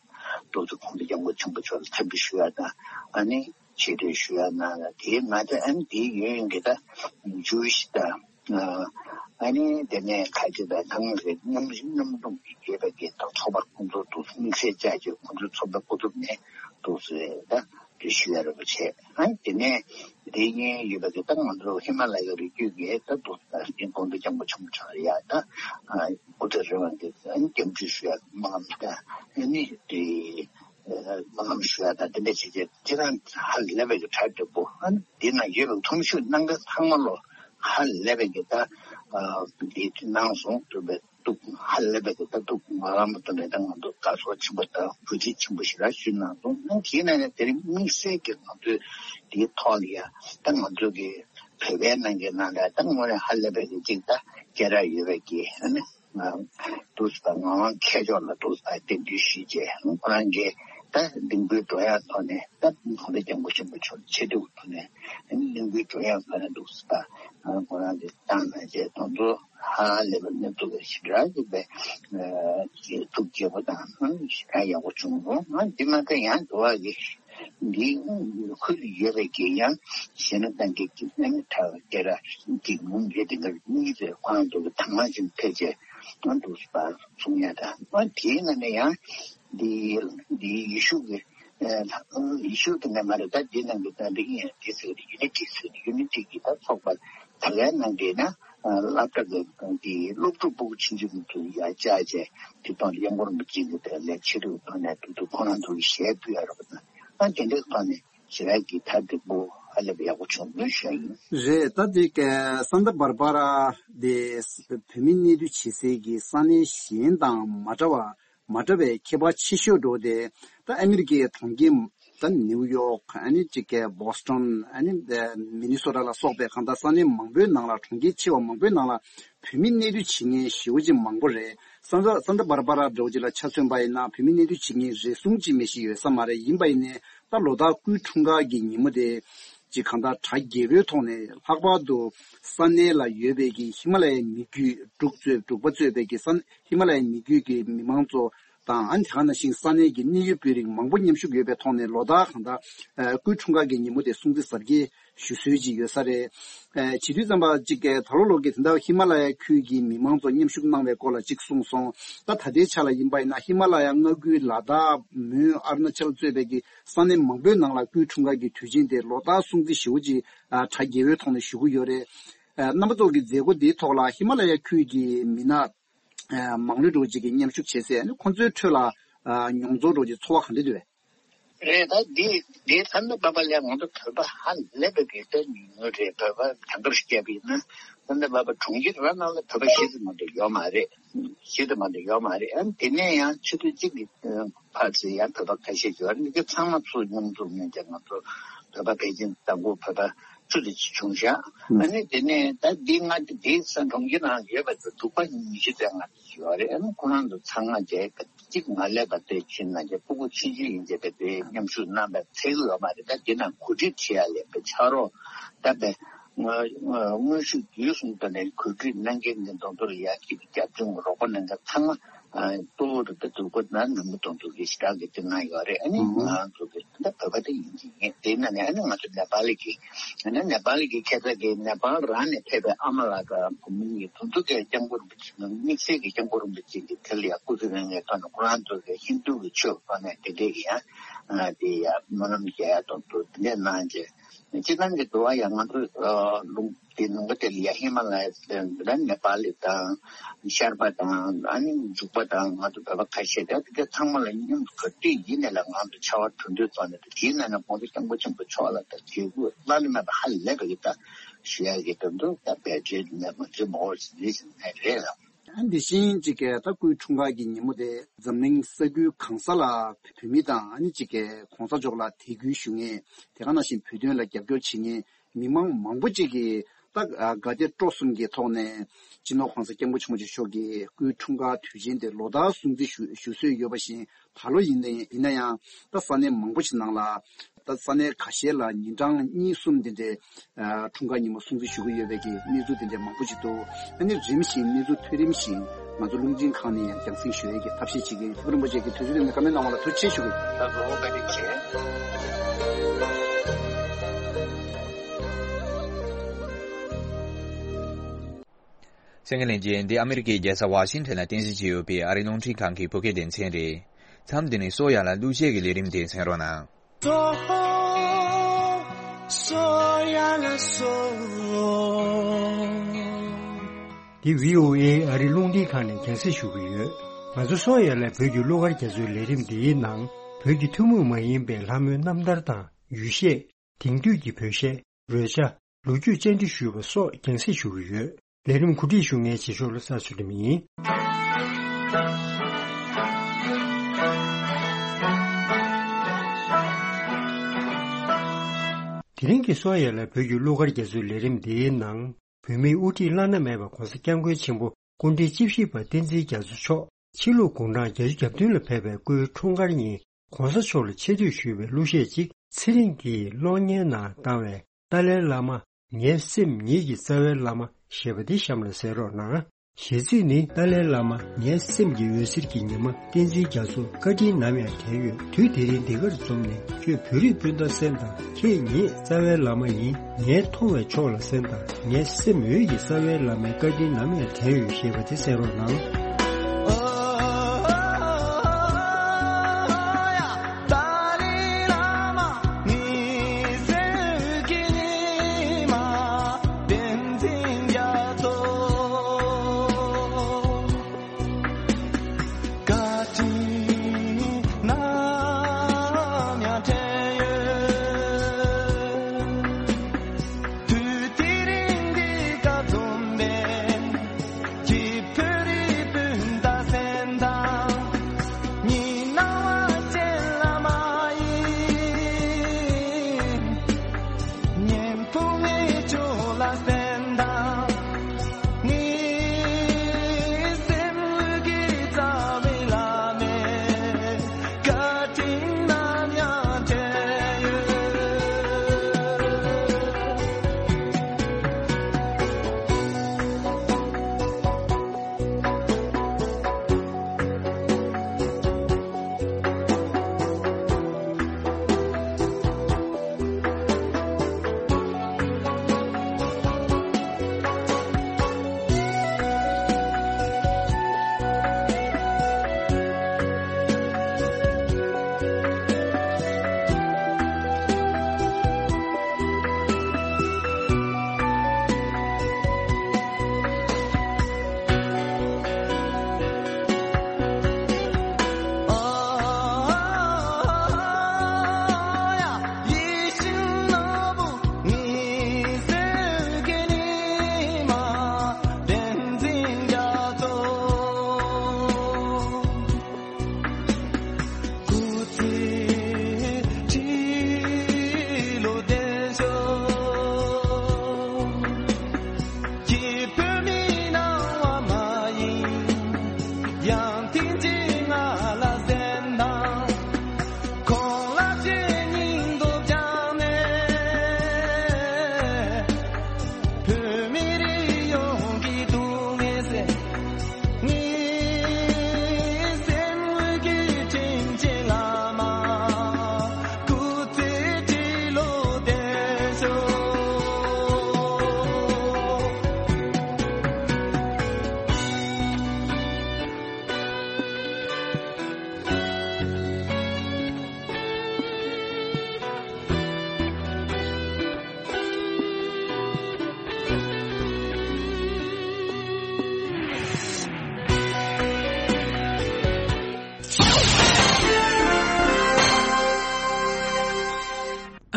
འདུག་ཚོ་ཁོང་ཚོ་སྐྱབས་མགོན་ཆེན་པོ་མཆོག་ལ་འཚམས་འདྲི་ཞུ་ཡ་དང་ཨ་ནི་ཆེ་བསྟོད་ཞུ་ཡ་གནང་ལ། དེའི་ང་ཚོ་ཨ་ནི་དེའི་ཡུན་རིང་གི་ད་ཇུའི་ཤི་དང་ཨ་ནི་དེ་ནས་ཁ་ཆེ་དང་ཐང་རེད་མཉམ་རིག་མཉམ་འཛོམས་ཀྱི་ཡོད་པའི་གི་ད་ཚོགས་པ་ཁོང་ཚོ་འདུག་དམིགས་བསལ་བཅའ་རྒྱུ་ཁོང་ཚོའི་ཚོགས་པའི་སྐུ་ཚབ་ནས་འདུག་ཟེར་ད། དེ་ཞུ་ཡ་རེད་པ་བྱས། ཨ་དེ་ནས་དེ་གཉིས་ཡོད་པ་དེ་ད་ང་ཚོ་ཧི་མ་ལ་ཡའི་རི་རྒྱུད་ཀྱི་ད་དུ་ད་དགོན་པ་སྐྱབས་མགོན་ཆེན་པོ་མཆོག་ཡ་ད་སྐུ་ཚེ་རིང་བ་གི་སྐྱབས་འཇུག་ཞུ་ཡ་སྨོན་ལམ་ད་ནི་དེ་སྨོན་ལམ་ཞུ་ཡ་ད་དེ་འདྲ་བྱས་བྱས་ཁྱེད་རང་ཧ་ལས་པའི་གྲ་འགྲིག་པོ། ཨ་འདི་ན་ཡོད་པའི་མཐོང་ཆོས་གནང་མཁན་ཚང་མ་ལོ་ཧ་ལས་པའི་གི་ད་འདི་གནང་སོང་དུ་བས། སྡུག་ཧ་ལས་པའི་ད་སྡུག་ང་རང་མ་གཏོགས་ནས་ད་ང་ཚོ་དགའ་ཚོར་ཆེན་པོ་དང་གུས་བརྩི་ཆེན་པོ་ཞེ་དྲག་ཞུས་གནང་སོང་། ཨ་དེའི་ནང་ནས་དེ་རིང་དམིགས་བསལ་གྱི་ང་ཚོའི་དེའི་ཐོག་ལ་ཡ་ད་ང་ཚོ་གི་བོད་པའི་ནང་གི་ནང་ལ་ད་དངོས་གནས་ཧ་ལས་པའི་གི་ཅིག་ད་སྐད་གྲགས་ཡོད་པའི་གི་ཨ་ནི་ང་འདུག་སེ་ད་ངག་དབང་མཁས་མཆོག་ལ་འདུག་སེ་ད་རྟེན་འབྲེལ་ཞུས་བྱས་ཁོ་རང་གི་ད་གདུང་འབོད་སྒྲོག་ཡག་ཐོག་ནས་ད་ཁོང་ཚོ་སྐྱབས་མགོན་ཆེན་པོ་མཆོག་ཆེ་སྡུག་ཐོག་ནས་ཨ་ནི་གདུང་འབོད་སྒྲོག་ཡག་ཐོག་ནས་འདུག་སེ་ད་ཁོ་རང་གི་བཏང་ན་བྱས་དང་ཚོ། ཧ་ལས་པའི་གནས་ཚུལ་ཞེ་དྲག་གི་པའི་ཐུགས་དགྱེས་པོ་དང་ཞེ་དྲག་ཡག་པོ་བྱུང་འདུག་ང་འདི་མ་ཚད་ཡང་འགྲོ་བ་གི་འདི་ཁུལ་ཡོད་པའི་གི་ཡང་གཞན་ན་ཏང་གི་གི་ཨ་ནི་ཐ་སྐད་ར་གི་ངུ་འདི་འདི་གར་གཉིས་ཚེ་ཁོང་ཚོ་གི་དང་མ་བཞིན་ཕལ་ཆེར་ང་འདུག་པ་གསུང་ཡ་དང་ང་དེའི་ནང་ནས་ཡང་འདི་འདི་ཡེ་ཤུ་གི་ཡེ་ཤུ་གི་ནས་མ་རེད། ད་འདི་ནང་གི་ད་འདི་ཡིན་འདི་ཟེར་ཡུ་ནི་ཊི་ཟེར་ཡུ་ནི་ཊི་གི་ད་ཚོགས་པ་ད་ལའི་ནང་གི་ན། སློབ་གྲྭ་གི་གི་སློབ་ཕྲུག་སྤུ་གུ་ཆུང་ཆུང་ཚོ་ཡར་བཅར་བྱས་དེ་དང་དབྱངས་སྒོར་མི་གཅིག་གི་དེ་ལས་ཆེ་རུ་བཏང་ནས་དུ་དུ་ཁོ་རང་ཚོ་གི་ཞལ་ཕུལ་ཡ་རོགས་དང་ཨ་དེ་འདྲའི་ཐོག་ནས་ཞེ་དྲག་གི་ཐབས་བདེ་པོ་ཧ་ལས་པ་ཡག་པོ་བྱུང་མོད་ཞུ་ཡ་ཡིན། རེད། ད་དེ་ག་སན་ཏ་བར་བ་ར་དེ་བོད་མི་གནས་སྡོད་བྱེད་སའི་གི་ས་གནས་གཞན་དང་མ་འདྲ་བ། མ་འདྲ་བའི་ཁྱད་པར་ཆེ་ཤོས་འགྲོ་དེ་ད་ཨ་མི་རི་ཀའི་གྲོང་ཁྱེར་ད་ནིའུ་ཡོག་ཨ་ནི་གཅིག་གི་བོ་སི་ཊོན་ཨ་ནི་མི་ནི་སོ་ཊ་ལ་སོགས་པའི་གང་ལྟར་ས་གནས་མང་པོའི་ནང་ལ་གྲོང་ཁྱེར་ཆེ་བ་མང་པོའི་ནང་ལ་བོད་མི་གནས་སྡོད་བྱེད་མཁན་ཞེ་པོ་ཅིག་མང་པོ་རེད། སན་ཏ་སན་ཏ་བར་བར་འདྲ་བོ་ཅིག་ལ་ཆ་མཚོན་པ་ཡིན་ན་བོད་མི་གནས་སྡོད་བྱེད་མཁན་རེ་ཟུང་ཅིག་མེད་ཞིག་ཡོད་ས་མ་རེད། ཡིན་པ་ཡིན་ནའི་ད་ལོ་ལྟར་སྐུའི་འཁྲུངས་སྐར་གྱི་ཉིན་མོ་དེ་ཅིག་གང་ལྟར་གྲ་རྒྱས་པོའི་ཐོག་ནས་ལྷག་པར་དུ་ས་གནས་ལ་ཡོད་པའི་གི་ཧི་མ་ལ་ཡའི་མི་རྒྱུད་འབྲུག་གཙོས་འབྲུག་པ་གཙོས་པའི་གི་ས་ཧི་མ་ལ་ཡའི་མི་རྒྱུད་ཀྱི་མི་མང་ཚོ་དང་ཨ་ནི་དེ་ག་ནང་བཞིན་ས་གནས་ཀྱི་གནད་ཡོད་དཔོན་རིགས་མང་པོ་མཉམ་ཞུགས་ཡོད་པའི་ཐོག་ནས་ལོ་ལྟར་གང་ལྟར་ཨ་སྐུའི་འཁྲུངས་སྐར་གྱི་ཉིན་མོ་དེ་སྲུང་བརྩི་གཟབ་རྒྱས་ཞུ་སྲོལ་ཅིག་ཡོད་ས་རེད། ཨ་བྱེད་དུས་ཙམ་པ་གཅིག་གི་ད་ལོ་ལོ་གི་དེ་འདྲ་ཧི་མ་ལ་ཡ་ཁུལ་གྱི་མི་མང་ཚོ་མཉམ་ཞུགས་གནང་བའི་སྐོར་ལ་གཅིག་གསུངས་སོང་། ད་ད་ལྟའི་ཆ་ལ་ཡིན་པ་ཡིན་ན་ཧི་མ་ལ་ཡ་མངའ་ཁུལ་ལ་དྭགས་མོན་ཨ་རུ་ན་ཅལ་གཙོས་པའི་གི་ས་གནས་མང་པོའི་ནང་ལ་སྐུའི་འཁྲུངས་སྐར་གྱི་དུས་ཆེན་དེ་ལོ་ལྟར་སྲུང་བརྩི་ཞེ་པོ་ཅིག་ཨ་གྲ་རྒྱས་པོའི་ཐོག་ནས་ཞུ་གི་ཡོད་རེད། ཨ་རྣམ་པ་ཚོ་གི་མཛད་སྒོ་འདིའི་ཐོག་ལ་ཧི་མ་ལ་ཡ་ཁུལ་གྱི་མི་སྣ་ཨ་མང་ལོས་འགྲོ་ཅིག་གིས་མཉམ་ཞུགས་བྱས་ཚེ་ཨ་ནི་ཁོང་ཚོའི་ཁྲོད་ལ་ཨ་མྱོང་ཚོར་འགྲོ་ཅིག་ཚོར་བ་ག་འདྲ་འདུག་གས། རེད། ད་འདི་འདི་ད་ནི་པ་པ་ལས་ང་ཚོ་བོད་པ་ཧ་ལས་པའི་གི་ད་ཉུང་ཉུང་རེད། བོད་པ་དེང་སྐབས་བཤད་པ་ཡིན་ན་ད་ནི་པ་པ་གྲོང་ཁྱེར་ར་ནང་ལ་བོད་པ་ཤི་ཙམ་མ་གཏོགས་ཡོད་མ་རེད། ཤི་ཙམ་མ་གཏོགས་ཡོད་མ་རེད། ཨ་ནི་དེ་ནས་ཡང་ཆུ་ཚོད་གཅིག་གི་ཕར་ཚུར་ཡང་བོད་པ་ཁ་ཤས་ཡོད་རེད། འདི་ག་ཚང་མ་ཚུར་མཉམ་འཛོམས་གནང་བྱས་ང་ཚོ་བོད་པ་ཕལ་ཆེར་དང་པོ་བོད་པ་བཅུ་དེ་ཅིག་བྱུང་ཤག་ཨ་ནི་དེ་ནས་ད་འདི་ང་འདི་ས་གྲོང་ཁྱེར་ནང་ཡོད་པ་ཚོ་འབྲུག་པ་ཉི་ཤུ་ཙམ་ང་ཡོད་རེད། ཨ་ནི་ཁོ་རང་ཚོ་ཚང་མ་བྱས་གཅིག་མ་ལས་པ་དེ་ཕྱིན་ན་བྱས་སྤུ་གུ་ཆུང་ཆུང་ཡིན་བྱས་པ་དེ་མཉམ་ཞུགས་གནང་བ་ཚད་ཡོད་མ་རེད། ད་འདི་ནང་གོ་སྒྲིག་བྱེད་ཡ་ལས་པའི་ཕྱག་རོགས་ད་པའི་དངོས་ཤུགས་བརྒྱུད་གསུམ་དུ་ནས་གོ་སྒྲིག་གནང་མཁན་གྱི་མདུན་ཐོག་ལ་ཡ་གཅིག་རྒྱབ་སྐྱོར་རོགས་པ་གནང་མཁན་ཚང་མ་གཙོ་བོ་རེད། ད་འབྲུག་པ་ན་ནང་མི་མདུན་ཐོག་གི་ཞེ་དྲག་གི་དེ་གནང་ཡོད་རེད། ཨ་ནི་ང་ཚོ་གི་ད་བོད་པ་དེ་ཡིན་གྱི་ཡིན། དེ་ན་ནས་ཨ་ནི་ང་ཚོ་ནེ་པ་ལི་གི་ཨ་ནི་ནེ་པ་ལི་གི་ཁ་ས་གི་ནེ་པ་ལི་རང་ནས་ཕེབས་པའི་ཨ་མ་ལགས་དང་བུ་མོ་གཉིས་དུ་དུ་གའི་སྐྱབས་མགོན་རིན་པོ་ཆེ་དམིགས་བསལ་གྱི་སྐྱབས་མགོན་རིན་པོ་ཆེ་གི་དེ་ལ་ཡང་སྐུ་ཚེ་རིང་བའི་ཐོག་ནས་ཁོ་རང་ཚོ་གི་ཧིན་རྡུ་གི་ཆོས་ཐོག་ནས་དེ་འདྲས་ཀྱི་ཡང་དེ་ཡང་སྨོན་ལམ་རྒྱག་ཡ་དང་དུ་དེ་འདྲས་གནང་རྗེས་སྤྱིར་བཏང་གི་འདུལ་བ་ཡང་ང་ཚོ་ལུང་དེ་ལུང་པ་དེ་ལ་ཡང་ཧི་མ་ལ་ཡ་དེ་འདྲ་ནེ་པ་ལི་དང་ཤར་པ་དང་ཨ་ནི་འབྲུག་པ་དང་ང་ཚོ་བོད་པ་ཁ་ཤས་དེ་དེ་ཚང་མ་ལ་མཉམ་དུ་ག་དུས་ཡིན་ནས་ལ་ང་ཚོ་ཕྱར་བ་གྲུ་འདེགས་བཏང་ནས་དེ་ཡིན་ན་ན་ཁོང་ཚོ་སྐྱབས་མགོན་ཆེན་པོ་མཆོག་ལ་དང་དགེ་བསྐུལ་བླ་ན་མེད་པ་ཧ་ལས་པ་གི་ད་ཞུ་ཡ་གི་དོན་དུ་ད་བེད་སྤྱོད་ནས་མ་བྱེད་མ་འོར་ཟིན་རེད་ཟིན་ནས་རེད་ལ། ཨ་འདི་བཞིན་གཅིག་གི་ད་སྐུའི་འཁྲུངས་སྐར་གྱི་ཉིན་མོ་དེ་འཛམ་གླིང་ས་ཁུལ་གང་ས་ལ་བོད་མི་དང་ཨ་ནི་གཅིག་གི་གོང་ས་མཆོག་ལ་དད་གུས་ཞུ་མཁན་དེ་ག་ནང་བཞིན་བོད་དོན་ལ་རྒྱབ་སྐྱོར་བྱེད་མཁན་མི་མང་མང་པོ་གཅིག་གིས་ད་དགའ་དད་སྤྲོ་གསུམ་གྱི་ཐོག་ནས་སྤྱི་ནོར་གོང་ས་སྐྱབས་མགོན་ཆེན་པོ་མཆོག་གི་སྐུའི་འཁྲུངས་སྐར་དུས་ཆེན་དེ་ལོ་ལྟར་སྲུང་བརྩི་ཞུ་ཞུ་སྲོལ་ཡོད་པ་བཞིན་ད་ལོ་ཡིན་ན་ཡིན་ན་ཡང་ད་ས་གནས་མང་པོ་ཞིག་ནང་ལ་ད་ས་གནས་ཁ་ཤས་ལ་ཉིན་གྲངས་གཉིས་གསུམ་དེ་འདྲའི་ཨ་འཁྲུངས་སྐར་ཉིན་མོ་སྲུང་བརྩི་ཞུ་གི་ཡོད་པའི་གི་གནས་ཚུལ་དེ་འདྲའི་མང་པོ་ཞིག་འདུག་ཨ་ནི་རིམ་བཞིན་གནས་ཚུལ་ཐོན་རིམ་བཞིན་ང་ཚོ་རླུང་འཕྲིན་ཁང་ནས་ཡང་རྒྱང་སྲིང་ཞུ་ཡས་ཀྱི་ཐབས་ཤེས་བྱེད་ཀྱི་ཡིན། ཐུབ་པ་རིན་པོ་ཆེ་གིས་དུས་ཚོད་དེ་ནས་བཀའ་མོལ་གནང་བ་ལ་ཐུགས་རྗེ་ཆེ་ཞུ་གི་ཡིན། ད་གོ་བོ་བཀའ་དྲིན་ཆེ། གསན་མཁན་ལྷན་རྒྱས། འདི་ཨ་མི་རི་ཀའི་རྒྱལ་ས་ཝ་ཤིང་ཊོན་ལ་རྟེན་གཞི་བྱས་ཡོད་པའི་ཨ་རིའི་རླུང་འཕྲིན་ཁང་གི་བོད་སྐད་སྡེ་ཚན་རེད། མཚམས་འདི་ནས་སོ་ཡ་ལ་གླུ་གཞས་ཀྱི་ལས་རིམ་དེ་གསན་རོགས་གནང་། འདི་བྷི་ཨོ་ཨེ་ཨ་རི་རླུང་འཕྲིན་ཁང་ནས་རྒྱང་སྲིང་ཞུ་གི་ཡོད། ང་ཚོ་སོང་ཡ་ལ་བོད་ཀྱི་གླུ་གར་རྒྱ་མཚོའི་ལས་རིམ་འདིའི་ནང་བོད་ཀྱི་ཐུན་མོང་མ་ཡིན་པའི་ལྷ་མོའི་རྣམ་ཐར་དང་ཡུལ་གཞས། དེང་དུས་ཀྱི་བོད་གཞས། རོལ་ཆ། ལོ་རྒྱུས་བཅར་འདྲི་ཞུས་པ་སོགས་རྒྱང་སྲིང་ཞུ་གི་ཡོད། ལས་རིམ་གོ་སྒྲིག་ཞུ་མཁན་རྗེས་ཕྱོགས་བློ་བཟང་ཚུལ་ཁྲིམས་ཡིན། དེ་རིང་གི་སོང་ཡ་ལ་བོད་ཀྱི་གླུ་གར་རྒྱ་མཚོའི་ལས་རིམ་འདིའི་ནང་། བོད་མིའི་དབུ་ཁྲིད་བླ་ན་མེད་པ་༧གོང་ས་༧སྐྱབས་མགོན་ཆེན་པོ་སྐུ་ཕྲེང་བཅུ་བཞི་པ་བསྟན་འཛིན་རྒྱ་མཚོ་མཆོག་ཕྱི་ལུགས་དགུང་གྲངས་བརྒྱད་ཅུ་གྱ་བདུན་ལ་ཕེབས་པའི་སྐུའི་འཁྲུངས་སྐར་ཉིན། ྋགོང་ས་མཆོག་ལ་ཆེ་བསྟོད་ཞུས་པའི་གླུ་གཞས་ཅིག་ཚེ་རིང་གིས་གློག་བརྙན་ནང་བཏང་བའི། ཏཱ་ལའི་བླ་མ། ངའི་སེམས་ཉིད་ཀྱི་རྩ་བའི་བླ་མ་ཞེས་པ་འདི་གཤམ་ལ་གསན་རོགས་གནང་། གཞས་ཚིག་ནི། ཏཱ་ལའི་བླ་མ། ངའི་སེམས་ཀྱི་འོད་ཟེར་གྱི་ཉི་མ་བསྟན་འཛིན་རྒྱ་མཚོ། བཀའ་དྲིན་ནམ་ཡང་དྲན་ཡོད། དུས་དེ་རིང་འདི་གར་འཛོམས་ནས། ཁྱོད་བོད་རིགས་སྤུན་ཟླ་སེམས་དང་། ཁྱེད་ཉིད་རྩ་བའི་བླ་མ་ཡིན། ངས་མཐོང་བའི་ཕྱོགས་ལ་གསན་དང་། ངའི་སེམས་འོད་ཀྱི་རྩ་བའི་བླ་མའི་བཀའ་དྲིན་ནམ་ཡང་དྲན་ཡོད་ཞེས་པ་དེ་གསན་རོགས་གནང་།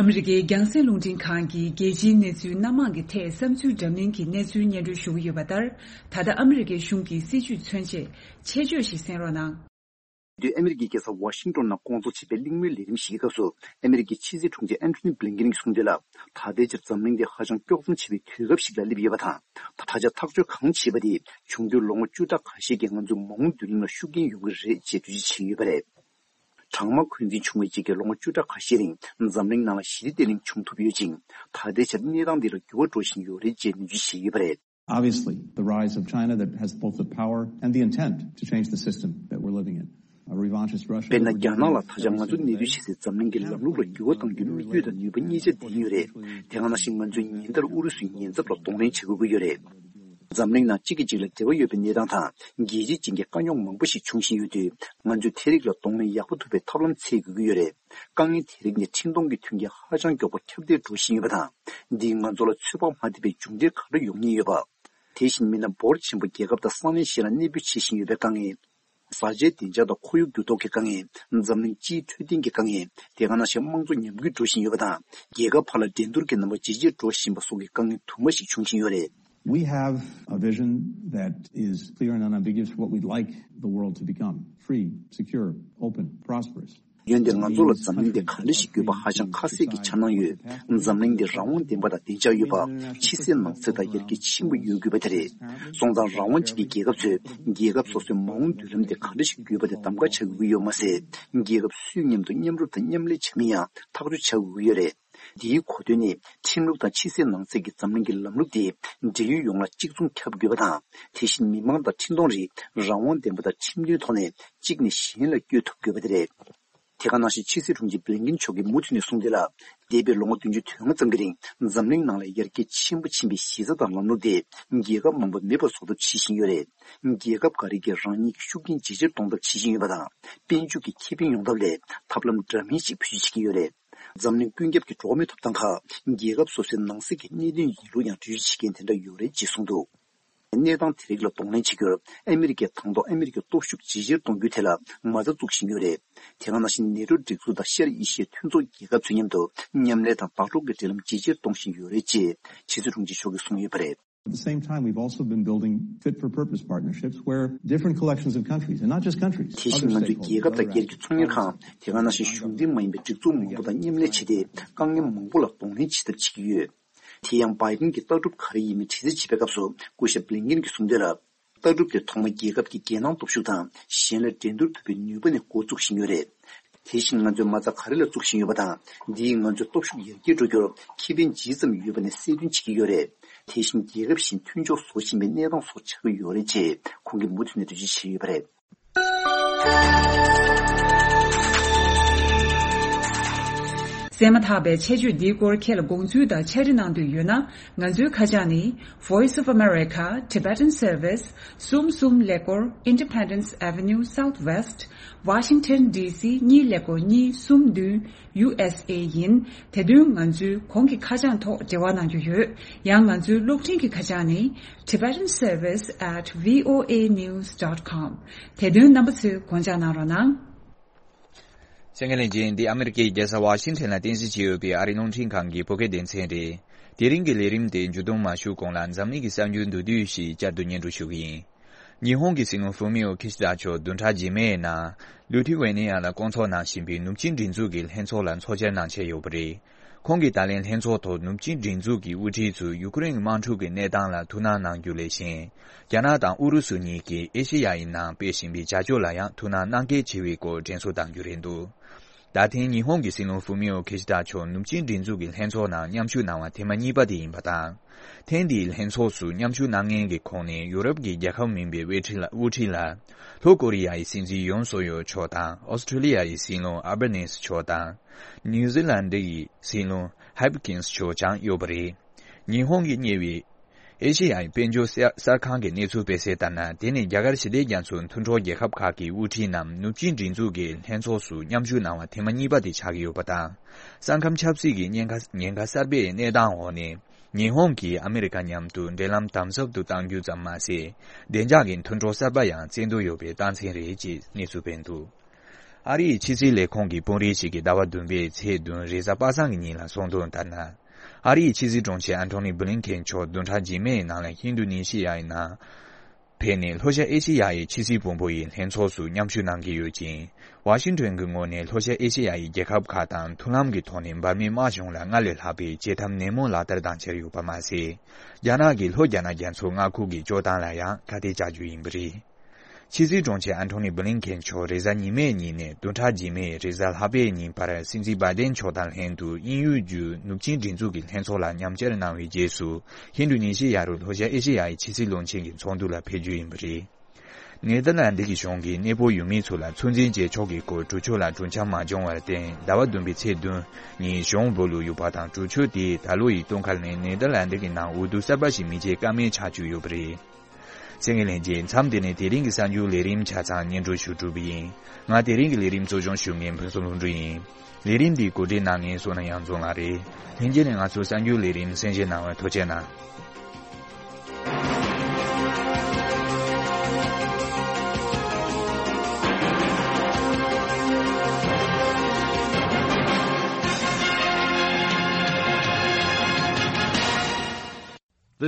ཨ་མི་རི་ཀའི་རྒྱང་སྲིང་རླུང་འཕྲིན་ཁང་གིས་རྒྱལ་སྤྱིའི་གནས་ཚུལ་སྣ་མང་གི་ཐད་བསམ་ཚུལ་འདྲ་མིན་གྱི་གནས་ཚུལ་སྙན་སྒྲོན་ཞུ་གི་ཡོད་པ་ལྟར། ད་ལྟ་ཨ་མི་རི་ཀའི་གཞུང་གི་སྲིད་བྱུས་མཚོན་ཆེད་ཆེད་བརྗོད་ཞིག་གསན་རོགས་གནང་། དུས་ཨ་མི་རི་ཀའི་རྒྱལ་ས་ཝ་ཤིང་ཏོན་ནང་སྐོང་ཚོགས་བྱས་པའི་གླེང་མོལ་ལས་རིམ་ཞིག་གི་སྐབས་སུ། ཨ་མི་རི་ཀའི་ཕྱི་སྲིད་དྲུང་ཆེ་ཨན་ཐོ་ནི་བྷི་ལིན་ཀེན་གྱིས་གསུངས་དོན་ལ། ད་ལྟའི་ཆར་འཛམ་གླིང་འདི་ཧ་ཅང་དཀྱོག་མཚམས་ཆེ་བའི་དུས་སྐབས་ཤིག་ལ་སླེབས་ཡོད་པ་དང་། ད་ཆ་ཐག་གཅོད་གང་བྱས་པ་དེ་འབྱུང་འགྱུར་ལོ་ངོ་བཅུ་ཕྲག་ཁ་ཤས་ཀྱི་ང་ཚོའི་མ་འོངས་མདུན་ལམ་ལ་ཤུགས་རྐྱེན་ཡོང་གི་རེད་ཅེས་འགྲེལ་བརྗོད་བྱས་ཡོད་པ་རེད། གྲང་དམག་འཁོན་འཛིན་བྱུང་བའི་རྗེས་ཀྱི་ལོ་ངོ་བཅུ་ཕྲག་ཁ་ཤས་རིང་འཛམ་གླིང་ནང་ལ་ཞི་བདེ་བརྟན་ལྷིང་བྱུང་ཐུབ་ཡོད་ཅིང་། ད་ལྟའི་ཆར་གནས་སྟངས་འདི་ལ་འགྱུར་བ་འགྲོ་བཞིན་ཡོད་རེད་ཅེས་ནན་བརྗོད་བྱས་ཡོད་པ་རེད། Obviously, the rise of China that has both the power and the intent to change the system that we're living in. A revanchist Russia དཔེར་ན། རྒྱ་ནག་ལ་ད་ཆ་ང་ཚོ་གནས་སྡོད་བྱེད་སའི་འཛམ་གླིང་གི་ལམ་ལུགས་ལ་འགྱུར་བ་གཏང་རྒྱུའི་དམིགས་ཡུལ་དང་ནུས་པ་གཉིས་ཆ་ལྡན་ཡོད་རེད། དེ་ག་ནང་བཞིན་ང་ཚོས་ཉིན་ལྟར་ཨུ་རུ་སུའི་ཉེན་ཚབས་ལ་གདོང་ལེན་བྱེད་དགོས་ཀྱི་ཡོད་རེད། འཛམ་གླིང་ནང་གཅིག་གིས་གཅིག་ལ་འབྲེལ་བ་ཡོད་པའི་གནས་སྟངས་དང་རྒྱལ་སྤྱི་ཅན་གྱི་དཀའ་རྙོག་མང་པོ་ཞིག་འབྱུང་བཞིན་ཡོད་དུས། ང་ཚོས་དེ་རིགས་ལ་གདོང་ལེན་ཡག་པོ་ཐུབ་པའི་ཐབས་ལམ་འཚོལ་དགོས་ཀྱི་ཡོད་རེད། དཀའ་ངལ་དེ་རིགས་ནི་འཕྲིན་གཏོང་གི་མཐུན་རྐྱེན་ཧ་ཅང་མགྱོགས་པོ་ཁྱབ་གདལ་འགྲོ་བཞིན་ཡོད་པ་དང་། འདིས་ང་ཚོ་ལ་ཚོད་དཔག་མ་ཐེབས་པའི་མཇུག་འབྲས་ག་རེ་ཡོང་ཉེན་ཡོད་པ། དེ་བཞིན་མི་སྣ་འབོར་ཆེན་པོ་རྒྱལ་ཁབ་དང་ས་གནས་གཞན་ལ་གནས་སྤོས་བྱེད་བཞིན་ཡོད་པའི་དཀའ་ངལ། བཟའ་བཅའི་བདེ་འཇགས་དང་ཁོར་ཡུག་འགྱུར་ལྡོག་གི་དཀའ་ངལ། འཛམ་གླིང་སྤྱིའི་འཕྲོད་བསྟེན་གྱི་དཀའ་ངལ། དེ་ག་ནང་བཞིན་དམངས་གཙོ་ཉམས་རྒུད་འགྲོ་བཞིན་ཡོད་པ་དང་། རྒྱལ་ཁབ་ཁག་ལ་འགྲན་བསྡུར་གྱི་རྣམ་པ་ཇེ་ཆེར་འགྲོ་བཞིན་པ་སོགས་ཀྱི་དཀའ་ངལ་དུ་མ་ཞིག་འབྱུང་བཞིན་ཡོད་རེད། We have a vision that is clear and unambiguous for what we'd like the world to become: free, secure, open, prosperous. འོན་ཏེ་ང་ཚོ་ལ་འཛམ་གླིང་འདི་ག་འདྲ་ཞིག་དགོས་པ་ཧ་ཅང་ཁ་གསལ་གྱིས་འཆར་སྣང་ཡོད། འཛམ་གླིང་འདི་རང་དབང་ལྡན་པ་དང་བདེ་འཇགས་ཡོད་པ། ཕྱི་གསལ་ནང་གསལ་དང་ཡར་རྒྱས་ཆེན་པོ་ཡོད་དགོས་པ་དེ་རེད། སོང་ཙང་རང་དབང་ཅན་གྱི་རྒྱལ་ཁབ་ཚོས་རྒྱལ་ཁབ་སོ་སོའི་མ་འོངས་མདུན་ལམ་དེ་ག་འདྲ་ཞིག་དགོས་པ་དེ་གདམ་ག་བྱ་དགོས་ཀྱི་ཡོད་མ་ཟད། རྒྱལ་ཁབ་སུའི་མཉམ་དུ་མཉམ་རུབ་དང་མཉམ་ལས་བྱ་མིན་ཡང་ཐག་གཅོད་བྱ་དགོས་ཀྱི་ཡོད་རེད། འདིའི་གོ་དོན་ནི་ཁྲིམས་ལུགས་དང་ཕྱི་གསལ་ནང་གསལ་གྱི་འཛམ་གླིང་གི་ལམ་ལུགས་དེ་འབྲེལ་ཡོད་ཡོངས་ལ་གཅིག་མཚུངས་ཁྱབ་དགོས་པ་དང་། དེ་བཞིན་མི་མང་དང་འཕྲིན་གཏོང་རིགས་རང་དབང་ལྡན་པ་དང་ཁྲིམས་མཐུན་ཐོག་ནས་གཅིག་ནས་གཞན་ལ་བསྐྱོད་ཐུབ་དགོས་པ་དེ་རེད། དེ་ག་ནང་བཞིན་ཕྱི་སྲིད་དྲུང་ཆེ་བྷི་ལིན་ཀིན་མཆོག་གིས་མུ་མཐུད་ནས་གསུངས་དོན་ལ། འདས་པའི་ལོ་ངོ་བདུན་ཅུ་དོན་ལྔ་ཙམ་གྱི་རིང་འཛམ་གླིང་ནང་ལ་ཡར་རྒྱས་ཆེན་པོ་ཕྱིན་པའི་གཞི་རྩ་དང་ལམ་ལུགས་དེ་རྒྱལ་ཁབ་མང་པོ་མེད་པར་བཟོ་ཐབས་བྱེད་བཞིན་ཡོད་རེད། རྒྱལ་ཁབ་འགའ་རེ་གིས་རང་ཉིད་ཀྱི་ཤུགས་རྐྱེན་ཇེ་ཆེར་གཏོང་ཐབས་བྱེད་བཞིན་ཡོད་པ་དང་། དཔལ་འབྱོར་གྱི་ཁེ་ཕན་ཡོང་ཐབས་ལ་ཐབས་ལམ་འདྲ་མིན་ཞིག་བེད་སྤྱོད་བྱེད་ཀྱི་ཡོད་རེད། འཛམ་གླིང་ཀུན་ཁྱབ་ཀྱི་འགྲོ་བ་མིའི་ཐོབ་ཐང་ཁག་རྒྱལ་ཁབ་སོ་སོའི་ནང་སྲིད་ཀྱི་གནད་དོན་ཡིན་ལུགས་ཡང་འགྲེལ་བརྗོད་བྱེད་མཁན་དེ་འདྲ་ཡོད་རེད་ཅེས་གསུངས་འདུག། གནས་སྟངས་དེ་རིགས་ལ་གདོང་ལེན་བྱེད་རྒྱུར་ཨ་མི་རི་ཀས་དང་ཐོག་ཨ་མི་རི་ཀའི་སྟོབས་ཤུགས་ཇེ་ཆེར་གཏོང་རྒྱུའི་ཐད་ལ་མ་རྩ་བཙུགས་བཞིན་ཡོད་རེད། དེ་ག་ནང་བཞིན་ནེ་ཊོ་སྒྲིག་འཛུགས་དང་ཤར་ཨེ་ཤི་ཡའི་མཐུན་ཚོགས་རྒྱལ་ཁབ་ཚོའི་མཉམ་དུ་མཉམ་ལས་དང་ལྟ་རྟོག་གི་འབྲེལ་ལམ་ཇེ་ཆེར་གཏོང་བཞིན་ཡོད་རེད་ཅེས་ཕྱི་སྲིད་དྲུང་ཆེ་མཆོག་གིས་གསུངས་ཡོད་པ་རེད། At the same time, we've also been building fit for purpose partnerships where different collections of countries, and not just countries, དེ་བཞིན་ང་ཚོས་རྒྱལ་ཁབ་དང་སྒེར་གྱི་ཚོང་གཉེར་ཁང་། དེ་ག་ནང་བཞིན་གཞུང་འབྲེལ་མ་ཡིན་པའི་སྒྲིག་འཛུགས་མང་པོ་དང་མཉམ་ལས་བྱས་ཏེ་དཀའ་ངལ་མང་པོ་ལ་གདོང་ལེན་བྱེད་ཐབས་བྱེད་ཀྱི་ཡོད། དེ་ཡང་བྷའི་ཌེན་གྱི་ལྟ་གྲུབ་ག་རེ་ཡིན་མིན་དྲི་རྩད་བྱེད་པའི་སྐབས་སུ་སྐུ་ཞབས་བྷི་ལིན་ཀིན་གྱིས་གསུངས་དོན་ལ། ལྟ་གྲུབ་དེ་ཐོག་མ་རྒྱལ་ཁབ་ཀྱི་རྒྱལ་ནང་སྟོབས་ཤུགས་དང་གཞན་ལ་འགྲན་བསྡུར་ཐུབ་པའི་ནུས་པ་ནས་འགོ་བཙུགས་བཞིན་ཡོད་རེད། དེ་བཞིན་ང་ཚོས་མ་རྩ་ག་རེ་ལ་བཙུགས་བཞིན་ཡོད་པ་དང་། འདིས་ང་ཚོའི་སྟོབས་ཤུགས་ཡར་རྒྱས་འགྲོ་རྒྱུར་ཁེ་ཕན་ཇི་ཙམ་ཡོད་པ་ནས་གསལ་སྟོན་བྱེད་ཀྱི་ཡོད་རེད། དེ་བཞིན་རྒྱལ་ཁབ་གཞན་མཐུན་ཕྱོགས་བཟོ་བཞིན་པའི་གནས་སྟངས་སོགས་ཆགས་ཀྱི་ཡོད་རེད་ཅེས་ཁོང་གིས་མུ་མཐུད་ནས་འགྲེལ་བརྗོད་བྱས་ཡོད་པ་རེད། གསན་མ་ཐག་པའི་ཆེད་བརྗོད་འདིའི་སྐོར་ཁྱེད་ལ་དགོངས་ཚུལ་དང་ཕྱག་བྲིས་གནང་འདོད་ཡོད་ན། ང་ཚོའི་ཁ་བྱང་ནི། Voice of America, Tibetan Service, གསུམ་གསུམ་ཀླད་ཀོར། Independence Avenue Southwest, Washington D C གཉིས་ཀླད་ཀོར་གཉིས་གསུམ་བདུན། U S A ཡིན། དེ་དོན་ང་ཚོའི་གོང་གི་ཁ་བྱང་ཐོག་འབྲེལ་བ་གནང་རྒྱུ་ཡོད། ཡང་ང་ཚོའི་གློག་འཕྲིན་གྱི་ཁ་བྱང་ནི། Tibetan Service at V O A news dot com། དེ་དོན་རྣམ་པ་ཚོས་དགོངས་འཇགས་གནང་རོགས་གནང་། གསན་མཁན་ལྷན་རྒྱས། འདི་ཨ་མི་རི་ཀའི་རྒྱལ་ས་ཝ་ཤིང་ཊོན་ལ་རྟེན་གཞི་བྱས་ཡོད་པའི་ཨ་རིའི་རླུང་འཕྲིན་ཁང་གི་བོད་སྐད་སྡེ་ཚན་རེད། དེ་རིང་གི་ལས་རིམ་དེ་མཇུག་བསྡོམས་མ་ཞུ་གོང་ལ་འཛམ་གླིང་གི་གསར་འགྱུར་མདོར་བསྡུས་ཤིག་བསྐྱར་དུ་སྙན་སྒྲོན་ཞུ་གི་ཡིན། ཉི་ཧོང་གི་སྲིད་བློན་ཧྥུ་མི་ཨོ་ཁི་ཤི་ད་མཆོག་བདུན་ཕྲག་རྗེས་མའི་ནང་ལུ་ཐི་ཝེ་ནི་ཡ་ལ་བསྐོང་ཚོགས་གནང་བཞིན་པའི་ནུབ་ཆིངས་སྒྲིག་འཛུགས་ཀྱི་ལྷན་ཚོགས་ལ་ཚོགས་བཅར་གནང་འཆར་ཡོད་པ་རེད། ཁོང་གིས་ད་ལན་ལྷན་ཚོགས་ཐོག་ནུབ་ཆིངས་སྒྲིག་འཛུགས་ཀྱི་དབུ་ཁྲིད་ཚོས་ཡུ་ཀེ་རེན་གྱི་དམག་འཁྲུག་གི་གནས་སྟངས་ལ་ཐུགས་སྣང་གནང་རྒྱུ་ལས་གཞན། རྒྱ་ནག་དང་ཨུ་རུ་སུ་གཉིས་ཀྱིས་ཨེ་ཤེ་ཡ་ཡི་ནང་སྤེལ་བཞིན་པའི་བྱ་སྤྱོད་ལ་ཡང་ཐུགས་སྣང་གནང་གལ་ཆེ་བའི་སྐོར་དྲན་གསོ་གནང་རྒྱུ་རེད་འདུག། ད་ཐེངས་ཉི་ཧོང་གི་སྲིད་བློན་ཧྥུ་མི་ཨོ་ཁི་ཤི་ད་མཆོག་ནུབ་ཆིངས་སྒྲིག་འཛུགས་ཀྱི་ལྷན་ཚོགས་ནང་མཉམ་ཞུགས་གནང་བ་ཐེངས་མ་གཉིས་པ་དེ་ཡིན་པ་དང་། ཐེངས་འདིའི་ལྷན་ཚོགས་སུ་མཉམ་ཞུགས་གནང་མཁན་གྱི་ཁོངས་ནས་ཡུ་རོབ་ཀྱི་རྒྱལ་ཁབ་མིན་པའི་དབུ་ཁྲིད་ལ་དབུ་ཁྲིད་ལ། ལྷོ་ཀོ་རི་ཡ་ཡི་སྲིད་འཛིན་ཡོན་སུག་ཡོལ་མཆོག་དང་། ཨོ་སི་ཁྲུ་ལི་ཡ་ཡི་སྲིད་བློན་ཨལ་བྷ་ནེ་སི་མཆོག་དང་། ནིའུ་ཛི་ལན་ཌི་ཡི་སྲིད་བློན་ཧབ་ཀིན་སི་མཆོག་ཀྱང་ཡོད་པ་རེད། ཉི་ཧོང་གིས་གཉེར་བའི་ཨེ་ཤེ་ཡ་ཡི་དཔལ་འབྱོར་གསར་གསར་ཁང་གི་གནས་ཚུལ་སྤེལ་གསལ་ལྟར་ན། དེ་ནི་རྒྱ་གར་ཞི་བདེ་རྒྱ་མཚོའི་མཐུན་གྲོགས་རྒྱལ་ཁབ་ཁག་གི་དབུ་ཁྲིད་རྣམས་ནུབ་ཆིངས་སྒྲིག་འཛུགས་ཀྱི་ལྷན་ཚོགས་སུ་མཉམ་ཞུགས་གནང་བ་ཐེངས་མ་གཉིས་པ་དེ་ཆགས་ཀྱི་ཡོད་པ་དང་། ས་ཁམས་ཆབ་སྲིད་ཀྱི་ཉེན་ཁ་ཉེན་ཁ་གསར་པའི་གནས་སྟངས་འོག་ནས། ཉི་ཧོང་གིས་ཨ་མི་རི་ཀ་མཉམ་དུ་འབྲེལ་ལམ་དམ་ཟབ་ཏུ་གཏང་རྒྱུ་ཙམ་མ་ཟད། བདེ་འཇགས་ཀྱི་མཐུན་གྲོགས་གསར་པ་ཡང་བཙན་འདོད་ཡོད་པའི་རྟགས་མཚན་རེད་ཅེས་གནས་ཚུལ་སྤེལ་འདུག། ཨ་རིའི་ཕྱི་སྲིད་ལས་ཁུངས་ཀྱི་དཔོན་རིགས་ཤིག་གིས་ཟླ་བ་བདུན་པའི་ཚེས་བདུན་རེས་གཟའ་པ་སངས་ཀྱི་ཉིན་ལ་གསུངས་དོན་ལྟར་ན། ཨ་རིའི་ཕྱི་སྲིད་དྲུང་ཆེ་ཨན་ཐོ་ནི་བྷི་ལིན་ཁེན་མཆོག་བདུན་ཕྲག་རྗེས་མའི་ནང་ལ་ཧིན་རྡུ་ནི་ཤི་ཡའི་ནང་ཕེབས་ནས་ལྷོ་ཤར་ཨེ་ཤེ་ཡ་ཡི་ཕྱི་སྲིད་དཔོན་པོ་ཡི་ལྷན་ཚོགས་སུ་མཉམ་ཞུགས་གནང་གི་ཡོད་ཅིང་། ཝ་ཤིང་ཊོན་གྱི་ངོས་ནས་ལྷོ་ཤར་ཨེ་ཤེ་ཡ་ཡི་རྒྱལ་ཁབ་ཁག་དང་མཐུན་ལམ་གྱི་ཐོག་ནས་འབར་མའི་དམག་གཞུང་ལ་སྔར་ལས་ལྷག་པའི་བྱེད་ཐབས་ནན་མོ་ལག་བསྟར་གཏང་འཆར་ཡོད་པ་མ་ཟད། རྒྱ་ནག་གིས་ལྷོ་རྒྱ་ནག་རྒྱ་མཚོའི་མངའ་ཁུལ་གྱི་སྤྱོད་སྟངས་ལ་ཡང་ཁ་གཏད་བཅག་རྒྱུ་ཡིན་པ་རེད། ཕྱི་སྲིད་དྲུང་ཆེ་ཨན་ཐོ་ནི་བྷི་ལིན་ཁེན་མཆོག་རེས་གཟའ་ཉི་མའི་ཉིན་ནས་བདུན་ཕྲག་རྗེས་མའི་རེས་གཟའ་ལྷག་པའི་ཉིན་བར་སྲིད་འཛིན་བྷའི་ཌེན་མཆོག་དང་ལྷན་དུ་དབྱིན་ཡུལ་བརྒྱུད་ནུབ་ཆིངས་སྒྲིག་འཛུགས་ཀྱི་ལྷན་ཚོགས་ལ་མཉམ་བཅར་གནང་བའི་རྗེས་སུ། ཧིན་རྡུ་ནི་ཤི་ཡ་རུ་ལྷོ་ཤར་ཨེ་ཤེ་ཡ་ཡི་ཕྱི་སྲིད་བློན་ཆེན་གྱི་ཚོགས་འདུ་ལ་ཕེབས་རྒྱུ་ཡིན་པ་རེད། ནེ་དར་ལན་ཌི་གི་གཞུང་གིས་གནས་སྤོ་ཡུལ་མི་ཚོ་ལ་ཚོད་འཛིན་བྱེད་ཕྱོགས་ཀྱི་སྐོར་གྲོས་ཆོད་ལ་གྲོས་འཆམ་མ་བྱུང་བར་བརྟེན། ཟླ་བ་བདུན་པའི་ཚེས་བདུན་ཉིན་གཞུང་སྦོ་ལུ་ཡུལ་པ་དང་གྲོས་ཆོད་དེ་ད་ལོ་ཡི་སྟོན་ཁ་ནས་ནེ་དར་ལན་ཌི་གི་ནང་འོས་བསྡུ་གསར་པ་ཞིག་མི་བྱེད་ཀ་མེད་ཆགས་བཅུག་ཡོད་པ་རེད། གསན་མཁན་ལྷན་རྒྱས། མཚམས་འདི་ནས་དེ་རིང་གི་གསར་འགྱུར་ལས་རིམ་ཆ་ཚང་སྙན་སྒྲོན་ཞུ་གྲུབ་པ་ཡིན། ང་དེ་རིང་གི་ལས་རིམ་གཙོ་སྐྱོང་ཞུ་མཁན་ཕུན་སུམ་ལྷུན་གྲུབ་ཡིན། ལས་རིམ་འདི་གོ་སྒྲིག་གནང་མཁན་བསོད་ནམས་དབྱངས་འཛོམས་ལགས་རེད། ལྷན་རྒྱས་ནས་ང་ཚོའི་གསར་འགྱུར་ལས་རིམ་གསན་བཞེས་གནང་བར་ཐུགས་རྗེ་གནང་།